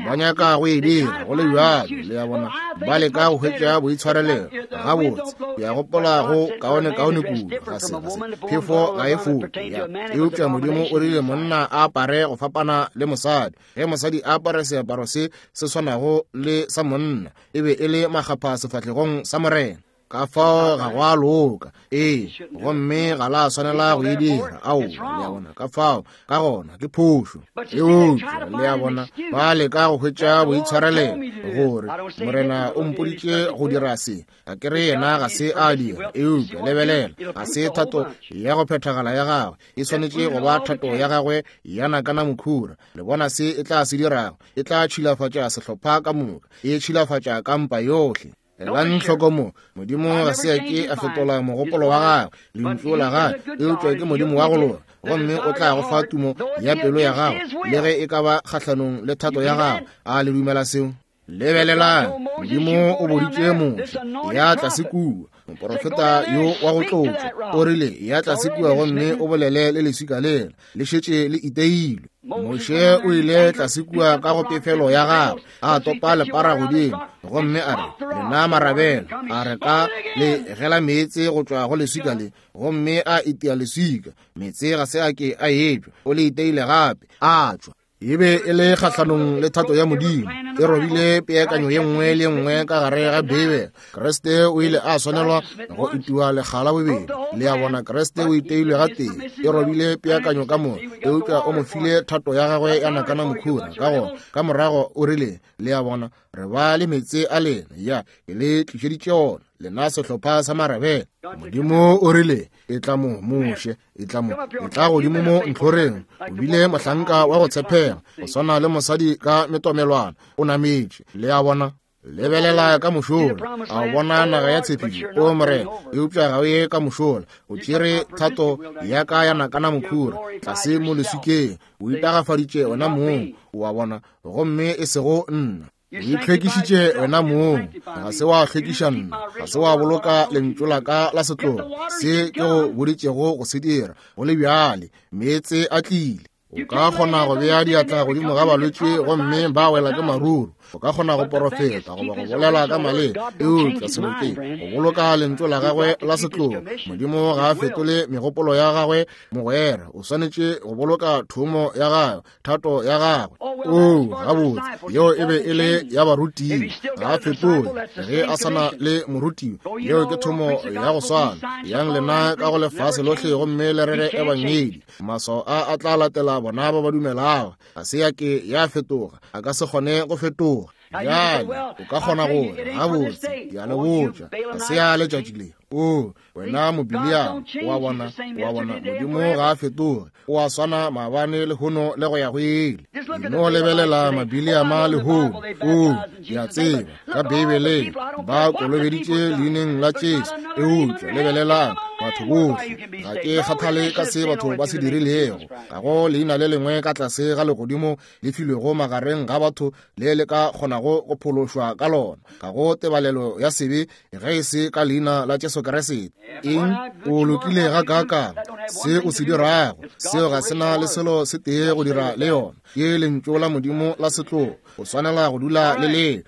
ba nyaka go e dira go le bjalo, le a bona, ba leka go hwetša boitshwarelelo. Gabotse, ke a gopola go kaonekaone kudu, ga se, ga se phefo ga e foke, ya. Eupša Modimo o rile monna a apare go fapana le mosadi. Ge mosadi a apare seaparo se se swanago le sa monna, e be e le makgapha sefahlegong sa Morena. Ka fao ga go a loka. Ee, gomme ga la swanela go e dira. Ao, le a bona, ka fao, ka gona ke phošo. Eupša le a bona, ba leka go hwetša boitshwarelelo gore Morena o mpoditše go dira se. A ke re yena ga se a dira. Eupša lebelela, ga se thato ya go phethagala ya gagwe, e swanetše go ba thato ya gagwe ya nakana mokhura. Le bona se e tla se dirago? E tla tšhilafatša sehlopha ka moka, e tšhilafatša kampa yohle. Elang hloko mo, Modimo ga se a ke a fetola mogopolo wa gagwe, lentšu la gagwe, eupša ke Modimo wa go loka, gomme o tla go fa tumo ya pelo ya gago, le ge e ka ba kgahlanong le thato ya gago. A le dumela seo? Lebelelang, Modimo o boditše Moshe, ya tlase kua, moporofeta yo wa go tlotšwa, o rile, ya tlase kua gomme o bolele le leswika lela, le šetše le iteilwe. Moshe o ile tlase kua ka go pefelo ya gagwe, a topa lepara godimo, gomme a re, lena marabela, a re ka le gela meetse go tšwa go leswika le, gomme a itia leswika, meetse ga se a ke a etšwa, o le iteile gape, a tšwa. E be e le kgahlanong le thato ya Modimo, e robile peakanyo ye nngwe le nngwe ka gare ga Beibele. Kriste o ile a swanelwa go itiwa lekga la bobedi. Le a bona, Kriste o iteilwe gatee, e robile peakanyo ka moka, eupša o mo file thato ya gagwe ya nakana mokhura. Ka gona, ka morago o rile, le a bona, re ba le meetse a lena, ya, ke le tlišeditše ona, lena sehlopha sa marabela. Modimo o rile, e tla mo, Moshe, e tla mo, e tla godimo mo ntlhoreng. O bile mohlanka wa go tshepega, go swana le mosadi ka metomelwana, o nametše. Le a bona, lebelela ka mošola, a o bona naga ya tshepišo, o Morena, eupša ga o ye ka mošola. O tšere thato ya ka ya nakana mokhura tlase mo leswikeng, o itagafaditše wena mong, o a bona, gomme e sego nna. O itlhwekišitše wena mong, ga se wa hlwekiša nna, ga se wa boloka lentšu la ka la setlogo, se ke go boditšego go se dira. Go le bjale, meetse a tlile. O ka kgona go bea diatla godimo ga balwetši gomme ba wela ke maruru. O ka kgona go porofeta goba go bolela ka maleme, eupša selo ke go boloka lentšu la gagwe la setlogo. Modimo ga a fetole megopolo ya gagwe, mogwera. O swanetše go boloka thomo ya gagwe, thato ya gagwe. O gabotse, yeo e be e le ya barutiwa, ga a fetole ge a sana le morutiwa. Yeo ke thomo ya go swana. Yang lena ka go lefase lohle gomme le rere ebangedi. Maswao a a tla latela bona ba ba dumelago. Ga se ya ke ya fetoga, a ka se kgone go fetoga. Bjale o ka kgona gore, gabotse, ke a le botša, ga se ya letšatši le. O wena mobiliamo, wa bona, wa bona, Modimo ga a fetoge, o a swana maabane lehono le go ya go ile. No lebelela mabiliama lehono. O, ke a tseba, ka Beibeleng ba kolobeditše leineng la Jesu, eupša lebelelang batho bohle. Ga ke kgathale ka se batho ba se dirilego. Ga go leina le lengwe ka tlase ga legodimo le filwego magareng ga batho le le ka kgonago go phološwa ka lona, ga go tebalelo ya sebe ge e se ka leina la Jesu Kriste. Eng? O lokile ga kaakang? Se o se dirago, seo ga se na le selo se tee go dira le yona. Ke lentšu la Modimo la setlogo, o swanela go dula le le.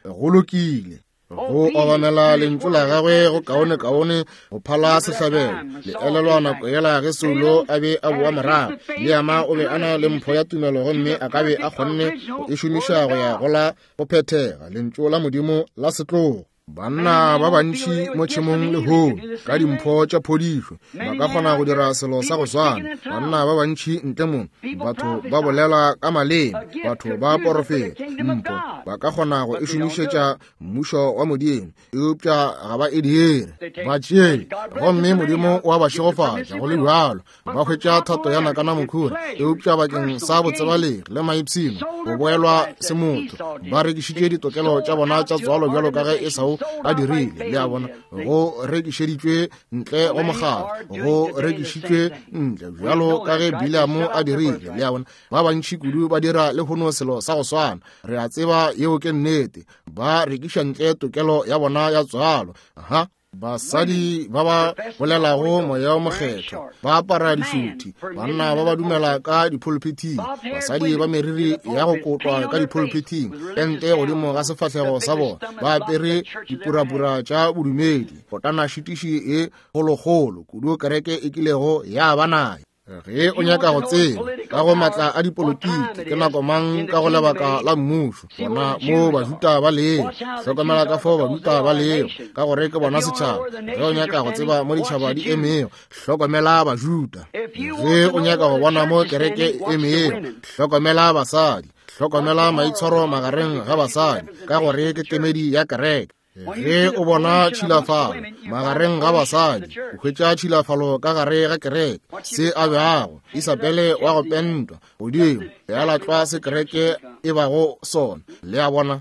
Go lokile. Go obamela lentšu la gagwe go kaone kaone go phala sehlabelo. Le elelwa nako yela ge Saulo a be a boa morago, Liama o be a na le mpho ya tumelo gomme a ka be a kgonne go e šomiša go ya go la go phethega lentšu la Modimo la setlogo. Banna ba bantši mo tšhemong lehono ka dimpho tša phodišo ba ka kgona go dira selo sa go swana. Banna ba bantši ntle mo, batho ba bolela ka maleme, batho ba porofeta, mpho ba ka kgona go e šomišetša mmušo wa Modimo, eupša ga ba e dire. Ba tšee, gomme Modimo wa ba šegofatša go le bjalo. Ba hwetša thato ya nakana mokhura, eupša bakeng sa botsebalegi le maipshino go boelwa semotho, ba rekišitše ditokelo tša bona tša tswalo bjalo ka ge Esau a dirile. Le a bona, go rekišeditšwe ntle go mogala, go rekišitšwe ntle bjalo ka ge Biliamo a dirile. Le a bona, ba bantši kudu ba dira lehono selo sa go swana. Re a tseba yeo ke nnete. Ba rekiša ntle tokelo ya bona ya tswalo. Aha. Basadi ba ba bolelago moya o mokgethwa ba apara dišuthi, banna ba ba dumela ka dipulpithing, basadi ba meriri ya go kotwa ka dipulpithing, pente godimo ga sefahlego sa bona, ba apere dipurapura tša bodumedi, kotana šitiši e kgolokgolo kudu kereke e kilego ya ba nayo. Ge o nyaka go tseba ka go matla a dipolotiki ke nako mang ka go lebaka la mmušo, bona mo Bajuda ba lego, hlokomela ka fao Bajuda ba lego, ka gore ke bona setšhaba. Ge o nyaka go tseba mo ditšhaba di emego, hlokomela Bajuda. Ge o nyaka go bona mo kereke e emego, hlokomela basadi, hlokomela maitshwaro magareng ga basadi, ka gore ke kemedi ya kereke. Ge o bona tšhilafalo magareng ga basadi, o hwetša tšhilafalo ka gare ga kereke. Se a beago Isabele wa go pentwa godimo ya latlwa se kereke e bago sona. Le a bona?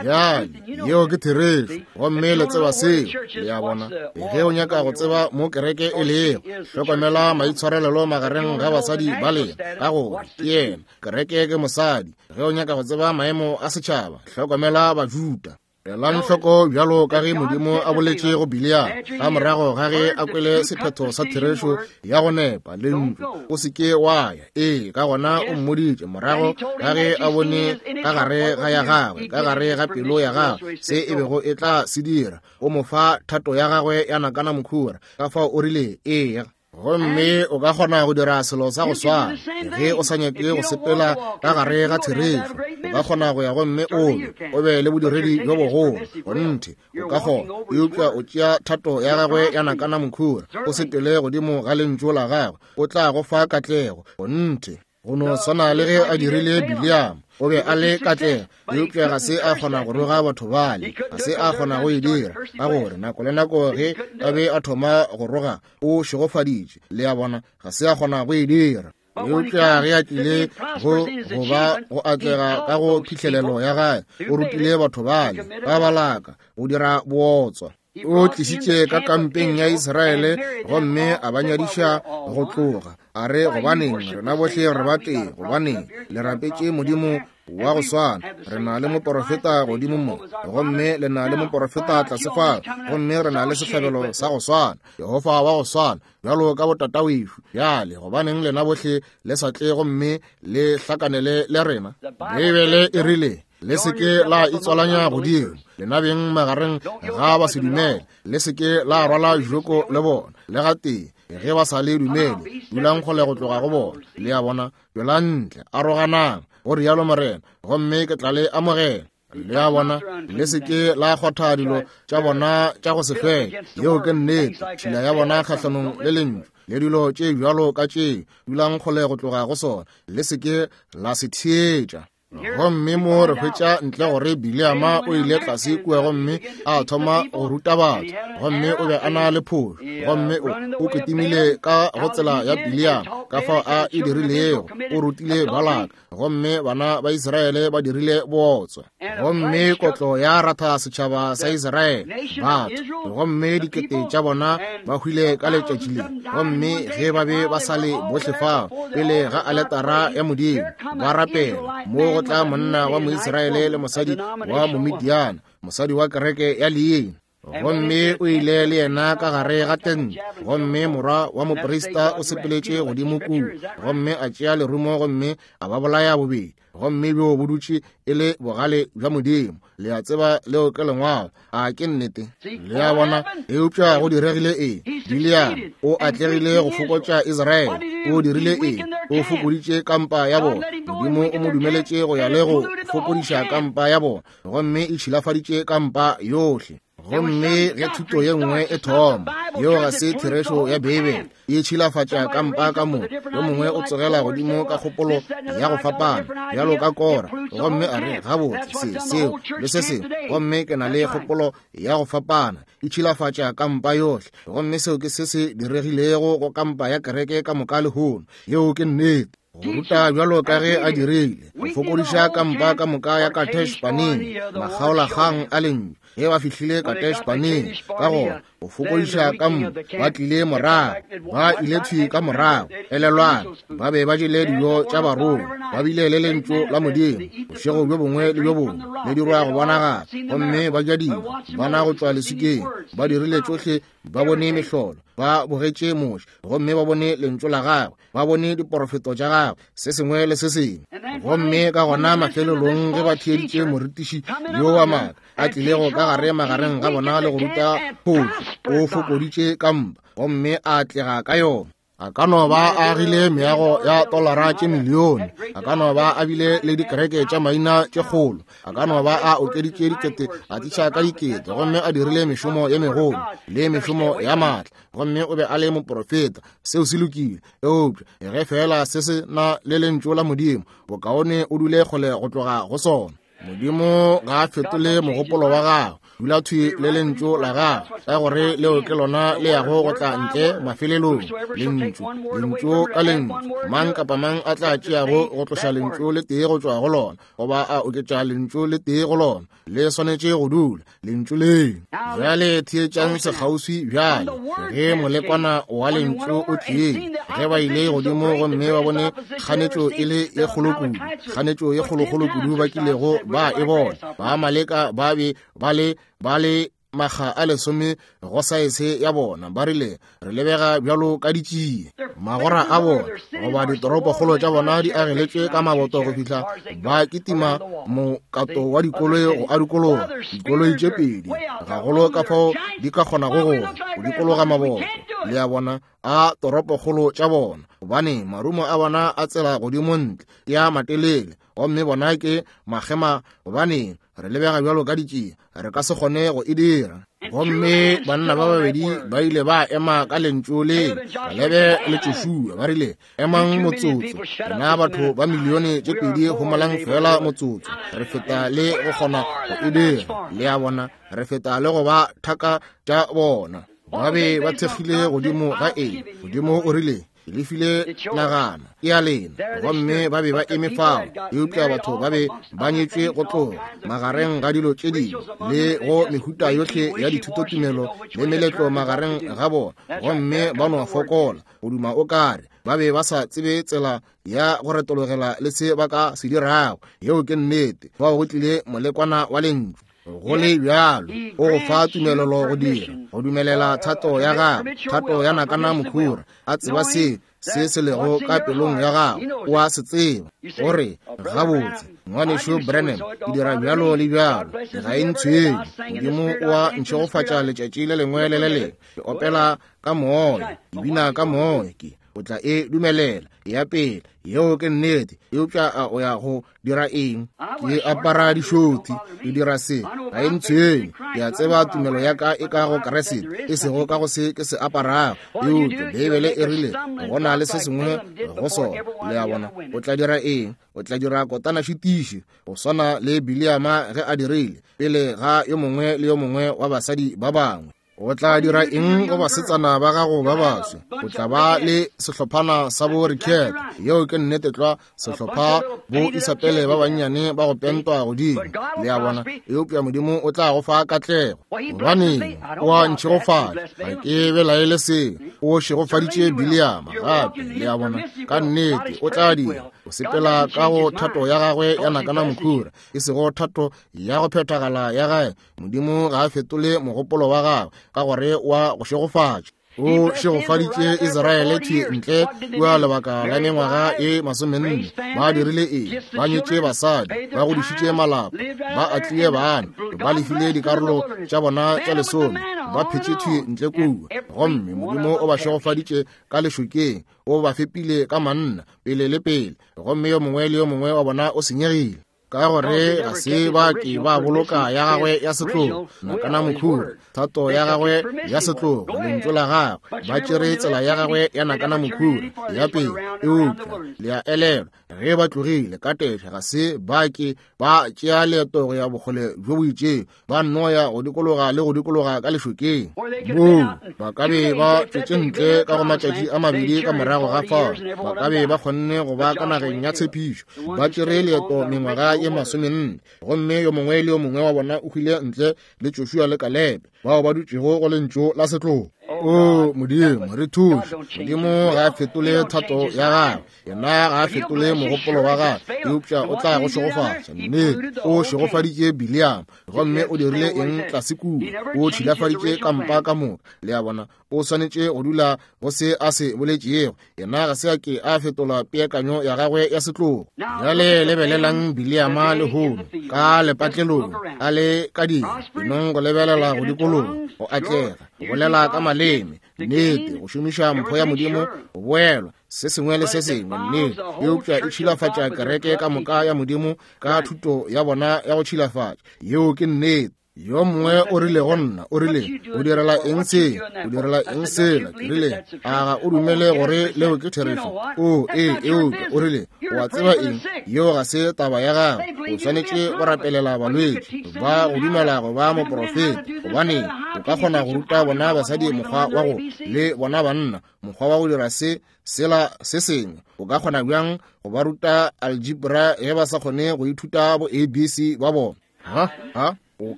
Bjale yeo ke therešo, gomme le tseba seo. Le a bona? Ge o nyaka go tseba mo kereke e lego, hlokomela maitshwarelelo magareng ga basadi ba lena, ka gore ke yena kereke ke mosadi. Ge o nyaka go tseba maemo a setšhaba, hlokomela Bajuda. Elang hloko bjalo ka ge Modimo a boletše go Bileama ka morago ga ge a kwele sephetho sa therešo ya go nepa lentšu, o se ke wa ya. Ee, ka gona o mmoditše morago ga ge a bone ka gare ga ya gagwe, ka gare ga pelo ya gagwe, se e bego e tla se dira. O mo fa thato ya gagwe ya nakana mokhura, ka fao o rile ee. Gomme o ka kgona go dira selo sa go swana ge o sa nyake go sepela ka gare ga therešo. O ka kgona go ya gomme o be o be le bodiredi bjo bogolo, kgonthe o ka kgona, eupša o tšea thato ya gagwe ya nakana mokhura, o sepele godimo ga lentšu la gagwe, o tla go fa katlego, kgonthe. Go no swana le ge a dirile Bileama, o be a le katlego, eupša ga se a kgona go roga batho bale, ga se a kgona go e dira, ka gore nako le nako ge a be a thoma go roga o šegofaditše. Le a bona? Ga se a kgona go e dira. Eupša ge a tlile go go ba go atlega ka go phihlelelo ya gae, o rutile batho bale ba balaka go dira bootswa. O tlišitše ka kampeng ya Israele gomme a ba nyadiša go tloga. A re, gobaneng rena bohle re ba tee? Gobaneng le rapetše Modimo wa go swana? Re na le moporofeta godimo mo, gomme le na le moporofeta tlase fao, gomme re na le sehlabelo sa go swana, Jehofa wa go swana, bjalo ka botatawešo. Bjale gobaneng lena bohle le sa tle gomme le hlakanele le rena? Beibele e rile, le se ke la itswalanya godimo lena beng magareng ga ba se dumele, le se ke la rwala joko le bona le gatee. Ge ba sa le dumele, dulang kgole go tloga go bona. Le a bona? Tšwelang ntle, aroganang, go rialo Morena, gomme ke tla le amogela. Le a bona? Le se ke la kgwatha dilo tša bona tša go se hlweke. Yeo ke nnete, tšhila ya bona kgahlanong le lentšu le dilo tše bjalo ka tšeo, dulang kgole go tloga go sona, le se ke la se theetša. Gomme mo re hwetša ntle gore Bileama o ile tlase kua gomme a thoma go ruta batho, gomme o be a na le phošo, gomme o, o kitimile ka go tsela ya Bileama ka fao a e dirilego. O rutile Balaka, gomme bana ba Israele ba dirile bootswa, gomme kotlo ya ratha setšhaba sa Israele, batho, gomme dikete tša bona ba hwile ka letšatši le. Gomme ge ba be ba sa le bohle fao pele ga aletara ya Modimo ba rapela, mo go tla monna wa Moisraele le mosadi wa Momidiana, mosadi wa kereke ya leina. Gomme o ile le yena ka gare ga tente, gomme morwa wa moprista o sepeletše godimo kua, gomme a tšea lerumo gomme a ba bolaya bobedi. Gomme bjo bo dutše e le bogale bja Modimo. Le a tseba leo ke lengwalo, a ke nnete? Le a bona? Eupša go diregile eng? Bileama o atlegile go fokotša Israele. O dirile eng? O fokoditše kampa ya bona. Modimo o mo dumeletše go ya le go fokodiša kampa ya bona, gomme e tšhilafaditše kampa yohle. Gomme ge thuto ye nngwe e thoma, yeo ga se therešo ya Beibele, e tšhilafatša kampa ka moka. Yo mongwe o tsogela godimo ka kgopolo ya go fapana, bjalo ka Kora, gomme a re, gabotse, se, seo, le se sengwe, gomme ke na le kgopolo ya go fapana. E tšhilafatša kampa yohle. Gomme seo ke se se diregilego go kampa ya kereke ka moka lehono. Yeo ke nnete. Go ruta bjalo ka ge a dirile, go fokodiša kampa ka moka ya Kadesh Barnea, makgaolakgang a lentšu. Ge ba fihlile Kadesh Barnea, ka gona Go fokodiša ka mpa, ba tlile morago, ba ile thwi ka morago. Elelwang, ba be ba jele dijo tša barongwa, ba bile le lentšu la Modimo bošego bjo bongwe le bjo bongwe le dirwa go bonagala, gomme ba ja dijo bana go tšwa leswikeng, ba dirile tšohle, ba bone mehlolo, ba bogetše Moshe, gomme ba bone lentšu la gagwe, ba bone diporofeto tša gagwe, se sengwe le se sengwe. Gomme ka gona mafelelong ge ba theeditše morutiši yo wa maaka a tlilego ka gare magareng ga bona le go ruta photso, o fokoditše ka mpa gomme a atlega ka yona. A ka no ba a agile meago ya tolara tše milione, a ka no ba a bile le dikereke tša maina tše kgolo, a ka no ba a okeditše dikete, a tliša ka dikete, gomme a dirile mešomo ye megolo le mešomo ya maatla, gomme o be a le moprofeta. Seo se lokile, eupša ge fela se se na le lentšu la Modimo, bokaone o dule kgole go tloga go sona. Modimo ga a fetole mogopolo wa gagwe, dula thwi le lentšu la gagwe, ka gore leo ke lona le yago go tla ntle mafelelong. Lentšu, lentšu ka lentšu, mang kapa mang a tla tšeago go tloša lentšu le tee go tšwa go lona, goba a oketša lentšu le tee go lona, le swanetše go dula lentšu leo. Bjale theetšang sekgauswi bjale, ge molekwana wa lentšu o tlile, ge ba ile godimo gomme ba bone kganetšo e le ye kgolo kudu, kganetšo ye kgolokgolo kudu ba kilego ba e bona, ba Amaleka ba be ba le ba le makga a lesome go saese ya bona, ba rile re lebega bjalo ka ditšie. Magora a bona goba ditoropokgolo tša bona di ageletšwe ka maboto go fihla ba kitima mokato wa dikoloi go a dikologa, dikoloi tše pedi gagolo ka fao di ka kgonago go go dikologa maboto, le a bona, a toropokgolo tša bona, gobane marumo a bona a tsela godimo ntle ke a matelele, gomme bona ke makgema, gobane re lebega bjalo ka ditšie, re ka se kgone go e dira. Gomme banna ba babedi ba ile ba ema ka lentšu le, Kalebe le Joshua, ba rile, emang motsotso, rena batho ba milione tše pedi homolang fela motsotso, re feta le go kgona go e dira. Le a bona, re feta le go ba thaka tša bona. Ba be ba thekgile godimo ga eng? Modimo o rile, le file nagana ke ya lena, gomme ba be ba eme fao. Eupša batho ba be ba nyetšwe go tloga magareng ga dilo tše dingwe le go mehuta yohle ya dithutotumelo le meletlo magareng ga bona, gomme ba no fokola go duma o kare ba be ba sa tsebe tsela ya go retologela le se ba ka se dirago. Yeo ke nnete. Fao go tlile molekwana wa lentšu. Go le bjalo, o go fa tumelelo go dira, go dumelela thato ya gagwe, thato ya nakana mokhura, a tseba se se se lego ka pelong ya gagwe, o a se tseba. Gore gabotse, ngwanešu Branham, ke dira bjalo le bjalo, ga e ntshwenye. Modimo o a ntšhegofatša letšatši le lengwe le le lengwe. Ke opela ka moya, ke bina ka moya, ke o tla e dumelela ya pele. Yeo ke nnete. Eupša a o ya go dira eng? Ke apara dišothi, ke dira se, ga e ntshwenye. Ke a tseba tumelo ya ka e ka go Kriste, e sego ka go se ke se aparago. Eupša Beibele e rile go na le se sengwe go sona. Le a bona, o tla dira eng? O tla dira kotana šitiši go swana le Biliama ge a dirile pele ga yo mongwe le yo mongwe wa basadi ba bangwe. O tla dira eng go basetsana ba gago ba baswa? O tla ba le sehlophana sa bo Riket, yeo ke nnete tlwa, sehlopha bo Isabele ba bannyane ba go pentwa godimo. Le a bona, eupša Modimo o tla go fa katlego. Gobane o a ntšhegofatša, ga ke belaele seo. O šegofaditše Biliama gape, le a bona, ka nnete o tla dira. O sepela ka go thato ya gagwe ya nakana mokhura, e sego thato ya go phethagala ya gae. Modimo ga a fetole mogopolo wa gagwe, ka gore wa go šegofatša. O šegofaditše Israele thwi ntle kua lebaka la mengwaga e masomenne. Ba dirile eng? Ba nyetše basadi, ba godišitše malapa, ba atlile bana, ba lefile dikarolo tša bona tša lesome, ba phetše thwi ntle kua. Gomme Modimo o ba šegofaditše ka lešokeng, o ba fepile ka manna pele le pele, gomme yo mongwe le yo mongwe wa bona o senyegile. Ka gore ga se ba ke ba boloka ya gagwe ya setlogo, nakana mokhura, thato ya gagwe ya setlogo, lentšu la gagwe, ba tšere tsela ya gagwe ya nakana mokhura ya pele. Eupša le a elelwa, ge ba tlogile ka tešha, ga se ba ke ba tšea leeto go ya bokgole bjo bo itšego, ba nno ya go dikologa le go dikologa ka lešokeng. Moo ba ka be ba tšwetše ntle ka go matšatši a mabedi ka morago ga fao, ba ka be ba kgonne go ba ka nageng ya tshepišo. Ba tšere leeto mengwaga mengwaga ye masomenne, gomme yo mongwe le yo mongwe wa bona o hwile ntle le Joshua le Kalebe, bao ba dutšego go lentšu la setlogo. O Modimo, re thuše. Modimo ga a fetole thato ya gagwe, yena ga a fetole mogopolo wa gagwe, eupša o tla go šegofatša. Nnete, o šegofaditše Bileama, gomme o dirile eng tlase kua? O tšhilafaditše kampa ka moka. Le a bona, o swanetše go dula go se a se boletšego. Yena ga se a ke a fetola peakanyo ya gagwe ya setlogo. Bjale lebelelang Bileama lehono ka lepatlelong, a le ka dira enong go lebelela go dikologa, go atlega, go bolela ka maleme, nnete, go šomiša mpho ya Modimo, go boelwa, se sengwe le se sengwe, nnete, eupša e tšhilafatša kereke ka moka ya Modimo ka thuto ya bona ya go tšhilafatša. Yeo ke nnete. Yo mongwe o rile go nna, o rile, o direla eng se? O direla eng sela? Ke rile, a ga o dumele gore leo ke therešo? O, ee, eupša o rile, o a tseba eng? Yeo ga se taba ya gago. O swanetše go rapelela balwetši ba go dumela go ba moprofeta, gobane o ka kgona go ruta bona basadi mokgwa wa go, le bona banna mokgwa wa go dira se sela se sengwe. O ka kgona bjang go ba ruta algebra ge ba sa kgone go ithuta bo A B C ba bona? Ha ha o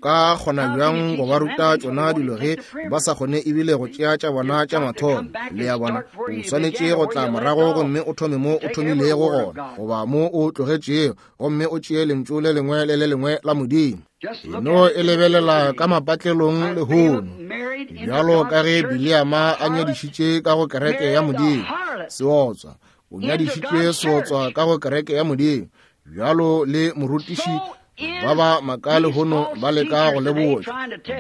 ka kgona bjang go ba ruta tšona dilo ge ba sa kgone ebile go tšea tša bona tša mathomo? Le a bona, o swanetše go tla morago gomme o thome mo o thomilego gona, goba mo o tlogetšego, gomme o tšee lentšu le lengwe le le lengwe la Modimo. Eno e lebelela ka mapatlelong lehono, bjalo ka ge Bileama a nyadišitše ka go kereke ya Modimo seotswa, o nyadišitše seotswa ka go kereke ya Modimo, bjalo le morutiši ba ba maka lehono ba leka go lebotša,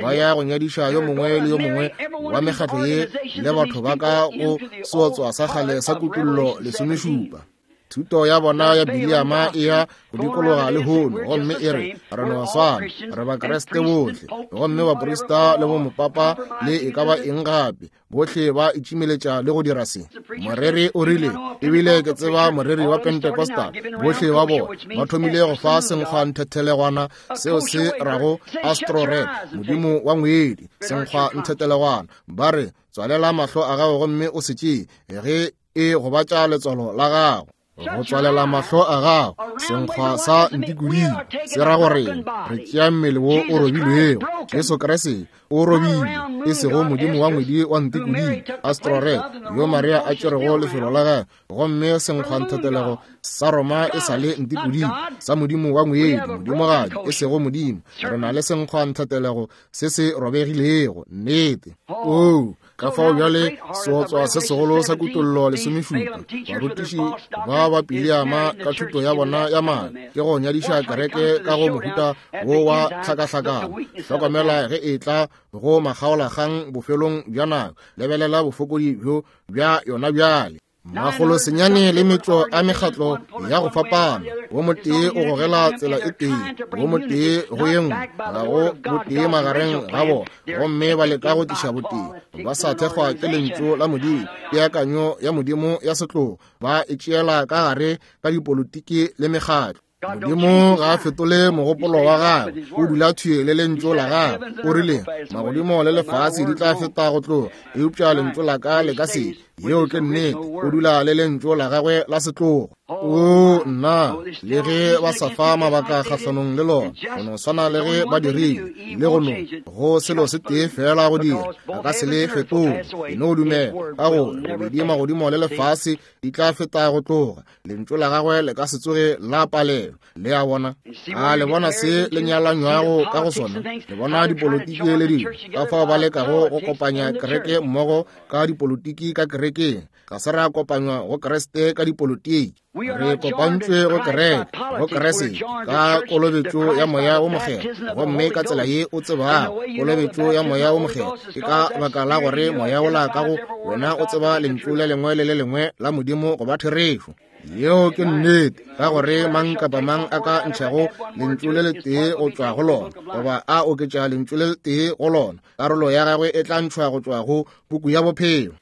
ba ya go nyadiša yo mongwe le yo mongwe wa mekgatlo ye le batho ba ka go seotswa sa kgale sa Kutollo lesomešupa. Thuto ya bona ya Bileama e ya go dikologa lehono, gomme e re, re no swana, re Bakriste bohle, gomme baprista le bomopapa le e ka ba eng gape, bohle ba itšimeletša le go dira se. Moreri o rile, ebile ke tseba moreri wa Pentecostal, bohle ba bona ba thomile go fa senkgwa nthethelegwana, seo se rago Astroret, modimo wa ngwedi, senkgwa nthethelegwana. Ba re, tswalela mahlo a gago gomme o se tšee, ge e gobatša letswalo la gago. Go tswalela mahlo a gago, senkgwa sa ntikodimo se ra gore re tšea mmele wo o robilwego. Jesu Kriste o robilwe, e sego modimo wa ngwedi wa ntikodimo Astroret, yo Maria a tšerego lefelo la gagwe, gomme senkgwa nthetelego sa Roma e sa le ntikodimo sa modimo wa ngwedi, modimogadi, e sego modimo. Re na le senkgwa nthetelego se se robegilego, nnete. Oo, ka fao bjale seotswa se segolo sa Kutollo lesomešupa, barutiši ba ba Bileama ka thuto ya bona ya maaka ke go nyadiša kereke ka go mohuta wo wa tlhakahlakano. Hlokomela ge e tla go makgaolakgang bofelong bja nako, lebelela bofokodi bjo bja yona bjale. Makgolo senyane le metšo a mekgatlo ya go fapana, wo motee o gogela tsela e tee, wo motee go ye nngwe, ga go botee magareng ga bona, gomme ba leka go tliša botee ba sa thekgwa ke lentšu la Modimo. Peakanyo ya Modimo ya setlogo ba e tšeela ka gare ka dipolotiki le mekgatlo. Modimo ga a fetole mogopolo wa gagwe, o dula thwi le lentšu la gagwe. O rile, magodimo le lefase di tla feta go tloga, eupša lentšu la ka le ka se. Yeo ke nnete, o dula le lentšu la gagwe la setlogo. O nna, le ge ba sa fa mabaka kgahlanong le lona, go no swana le ge ba dirile le go no go selo se tee fela go dira, a ka se le fetole. E no dumela ka gore bobedi magodimo le lefase di tla feta go tloga, lentšu la gagwe le ka se tsoge la palelwa. Le a bona, a le bona se le nyalanywago ka go sona? Le bona dipolotiki le dilo ka fao ba lekago go kopanya kereke mmogo ka dipolotiki ka kerekeng. Ga se ra kopanywa go Kriste ka dipolotiki, re kopantšwe go kereke, go Kriste ka kolobetšo ya Moya wo Mokgethwa. Gomme ka tsela ye o tsebago kolobetšo ya Moya wo Mokgethwa ke ka baka la gore moya wola ka go wena o tseba lentšu le lengwe le le lengwe la Modimo go ba therešo. Yeo ke nnete, ka gore mang kapa mang a ka ntšhago lentšu le letee go tšwa go lona, goba a oketša lentšu le letee go lona, karolo ya gagwe e tla ntšhwa go tšwa go puku ya bophelo.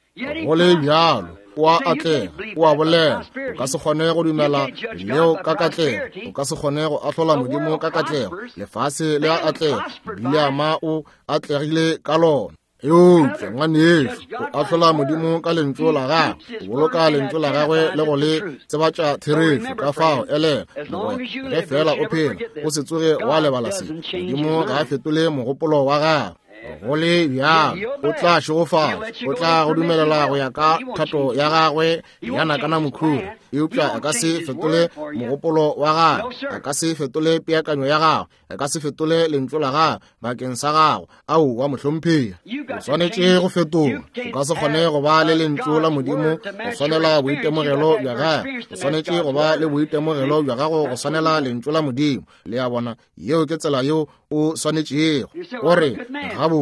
Go le bjalo, o a atlega, o a bolela. O ka se kgone go dumela leo ka katlego, o ka se kgone go ahlola Modimo ka katlego. Lefase le a atlega, Bileama o atlegile ka lona. Eupša ngwanešu, o ahlola Modimo ka lentšu la gagwe, o boloka lentšu la gagwe le go le tsebatša therešo. Ka fao elela, mogwera, ge fela o phela, o se tsoge wa lebala se. Modimo ga a fetole mogopolo wa gagwe. Go le bjalo, o tla šegofala, o tla go dumelela go ya ka thato ya gagwe ya nakana mokhura, eupša a ka se fetole mogopolo wa gagwe, a ka se fetole peakanyo ya gagwe, a ka se fetole lentšu la gagwe bakeng sa gago. Aowa mohlomphegi, o swanetše go fetoga. O ka se kgone go ba le lentšu la Modimo go swanela boitemogelo bja gago. O swanetše go ba le boitemogelo bja gago go swanela lentšu la Modimo. Le a bona, yeo ke tsela yeo o swanetšego. O re, gabotse,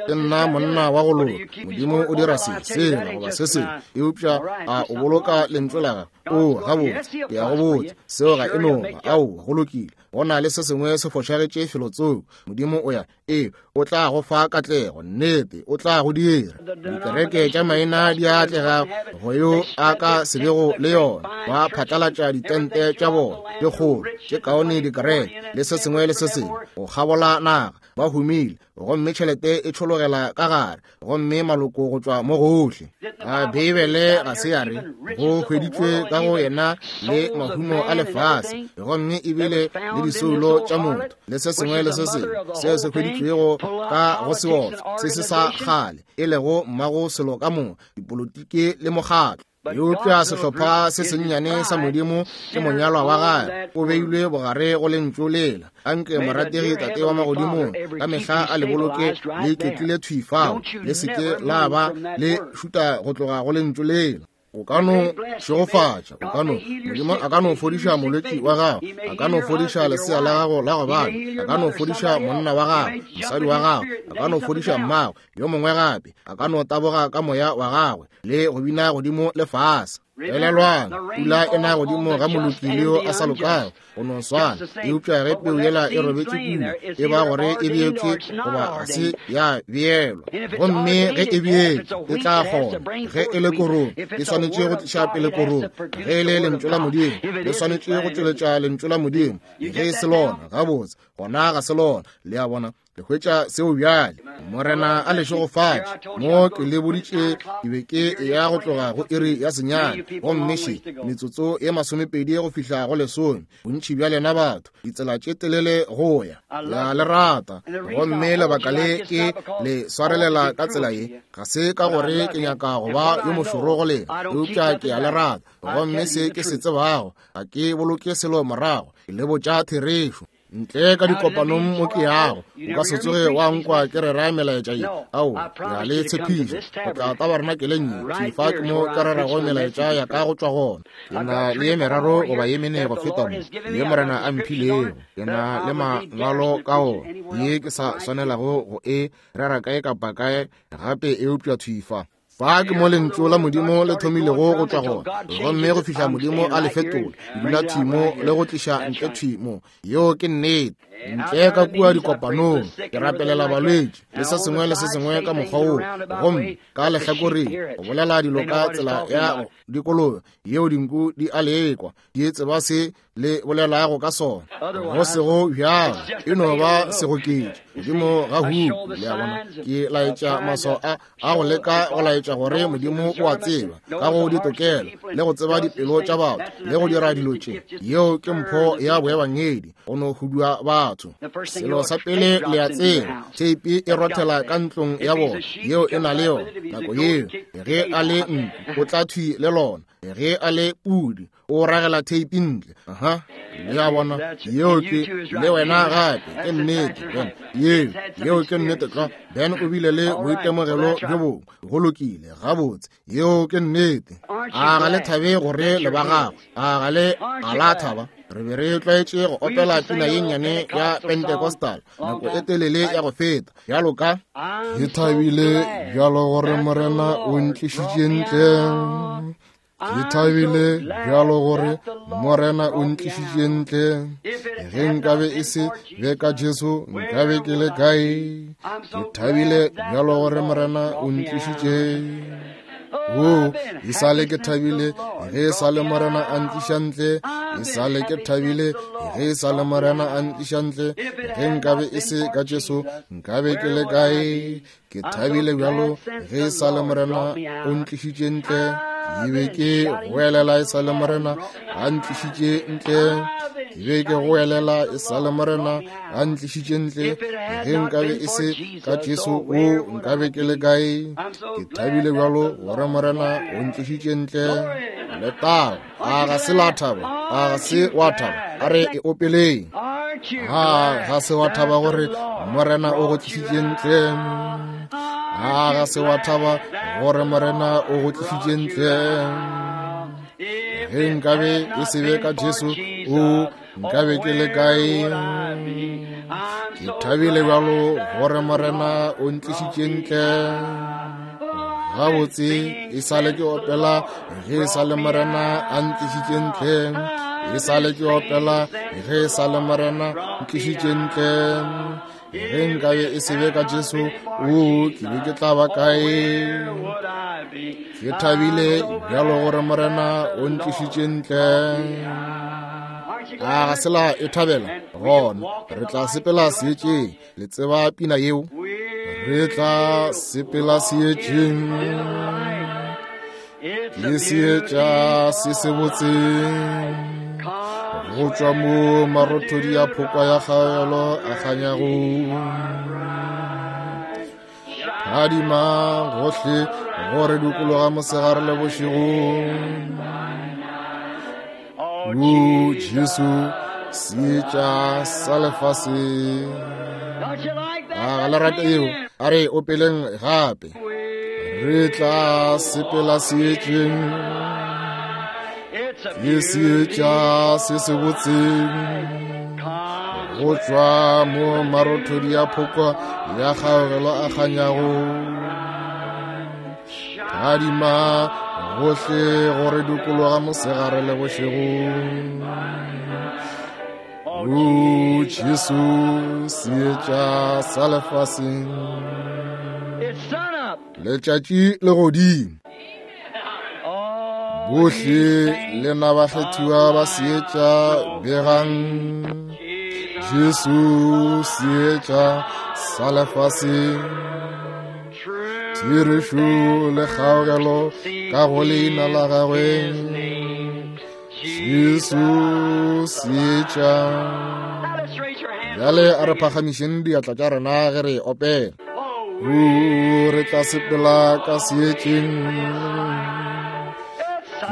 ke nna monna wa go loka, Modimo o dira se, sela goba se sengwe, eupša a o boloka lentšu la gagwe? O, gabotse, ke a go botša, seo ga e no ba. Aowa, go lokile. Go na le se sengwe se fošagetše felotsoko. Modimo o ya, ee, o tla go fa katlego, nnete, o tla go dira. Dikereke tša maina di atlega go yo a ka se bego le yona. Ba phatlalatša ditente tša bona tše kgolo, tše kaone dikereke, le se sengwe le se sengwe, go kgabola naga. Ba humile, gomme tšhelete e tšhologela ka gare, gomme maloko go tšwa mo gohle. A Beibele ga se ya re go hweditšwe ka go yena le mahumo a lefase, gomme ebile le disoulo tša motho le se sengwe le se sengwe seo se hweditšwego ka go seotswa se se sa kgale, e lego mmago selo ka moka, dipolotiki le mokgatlo. Eupša sehlopha se sennyane sa Modimo ke monyalwa wa gagwe, o beilwe bogare go lentšu lela. Anke morategi Tate wa magodimong ka mehla a le boloke le iketlile thwi fao, le se ke la ba le šuta go tloga go lentšu lela. O ka no šegofatša, o ka no, Modimo a ka no fodiša molwetši wa gago, a ka no fodiša lesea la gago la go bana, a ka no fodiša monna wa gago, mosadi wa gago, a ka no fodiša mmago, yo mongwe gape, a ka no taboga ka moya wa gagwe le go bina godimo le fase. Elelwang, pula e na godimo ga moloki le yo a sa lokago, go no swana. Eupša ge peu yela e robetše kua, e ba gore e beetšwe goba ga se ya beelwa. Gomme ge e beetšwe, e tla kgona. Ge e le korong, e swanetše go tliša pele korong. Ge e le lentšu la Modimo, le swanetše go tšweletša lentšu la Modimo. Ge e se lona, gabotse, gona ga se lona. Le a bona, le hwetša seo bjale. Morena a le šegofatše. Mo ke le boditše ke be ke ya go tloga go iri ya senyane, gomme še metsotso ye masomepedi go fihla go lesome. Bontši bja lena batho, ditsela tše telele go ya, ya le rata. Gomme lebaka le ke le swarelela ka tsela ye, ga se ka gore ke nyaka go ba yo mošoro go lena, eupša ke a le rata. Gomme se ke se tsebago, ga ke boloke selo morago, ke le botša therešo. Ntle ka dikopanong mo ke yago, o ka se tsoge wa nkwa ke rera melaetša ye. Ao, ke a le tshepiša, go tla tabarenakeleng ye, thwi fa ke mo ke rerago melaetša ya ka go tšwa gona. Ke na le ye meraro goba ye mene go feta mo, ye Morena a mphilego. Ke na le mangwalo ka ona, ye ke sa swanelago go e rera kae kapa kae gape, eupša thwi fa. Fa ke mo lentšu la Modimo le thomilego go tšwa gona, gomme go fihla Modimo a le fetola, ke dula thwi mo le go tliša ntle thwi mo. Yeo ke nnete. Ntle ka kua dikopanong, ke rapelela balwetši le se sengwe le se sengwe ka mokgwa woo, gomme ka lehlakoreng go bolela dilo ka tsela ya dikolobe yeo dinku di a lekwa, di tseba se le bolelago ka sona. Go sego bjalo, e no ba segoketši godimo ga huku. Le a bona, ke laetša maswao a a go leka go laetša gore Modimo o a tseba ka go ditokelo le go tseba dipelo tša batho le go dira dilo tše. Yeo ke mpho ya boebangedi, go no hudua batho. Selo sa pele le a tseba, theipi e rothela ka ntlong ya bona, yeo e na le yona. Nako yeo ge a le nku, o tla thwi le lona. Ge a le pudi, o ragela theipi ntle. Aha, le a bona, yeo ke le wena gape, ke nnete. Ben, yeo, yeo ke nnete tlwa. Ben o bile le boitemogelo bjo bongwe. Go lokile, gabotse, yeo ke nnete. A ga le thabe gore le ba gagwe? A ga le, ga la thaba? Re be re tlwaetše go opela pina ye nnyane ya Pentecostal nako e telele ya go feta, bjalo ka ke thabile bjalo gore Morena o ntlišitše ntle. Ke thabile bjalo gore Morena o ntlišitše ntle. Ge nkabe e se be ka Jesu, nkabe ke le kae? Ke thabile bjalo gore Morena o ntlišitše. O, e sa le ke thabile ge e sa le Morena a ntliša ntle, e sa le ke thabile ge e sa le Morena a ntliša ntle. Ge nkabe e se ka Jesu, nkabe ke le kae? Ke thabile bjalo ge e sa le Morena o ntlišitše ntle. Ke be ke goelela e sa le Morena a ntlišitše ntle. Ke be ke goelela e sa le Morena a ntlišitše ntle. Ge nkabe e se ka Jesu, o nkabe ke le kae? Ke thabile bjalo gore Morena o ntlišitše ntle. Letago, a ga se la thaba, a ga se wa thaba, a re e opeleng. A ga se wa thaba gore Morena o go tlišitše ntle? A ga se wa thaba gore Morena o go tlišitše ntle? Ge nkabe e se be ka Jesu, o nkabe ke le kae? Ke thabile bjalo gore Morena o ntlišitše ntle. Gabotse e sa le ke opela ge e sa le Morena a ntlišitše ntle. E sa le ke opela ge e sa le Morena ntlišitše ntle. Ge nkabe e se be ka Jesu, o ke be ke tla ba kae? Ke thabile bjalo gore Morena o ntlišitše ntle. A ga se la e thabela? Gona re tla sepela seetšeng. Le tseba pina yeo? Re tla sepela seetšeng, ke seetša se se botse, go tšwa mo marothodi a phokwa ya kgaogelo a kganyago. Phadima gohle go re dikologa mosegare le bošego. O Jesu, seetša sa lefase. A ga le rate yeo? A re opeleng gape. Re tla sepela seetšeng, ke seetša se se botse, go tšwa mo marothodi a phokwa ya kgaogelo a kganyago. Phadima gohle go re dikologa mosegare le bošego. O Jesu, seetša sa lefaseng. Letšatši le godimo. Bohle lena bakgethiwa ba seetša, begang Jesu seetša sa lefaseng. Therešo le kgaogelo ka go leina la gagwe. Jesu seetša. Bjale a re phagamišeng diatla tša rena ge re opela. O, re tla sepela ka seetšeng,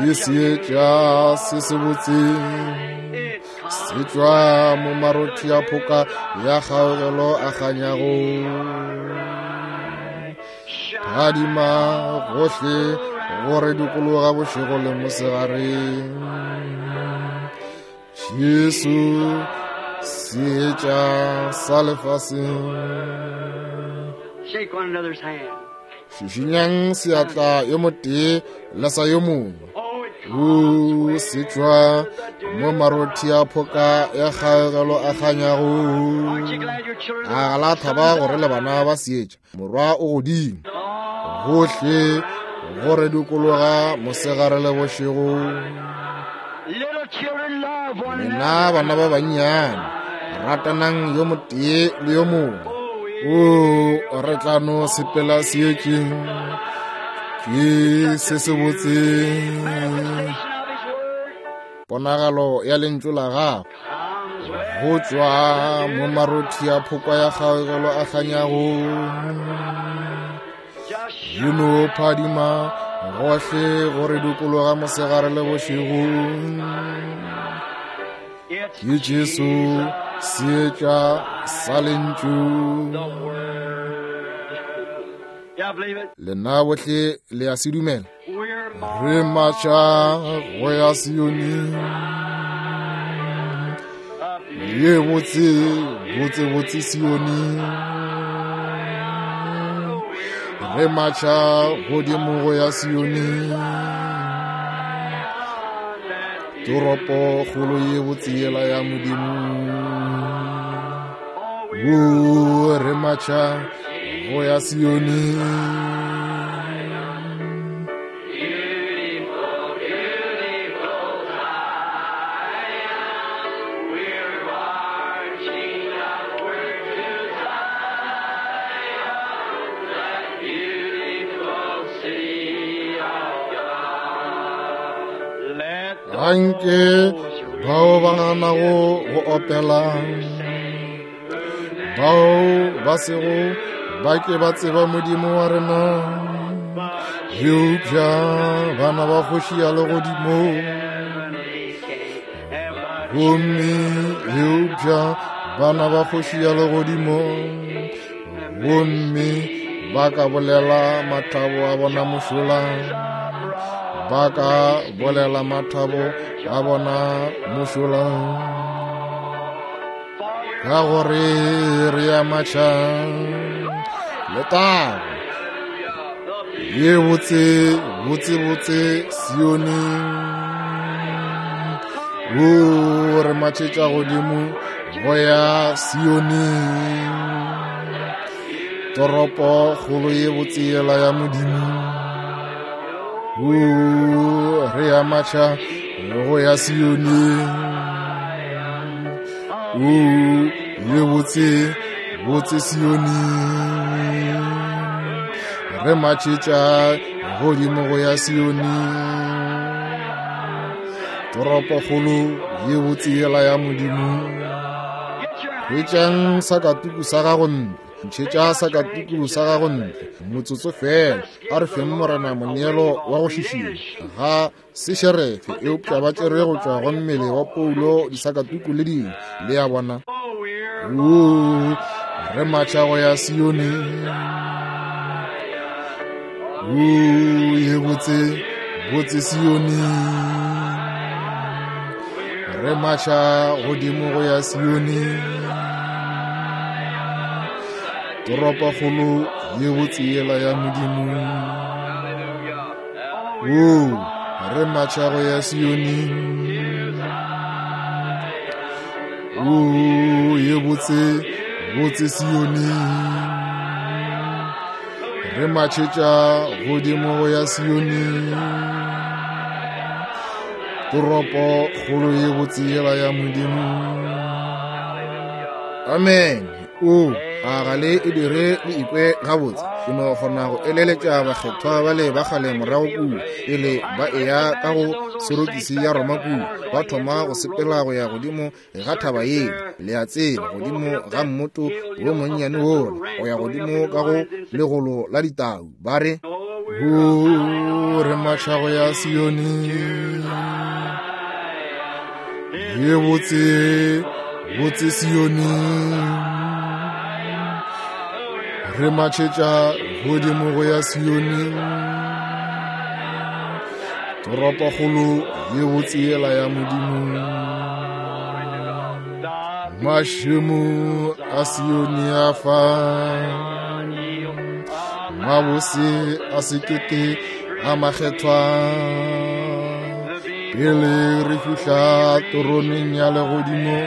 ke seetša se se botse, se tšwa mo marothi a phoka ya kgaogelo a kganyago. Phadima gohle go re dikologa bošego le mosegare. Jesu seetša sa lefaseng. Shake one another's hand. Šišinyang seatla yo motee le sa yo mongwe. O se tšwa mo marothi a phoka ya kgaogelo a kganyago. Aren't you glad your children A ga la thaba gore le bana ba seetša? Morwa o godimo gohle go re dikologa mosegare le bošego. Little children love one Lena another. bana ba bannyane, ratanang yo motee le yo mongwe. O, re tla no sepela seetšeng, ke se se botse. Manifestation of His word Ponagalo ya lentšu la gago comes with go tšwa mo marothi a phokwa ya kgaogelo a kganyago. just E no phadima gohle go re dikologa mosegare le bošego. It's Ke Jesu seetša sa lentšu. the word. Yeah, believe it. Lena bohle le a se dumela? We're Re matša go ya Sione, up ye botse botse botse Sione. Re matša godimo go ya Sione, toropo kgolo ye botse yela ya Modimo. O, re matša go ya Sione. Anke bao ba ganago go opela, bao ba sego ba ke ba tseba Modimo wa rena, eupša bana ba kgoši ya legodimo, gomme eupša bana ba kgoši ya legodimo, gomme ba ka bolela mathabo a bona mošola, ba ka bolela mathabo a bona mošola, ka gore re a matšha letago ye botse botse botse Sione. O re matšhetša godimo go ya Sione, toropo kgolo ye botse yela ya Modimo. O re a matšha go ya Sione, o ye botse botse Sione, re matšhetša godimo go ya Sione, toropokgolo ye botse yela ya Modimo. Hwetšang sakatuku sa gago ntle, ntšhetša sakatuku sa gago ntle motsotso fela. A re feng Morena moneelo wa go šišinya. Ga se šerefe, eupša ba tšerwe go tšwa go mmele wa Paulo disakatuku le dingwe, le a bona. O re matšha go ya Sione, o ye botse botse Sione, re matšha godimo go ya Sione, toropokgolo ye botse yela ya Modimo. O re matšha go ya Sione, o ye botse botse Sione, re matšhetša godimo go ya Sione, toropo kgolo ye botse yela ya Modimo. Amen. O a ga le e dire le ikwe gabotse. Ke no kgona go eleletša bakgethwa bale ba kgale morago kua pele ba eya ka go sorokisi ya Roma kua, ba thoma go sepela go ya godimo ga thaba yela, le a tseba, godimo ga mmoto wo monnyane wola, go ya godimo ka go legolo la ditau, ba re, o re matšha go ya Sione ye botse botse Sione, re matšhetša godimo go ya Sione, toropokgolo ye botse yela ya Modimo. Mašemo a Sione a fa mabose a sekete a makgethwa, pele re fihla teroneng ya legodimo,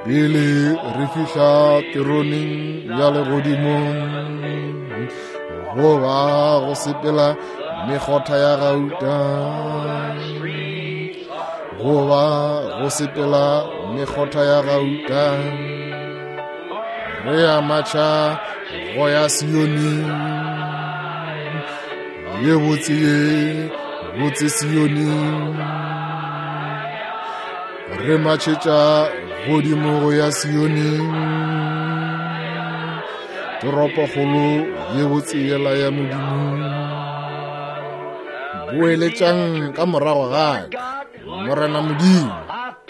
pele re fihla teroneng ya legodimo, go ba go sepela mekgotha ya gauta, go ba go sepela mekgotha ya gauta, re a matšha go ya Sione ye botse ye botse Sione, re matšhetša godimo go ya Sione, toropokgolo ye botse yela ya Modimo. Boeletšang ka morago ga ka, Morena Modimo,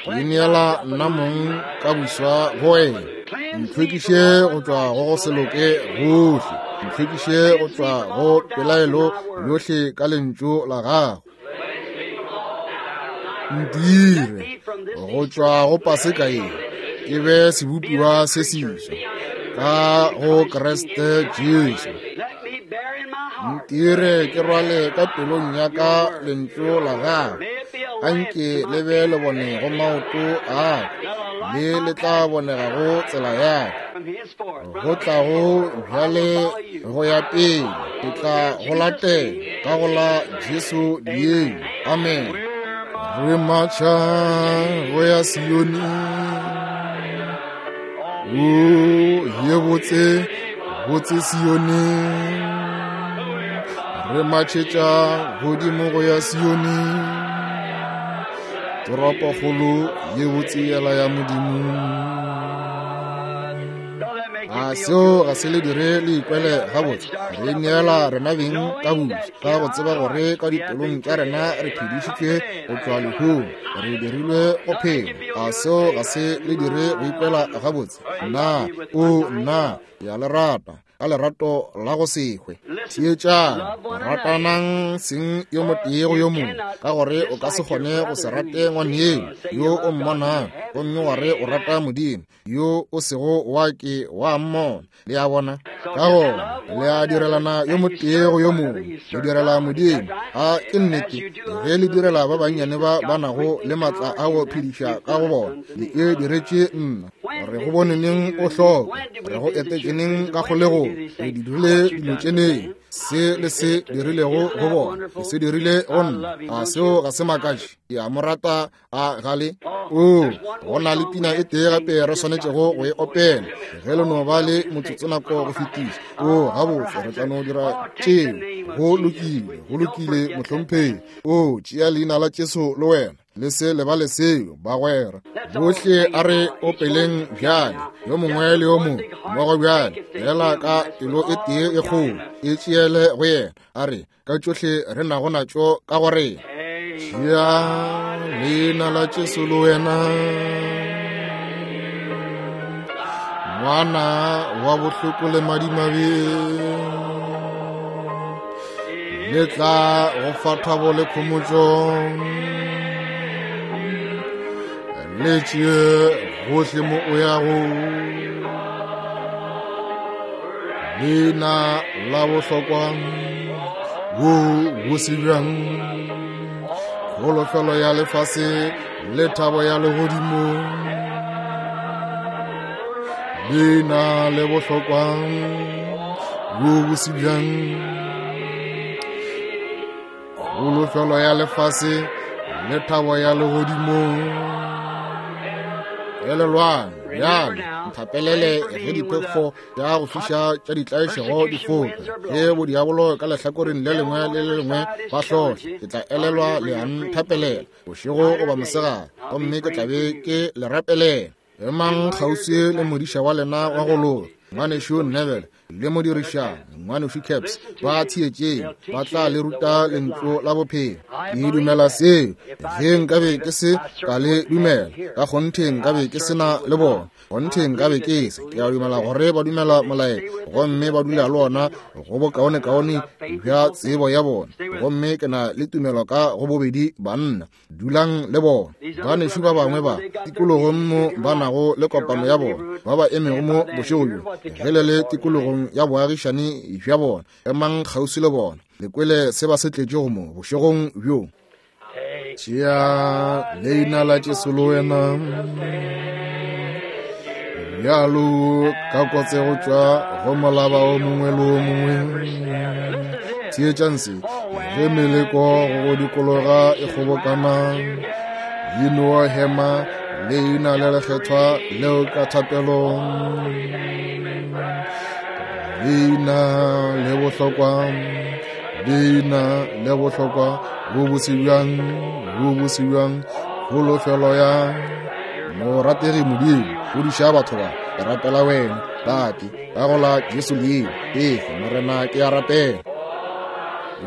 ke neela nna mong ka buswa go wena. Ntlhwekiše go tšwa go go se loke gohle, ntlhwekiše go tšwa go pelaelo yohle ka lentšu la gago. Ntire go tšwa go Paseka ye ke be sebopiwa se seswa ka go Kriste Jesu. Ntire ke rwale ka pelong ya ka lentšu la gago, anke le be le bone go maoto a ka, le le tla bonegago tsela ya ka. Go tla go bjale go ya pele, ke tla go latela ka go la Jesu leina. Amen. Re matšha go ya Sione, o ye botse botse Sione, re matšhetša godimo go ya Sione, Toropokgolo ye botse yela ya Modimo. A seo ga se le dire le ikwele gabotse? Re neela rena beng ka botse, ka go tseba gore ka dipelong tša rena re phedišitšwe go tšwa lehung, re dirilwe go phela. A seo ga se le dire go ikwela gabotse? Nna, o nna, ke a le rata ka lerato la go se hwe. Theetšang, ratanang seng yo motee go yo mongwe, ka gore o ka se kgone go se rate ngwaneno yo o mmonang, gomme wa re o rata Modimo yo o sego wa ke wa mmona. Le a bona? Ka gona le a direlana yo motee go yo mongwe, le direla Modimo. A ke nnete? Ge le direla ba bannyane ba ba nago le maatla a go phediša ka go bona, le e diretše nna. Re go bone neng o hloka, re go etetše neng ka kgolegong, re di dirile dilo tše neng, se le se dirilego go bona, le se dirile go nna. A seo ga se makatše? Ke a mo rata a gale. O, go na le pina e tee gape re swanetšego go e opela, ge le no ba le motsotso nako go fetiša. O, gabotse, re tla no dira tšeo. Go lokile, go lokile, mohlomphegi. O, tšea leina la Jesu le wena, le se lebale seo, bagwera. Bohle a re opeleng bjale, yo mongwe le yo mongwe mmogo bjale, fela ka pelo e tee e kgolo, e tšeele go yena. A re ka tšohle re nago natšo ka go rena. Tšea leina la Jesu le wena, ngwana wa bohloko le madimabe, le tla go fa thabo le khomotšo, le tšee gohle mo o yago. Leina la bohlokwa bo bose bjang, kholofelo ya lefase le thabo ya legodimo. Leina le bohlokwa bo bose bjang, kholofelo ya lefase le thabo ya legodimo. Elelwang bjale, nthapelele ge diphefo tša go fiša tša ditlaišego di foka, ge bodiabolo ka lehlakoreng le lengwe le le lengwe ba hlohla, ke tla elelwa le a nthapelela bošego goba mosegare, gomme ke tla be ke le rapelela. Emang kgauswi le modiša wa lena wa go loka, ngwanešu Neville, le modirišane ngwanešu Caps, ba theetšeng, ba tla le ruta lentšu la bophelo. Ke dumela seo. Ge nkabe ke se ka le dumela, ka kgonthe nkabe ke se na le bona, kgonthe nkabe ke se. Ke a dumela gore ba dumela molaetša, gomme ba dula le ona go bokaonekaone bja tsebo ya bona, gomme ke na le tumelo ka go bobedi banna. Dulang le bona. Banešu ba bangwe ba tikologong mo ba nago le kopano ya bona, ba ba emego mo bošego bjo, ge le le tikologong ya boagišane bja bona, emang kgauswi le bona, le kwele se ba se tletšego mo bošegong bjo. Tšea leina la Jesu le wena, bjalo ka kotse go tšwa go molaba o mongwe le o mongwe. Theetšang se, ge meleko go go dikologa e kgobokana, e no hema leina le lekgethwa leo ka thapelo. Leina le bohlokwa, leina le bohlokwa, bo bose bjang, bo bose bjang, kholofelo ya morategi Modimo. Godiša batho ba, ke rapela wena, Tate, ka go la Jesu leina. Efe, Morena, ke a rapela.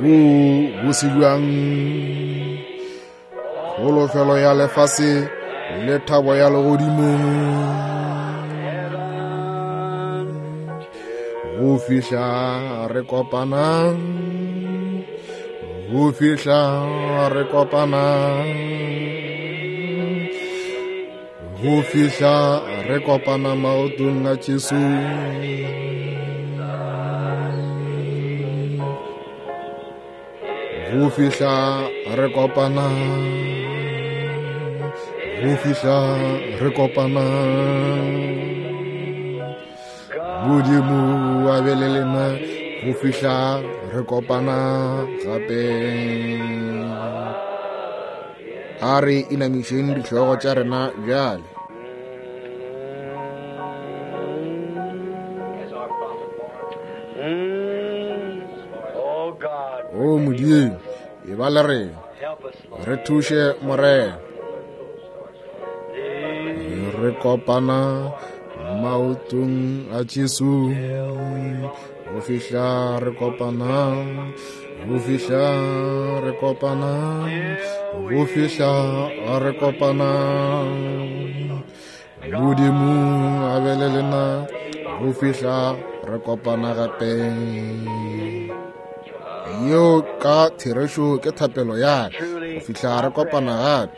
Bo bose bjang, kholofelo ya lefase le thabo ya legodimo. Go fihla re kopana, go fihla re kopana, go fihla re kopana maotong a Jesu. Go fihla re kopana, go fihla re kopana. Modimo a be le lena go fihla re kopana gape. A re inamišeng dihlogo tša rena bjale. O Modimo, e ba le rena, re thuše Morena. re kopana maotong a Jesu. Go fihla re kopana, go fihla re kopana, go fihla re kopana. Modimo a be le lena go fihla re kopana gape. Yeo ka therešo ke thapelo ya ka, go fihla re kopana gape.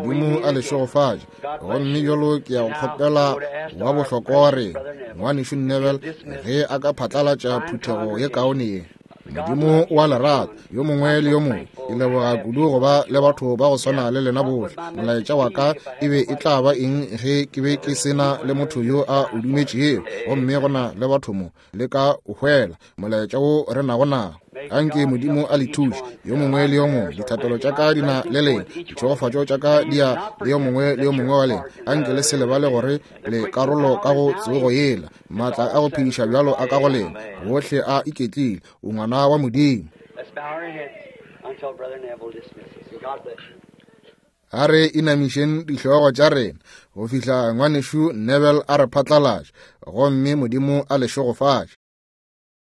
Modimo a le šegofatše. Gomme bjalo ke ya go kgopela wa bohlokwa wa rena, ngwanešu Neville, ge a ka phatlalatša phuthego ye kaone ye. Modimo wa lerato, yo mongwe le yo mongwe, ke leboga kudu go ba le batho ba go swana le lena bohle. Molaetša wa ka e be e tla ba eng ge ke be ke se na le motho yo a o dumetšego? Gomme go na le batho mo le ka o hwela molaetša wo re nago nao. Anke Modimo a le thuše yo mongwe le yo mongwe. Dithapelo tša ka di na le lena, ditšhegofatšo tša ka di ya le yo mongwe le yo mongwe wa lena. Anke le se lebale gore le karolo ka go tsogo yela. Maatla a go phediša bjalo a ka go lena bohle a iketlile. O ngwana wa Modimo. Let's bow our heads until Brother Neville dismisses. God bless you. A re inamišeng dihlogo tša rena go fihla ngwanešu Neville a re phatlalatša, gomme Modimo a le šegofatše.